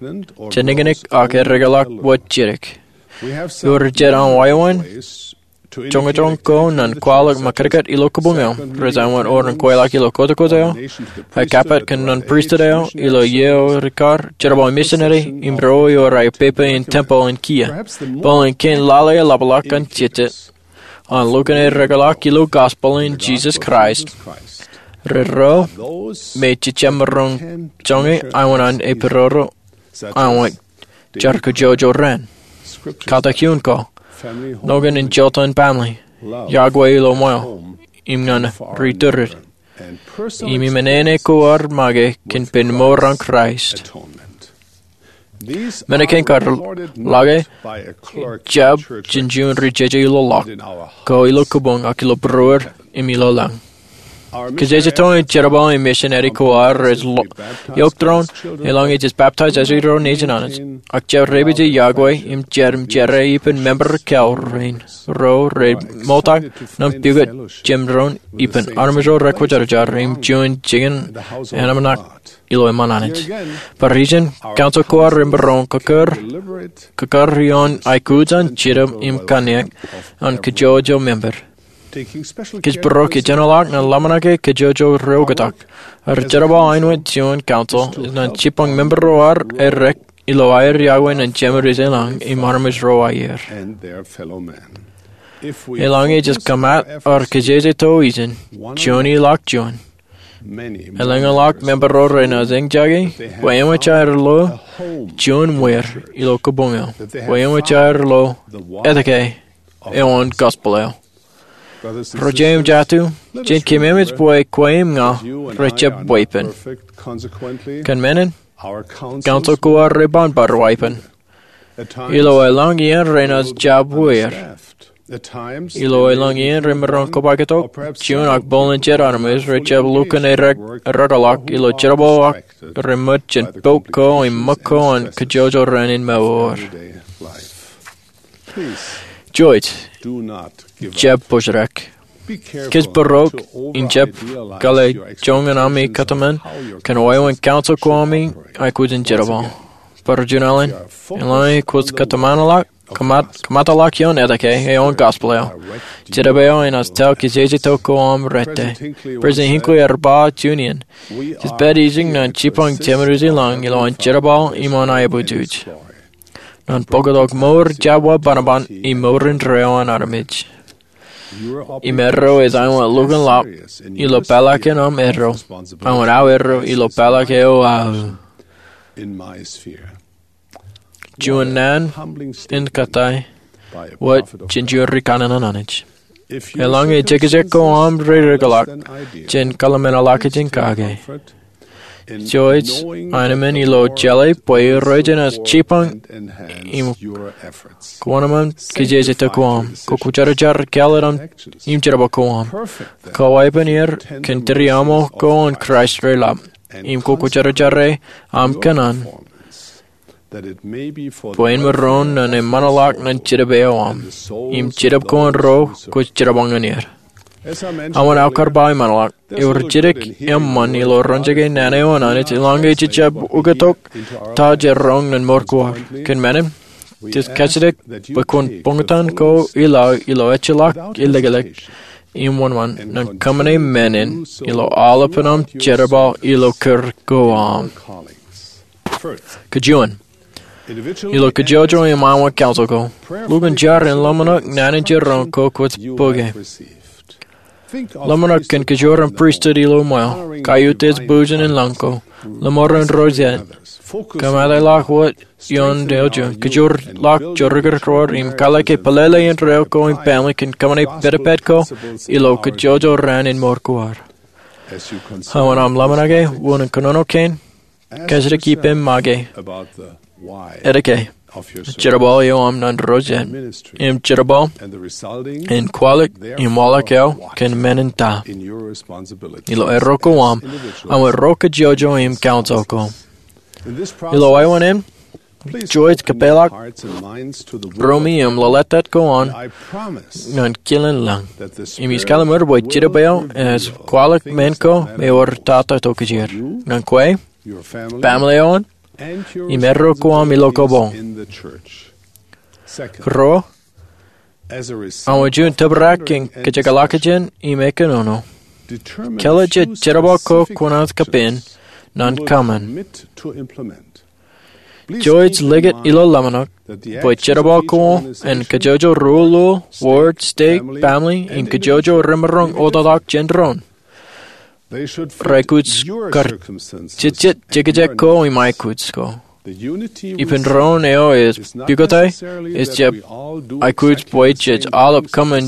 jeniknik ak eddekḷọk wōt jidik. Ewōr jet aṃ wāween joñjoñ ko ñan kwaḷọk ṃōkajjien ilo kabuñ eo, rej aō wōt orin kweilọk ilo kōjkōj eo, ak kappok kōn non pristut eo, ilo iiō eo rikar, jerbal in misineri, im ro ewōr aō pepe in tempel in kiiō. Bōlen kein lale eḷapḷọk an jejjet. an lukkuun eddekḷọk ilo gospel in Jesus Christ, rej ro me jejjab maroñ joñe aenwōt an epidodo aenwōt jar kōjojol raṇ, katak iuun ko, nokwe in jota in baaṃle, yokwe ilo ṃweo, im ñan ri-tōre, im iṃōṇōṇō ko ad make kōn pen mour an Kraist. Men kein kar lale jab jān juon ri-jeje ilo ḷọk ko ilo kōbuñ ak ilo būruod im ilo lañ. Kōjejjeto in jerbal im misineri ko ad rej lo-, eok doon, eḷaññe jej baptize eo nejin Anij, ak jab repeje yokwe im jar im jere ippān member ko rein ro rej ṃokta ñan pukot jemdoon ippān armej ro rekwōjarjar im juon jikin ānōṃṃan ilo eṃṃan Anij. Bar ijin, council ko ad rej maroñ kōkōr, kōkōr ioon aikuj an jidim im kanniōk an kōjojol member. Kōjparok ijin ḷọk ñan ḷōmṇake kōjojol ri-oktak. Rej jerbal aenwōt juon council ñan jibboñ member ro ad eddek ilo aer yokwe ñan Jemed eo ej lañ im armej ro aer. Eḷaññe jej kōmat ad kōjejjeto ijin, juon ilọk juon, elōñḷọk member ro renaaj eñjake bwe eṃōj aer lo juon ṃwier ilo kōbuñ eo, bwe eṃōj aer lo etke eo an gospel eo. Ro jet im jatū, jen keememej bwe kwe im ña rej jab weeppān. Kōn men in, council ko ad rej ban bar weeppān. Ilo elōñ iien renaaj jab wōr. Ilo elōñ iien remaroñ kobaketok, juon ak bōlen jet armej rej jab lukkuun eddekḷọk ilo jerbal ak reṃōj jān boat ko im ṃōk ko an kōjojol raṇ in mour. Jouj, jab pojrak. Kōjparok in jab kōḷḷā joñan ami kōtmān kōn wāween council ko ami aikuj in jerbal. Bar juon alen, eḷaññe kwōj kōtmānḷọk, kōmat-, kōmataḷọk ioon etke eo an gospel eo, Jedebe eo enaaj tōl kōjejjeto ko am rejjab. President Hinckley ear ba juon iien, jej pād ijin ñan jibboñ Jemed eo ej lañ ilo an jerbal im an aebōjoj. Ñan bōktok mour jab wa bōnbōn im mour indeeo an armej. Im erro ej aenwōt lukkuun ḷap ilo pālọkin am erro, aenwōt aō erro ilo pālọk eo aō. Juon naan in kōttāik wōt jān juon ri kanaan an Anij. Eḷaññe jekjek ko am rej eddekḷọk, jen kōḷmānḷọkjeṇ kake. Jouj, aenōṃṃan ilo jeḷā bwe Irooj enaaj jibboñ im kōṃanṃan kōjejjeto ko am. Kwōjarjar kāālōt im jerbal ko am. Kwō weeppān er kōn tūriaṃo ko an Kraist reḷap. Im kwōjarjar am kōṇaan bwe en maroñ ñan eṃṃanḷọk ñan Jedebe eo am im Jedebe ko an ro kwōj jerbal ñan er. Aō kar ba eṃṃanḷọk, ewōr jidik eṃṃan ilo roñjake naan eo an Anij eḷaññe jej jab ukōktok ta jej roñ ñan mour ko ad. Kōn men in, jej kajjitōk bwe kwōn buñtōn ko ilaḷ ilo ejjeḷọk ilōkḷọk im wōnṃaan ñan kōṃṃane men in ilo aolepān am jerbal ilo kūr ko am. Kajuon, ilo kōjojol im aenwōt council ko, lukkuun jar in ḷōmṇak naan in jiroñ ko kwōj bōke. Ḷōmṇak kōn kōjwōr im pristut ilo ṃweo, kaiuj im bujen in lañ ko, ḷōṃaro in ro jet, kōmataḷọk wōt ioon eo juon, kōjwōr ḷọk jorrāān ro im kōḷḷā ke pelele indeeo ko im baaṃle kōn kōṃṃane pedped ko ilo kōjojol raṇ in mour ko ad. Aō am ḷōmṇake wūnin kōnono kein, kajjitōk ippem make etke jerbal eo am ñan ro jet im jerbal in kwaḷọk im waḷọk eo kōn men in ta. Ilo erro ko am, aō ro kōjojol im council ko. Ilo wāween in, jouj kōpeḷḷọk ruumi im lōḷātāt ko an ñan kilin lañ. Im ij kalimur bwe Jedebe eo enaaj kwaḷọk men ko im ewōr ta tokjāer ñan kwe, baaṃle eo an, im erro ko am ilo kōbōñ. Ruo, aō juon tōprak in kōjekḷọkjeṇ im ekōnono, kōḷḷā jej jerbal ko kwōnaaj kōpein ñan kōṃṃan. Jouj likūt ilo ḷōmṇak bwe jerbal ko an kōjojol ro, ro, wōr, stek, family, im kōjojol remaroñ ototak jān doon. Reaikuj kar jejjet jekjek ko im aikuj ko. Ippān doon eo ej pukot aō, ej jab aikuj bwe jej aolep kōṃṃan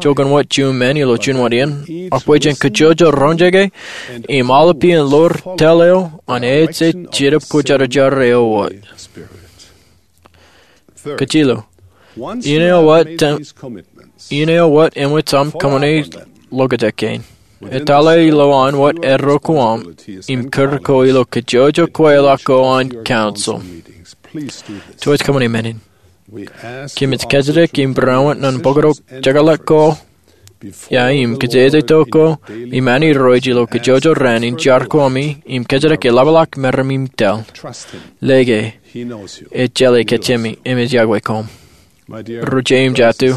jokwe wōt juon men ilo juon wōt iien, ak bwe jen kōjojol roñjake im aolep iien ḷoor tōl eo an ej Jetōb Kwōjarjar eo wōt. Kajjilōk, iien eo wōt eṃōj aṃ kōṃṃane lokjān kein. Etale ilowaan wōt erro ko aṃ im kūr ko ilo kōjojol kweilọk ko an council. Jouj kōṃṃane men in. Kōmij kōjatdikdik im būroṃōj ñan pukot jekḷọk ko ia im kōjatdikdik ko im āne irooj ilo kōjojol raan in jar ko ami im kōjatdikdik eḷapḷọk meram im tōl. Lōke, ej jeḷā kōjām im ej yokwe koṃ. Ri-jeim jatū,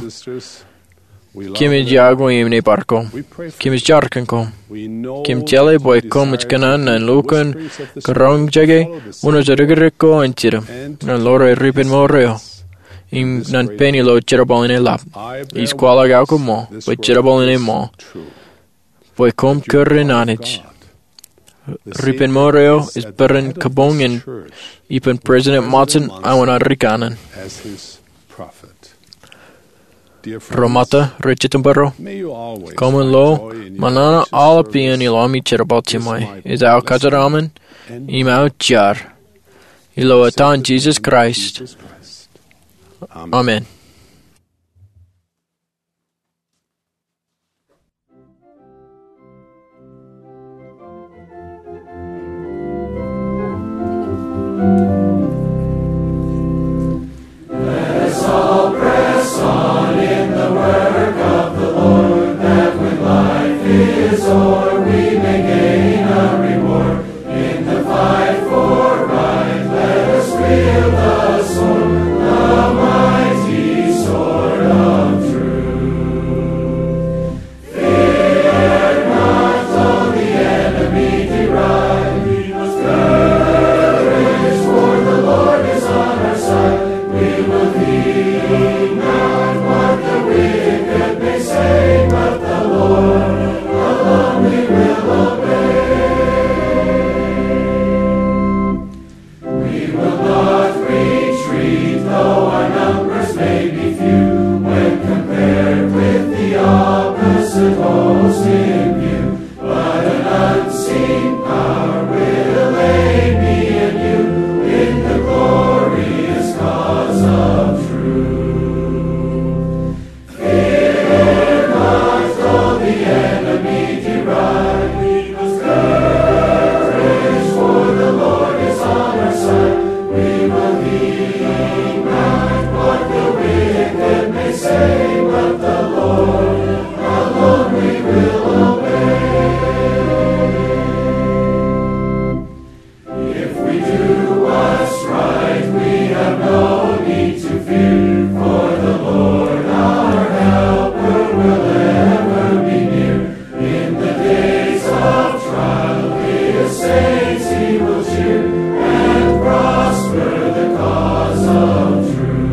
kōmij yokwe im nōbar koṃ. Kōmij jar kōn koṃ. Kōm jeḷā bwe koṃij kōṇaan ñan lukkuun kōroñjake wōn eo ej rikirikōṃ an Jetōb ñan ḷoor ripenmour eo im ñan pein ilo jerbal in eḷap. Ij kwaḷọk aō koṃṃool bwe jerbal in eṃṃool, bwe koṃ kūr in Anij. Ripenmour eo ej peran kabuñ in ippān President Monson aō ri kanaan. Ro Ṃata, ri-Jetōb ro, koṃwin lo ṃōṇōṇō aolep iien ilo ami jerbal jiṃwe. Ej aō kōjeraṃṃan im aō jar, ilo etan Jisōs Kraist, amen. We will not retreat, though our numbers may be few, when compared with the opposite host in view. But an unseen power will aid me and you in the glorious cause of truth. Fear not, though the enemy deride. We must courage, for the Lord is on our side. We will heed not what the wicked may say, but the Lord alone we will obey. If we do what's right, we have no need to fear, for the Lord our helper will ever be near. In the days of trial, his saints he will cheer, and prosper the cause of truth.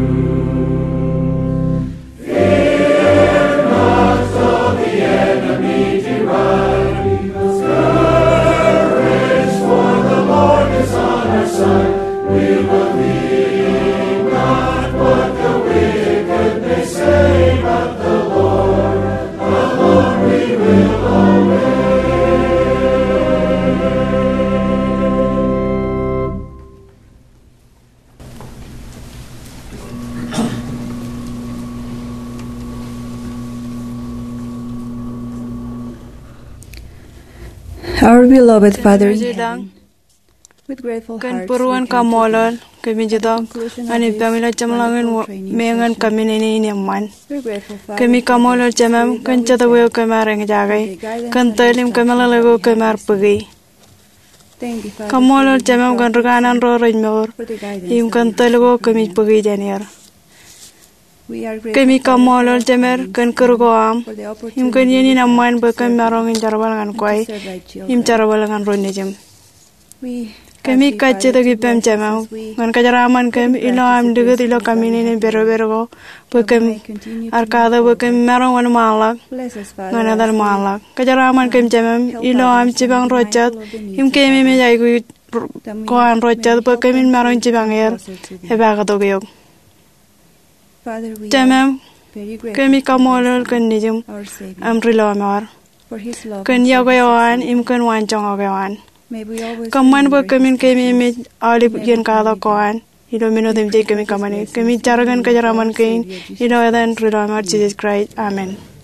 Fear not, though the enemy deride. Be of courage, for the Lord is on our side. We will fear not what the wicked may say, but the Lord alone we will obey. Our beloved Father in heaven, with grateful hearts, we come to you. Kōn būruon kaṃṃoolol, kōmij itok ñan ippaṃ ilo jeṃḷọkin wōt, me ñan kōmij āinwōt eṃṃan. We're grateful, Father, kōmij kaṃṃoolol Jemem kōn jetōb eo kōm ar eñjake, kōn tōl im kōmeḷeḷe ko kōm ar bōki. Kaṃṃoolol Jemem kōn ri kanaan ro rej mour im kōn tōl ko kōmij bōki jān er. Kōmij kaṃṃoolol Jemed kōn kūr ko aṃ im kōn iien in eṃṃan bwe kōm maroñ in jerbal ñan kwe im jerbal ñan ro nejim. Kōmij kajjitōk ippaṃ Jemem ñan kōjeraaṃṃan kōm ilo aṃ likūt ilo kaminene im pedped ko, bwe kōm ar katak bwe kōm maroñ wōnṃaanḷọk ñan etan ṃaanḷọk. Kōjeraaṃṃan kōm Jemem ilo aṃ jipañ ro jet im keememej aikuj ko an ro jet bwe kōmin maroñ jipañ er epaaktok eok. Jemem, kōmij kaṃṃoolol kōn Nejūṃ, aṃ Ri Lọmọọr, kōn iọkwe eo an im kōn waanjoñak eo an. Kōṃṃan bwe kōmin keememej aolep iien katak ko an ilo men otemjej kōmij kōṃṃane. Kōmij jar kōn kōjeraaṃṃan kein ilo etan Ri Lọmọọr Jisōs Kraist, amen.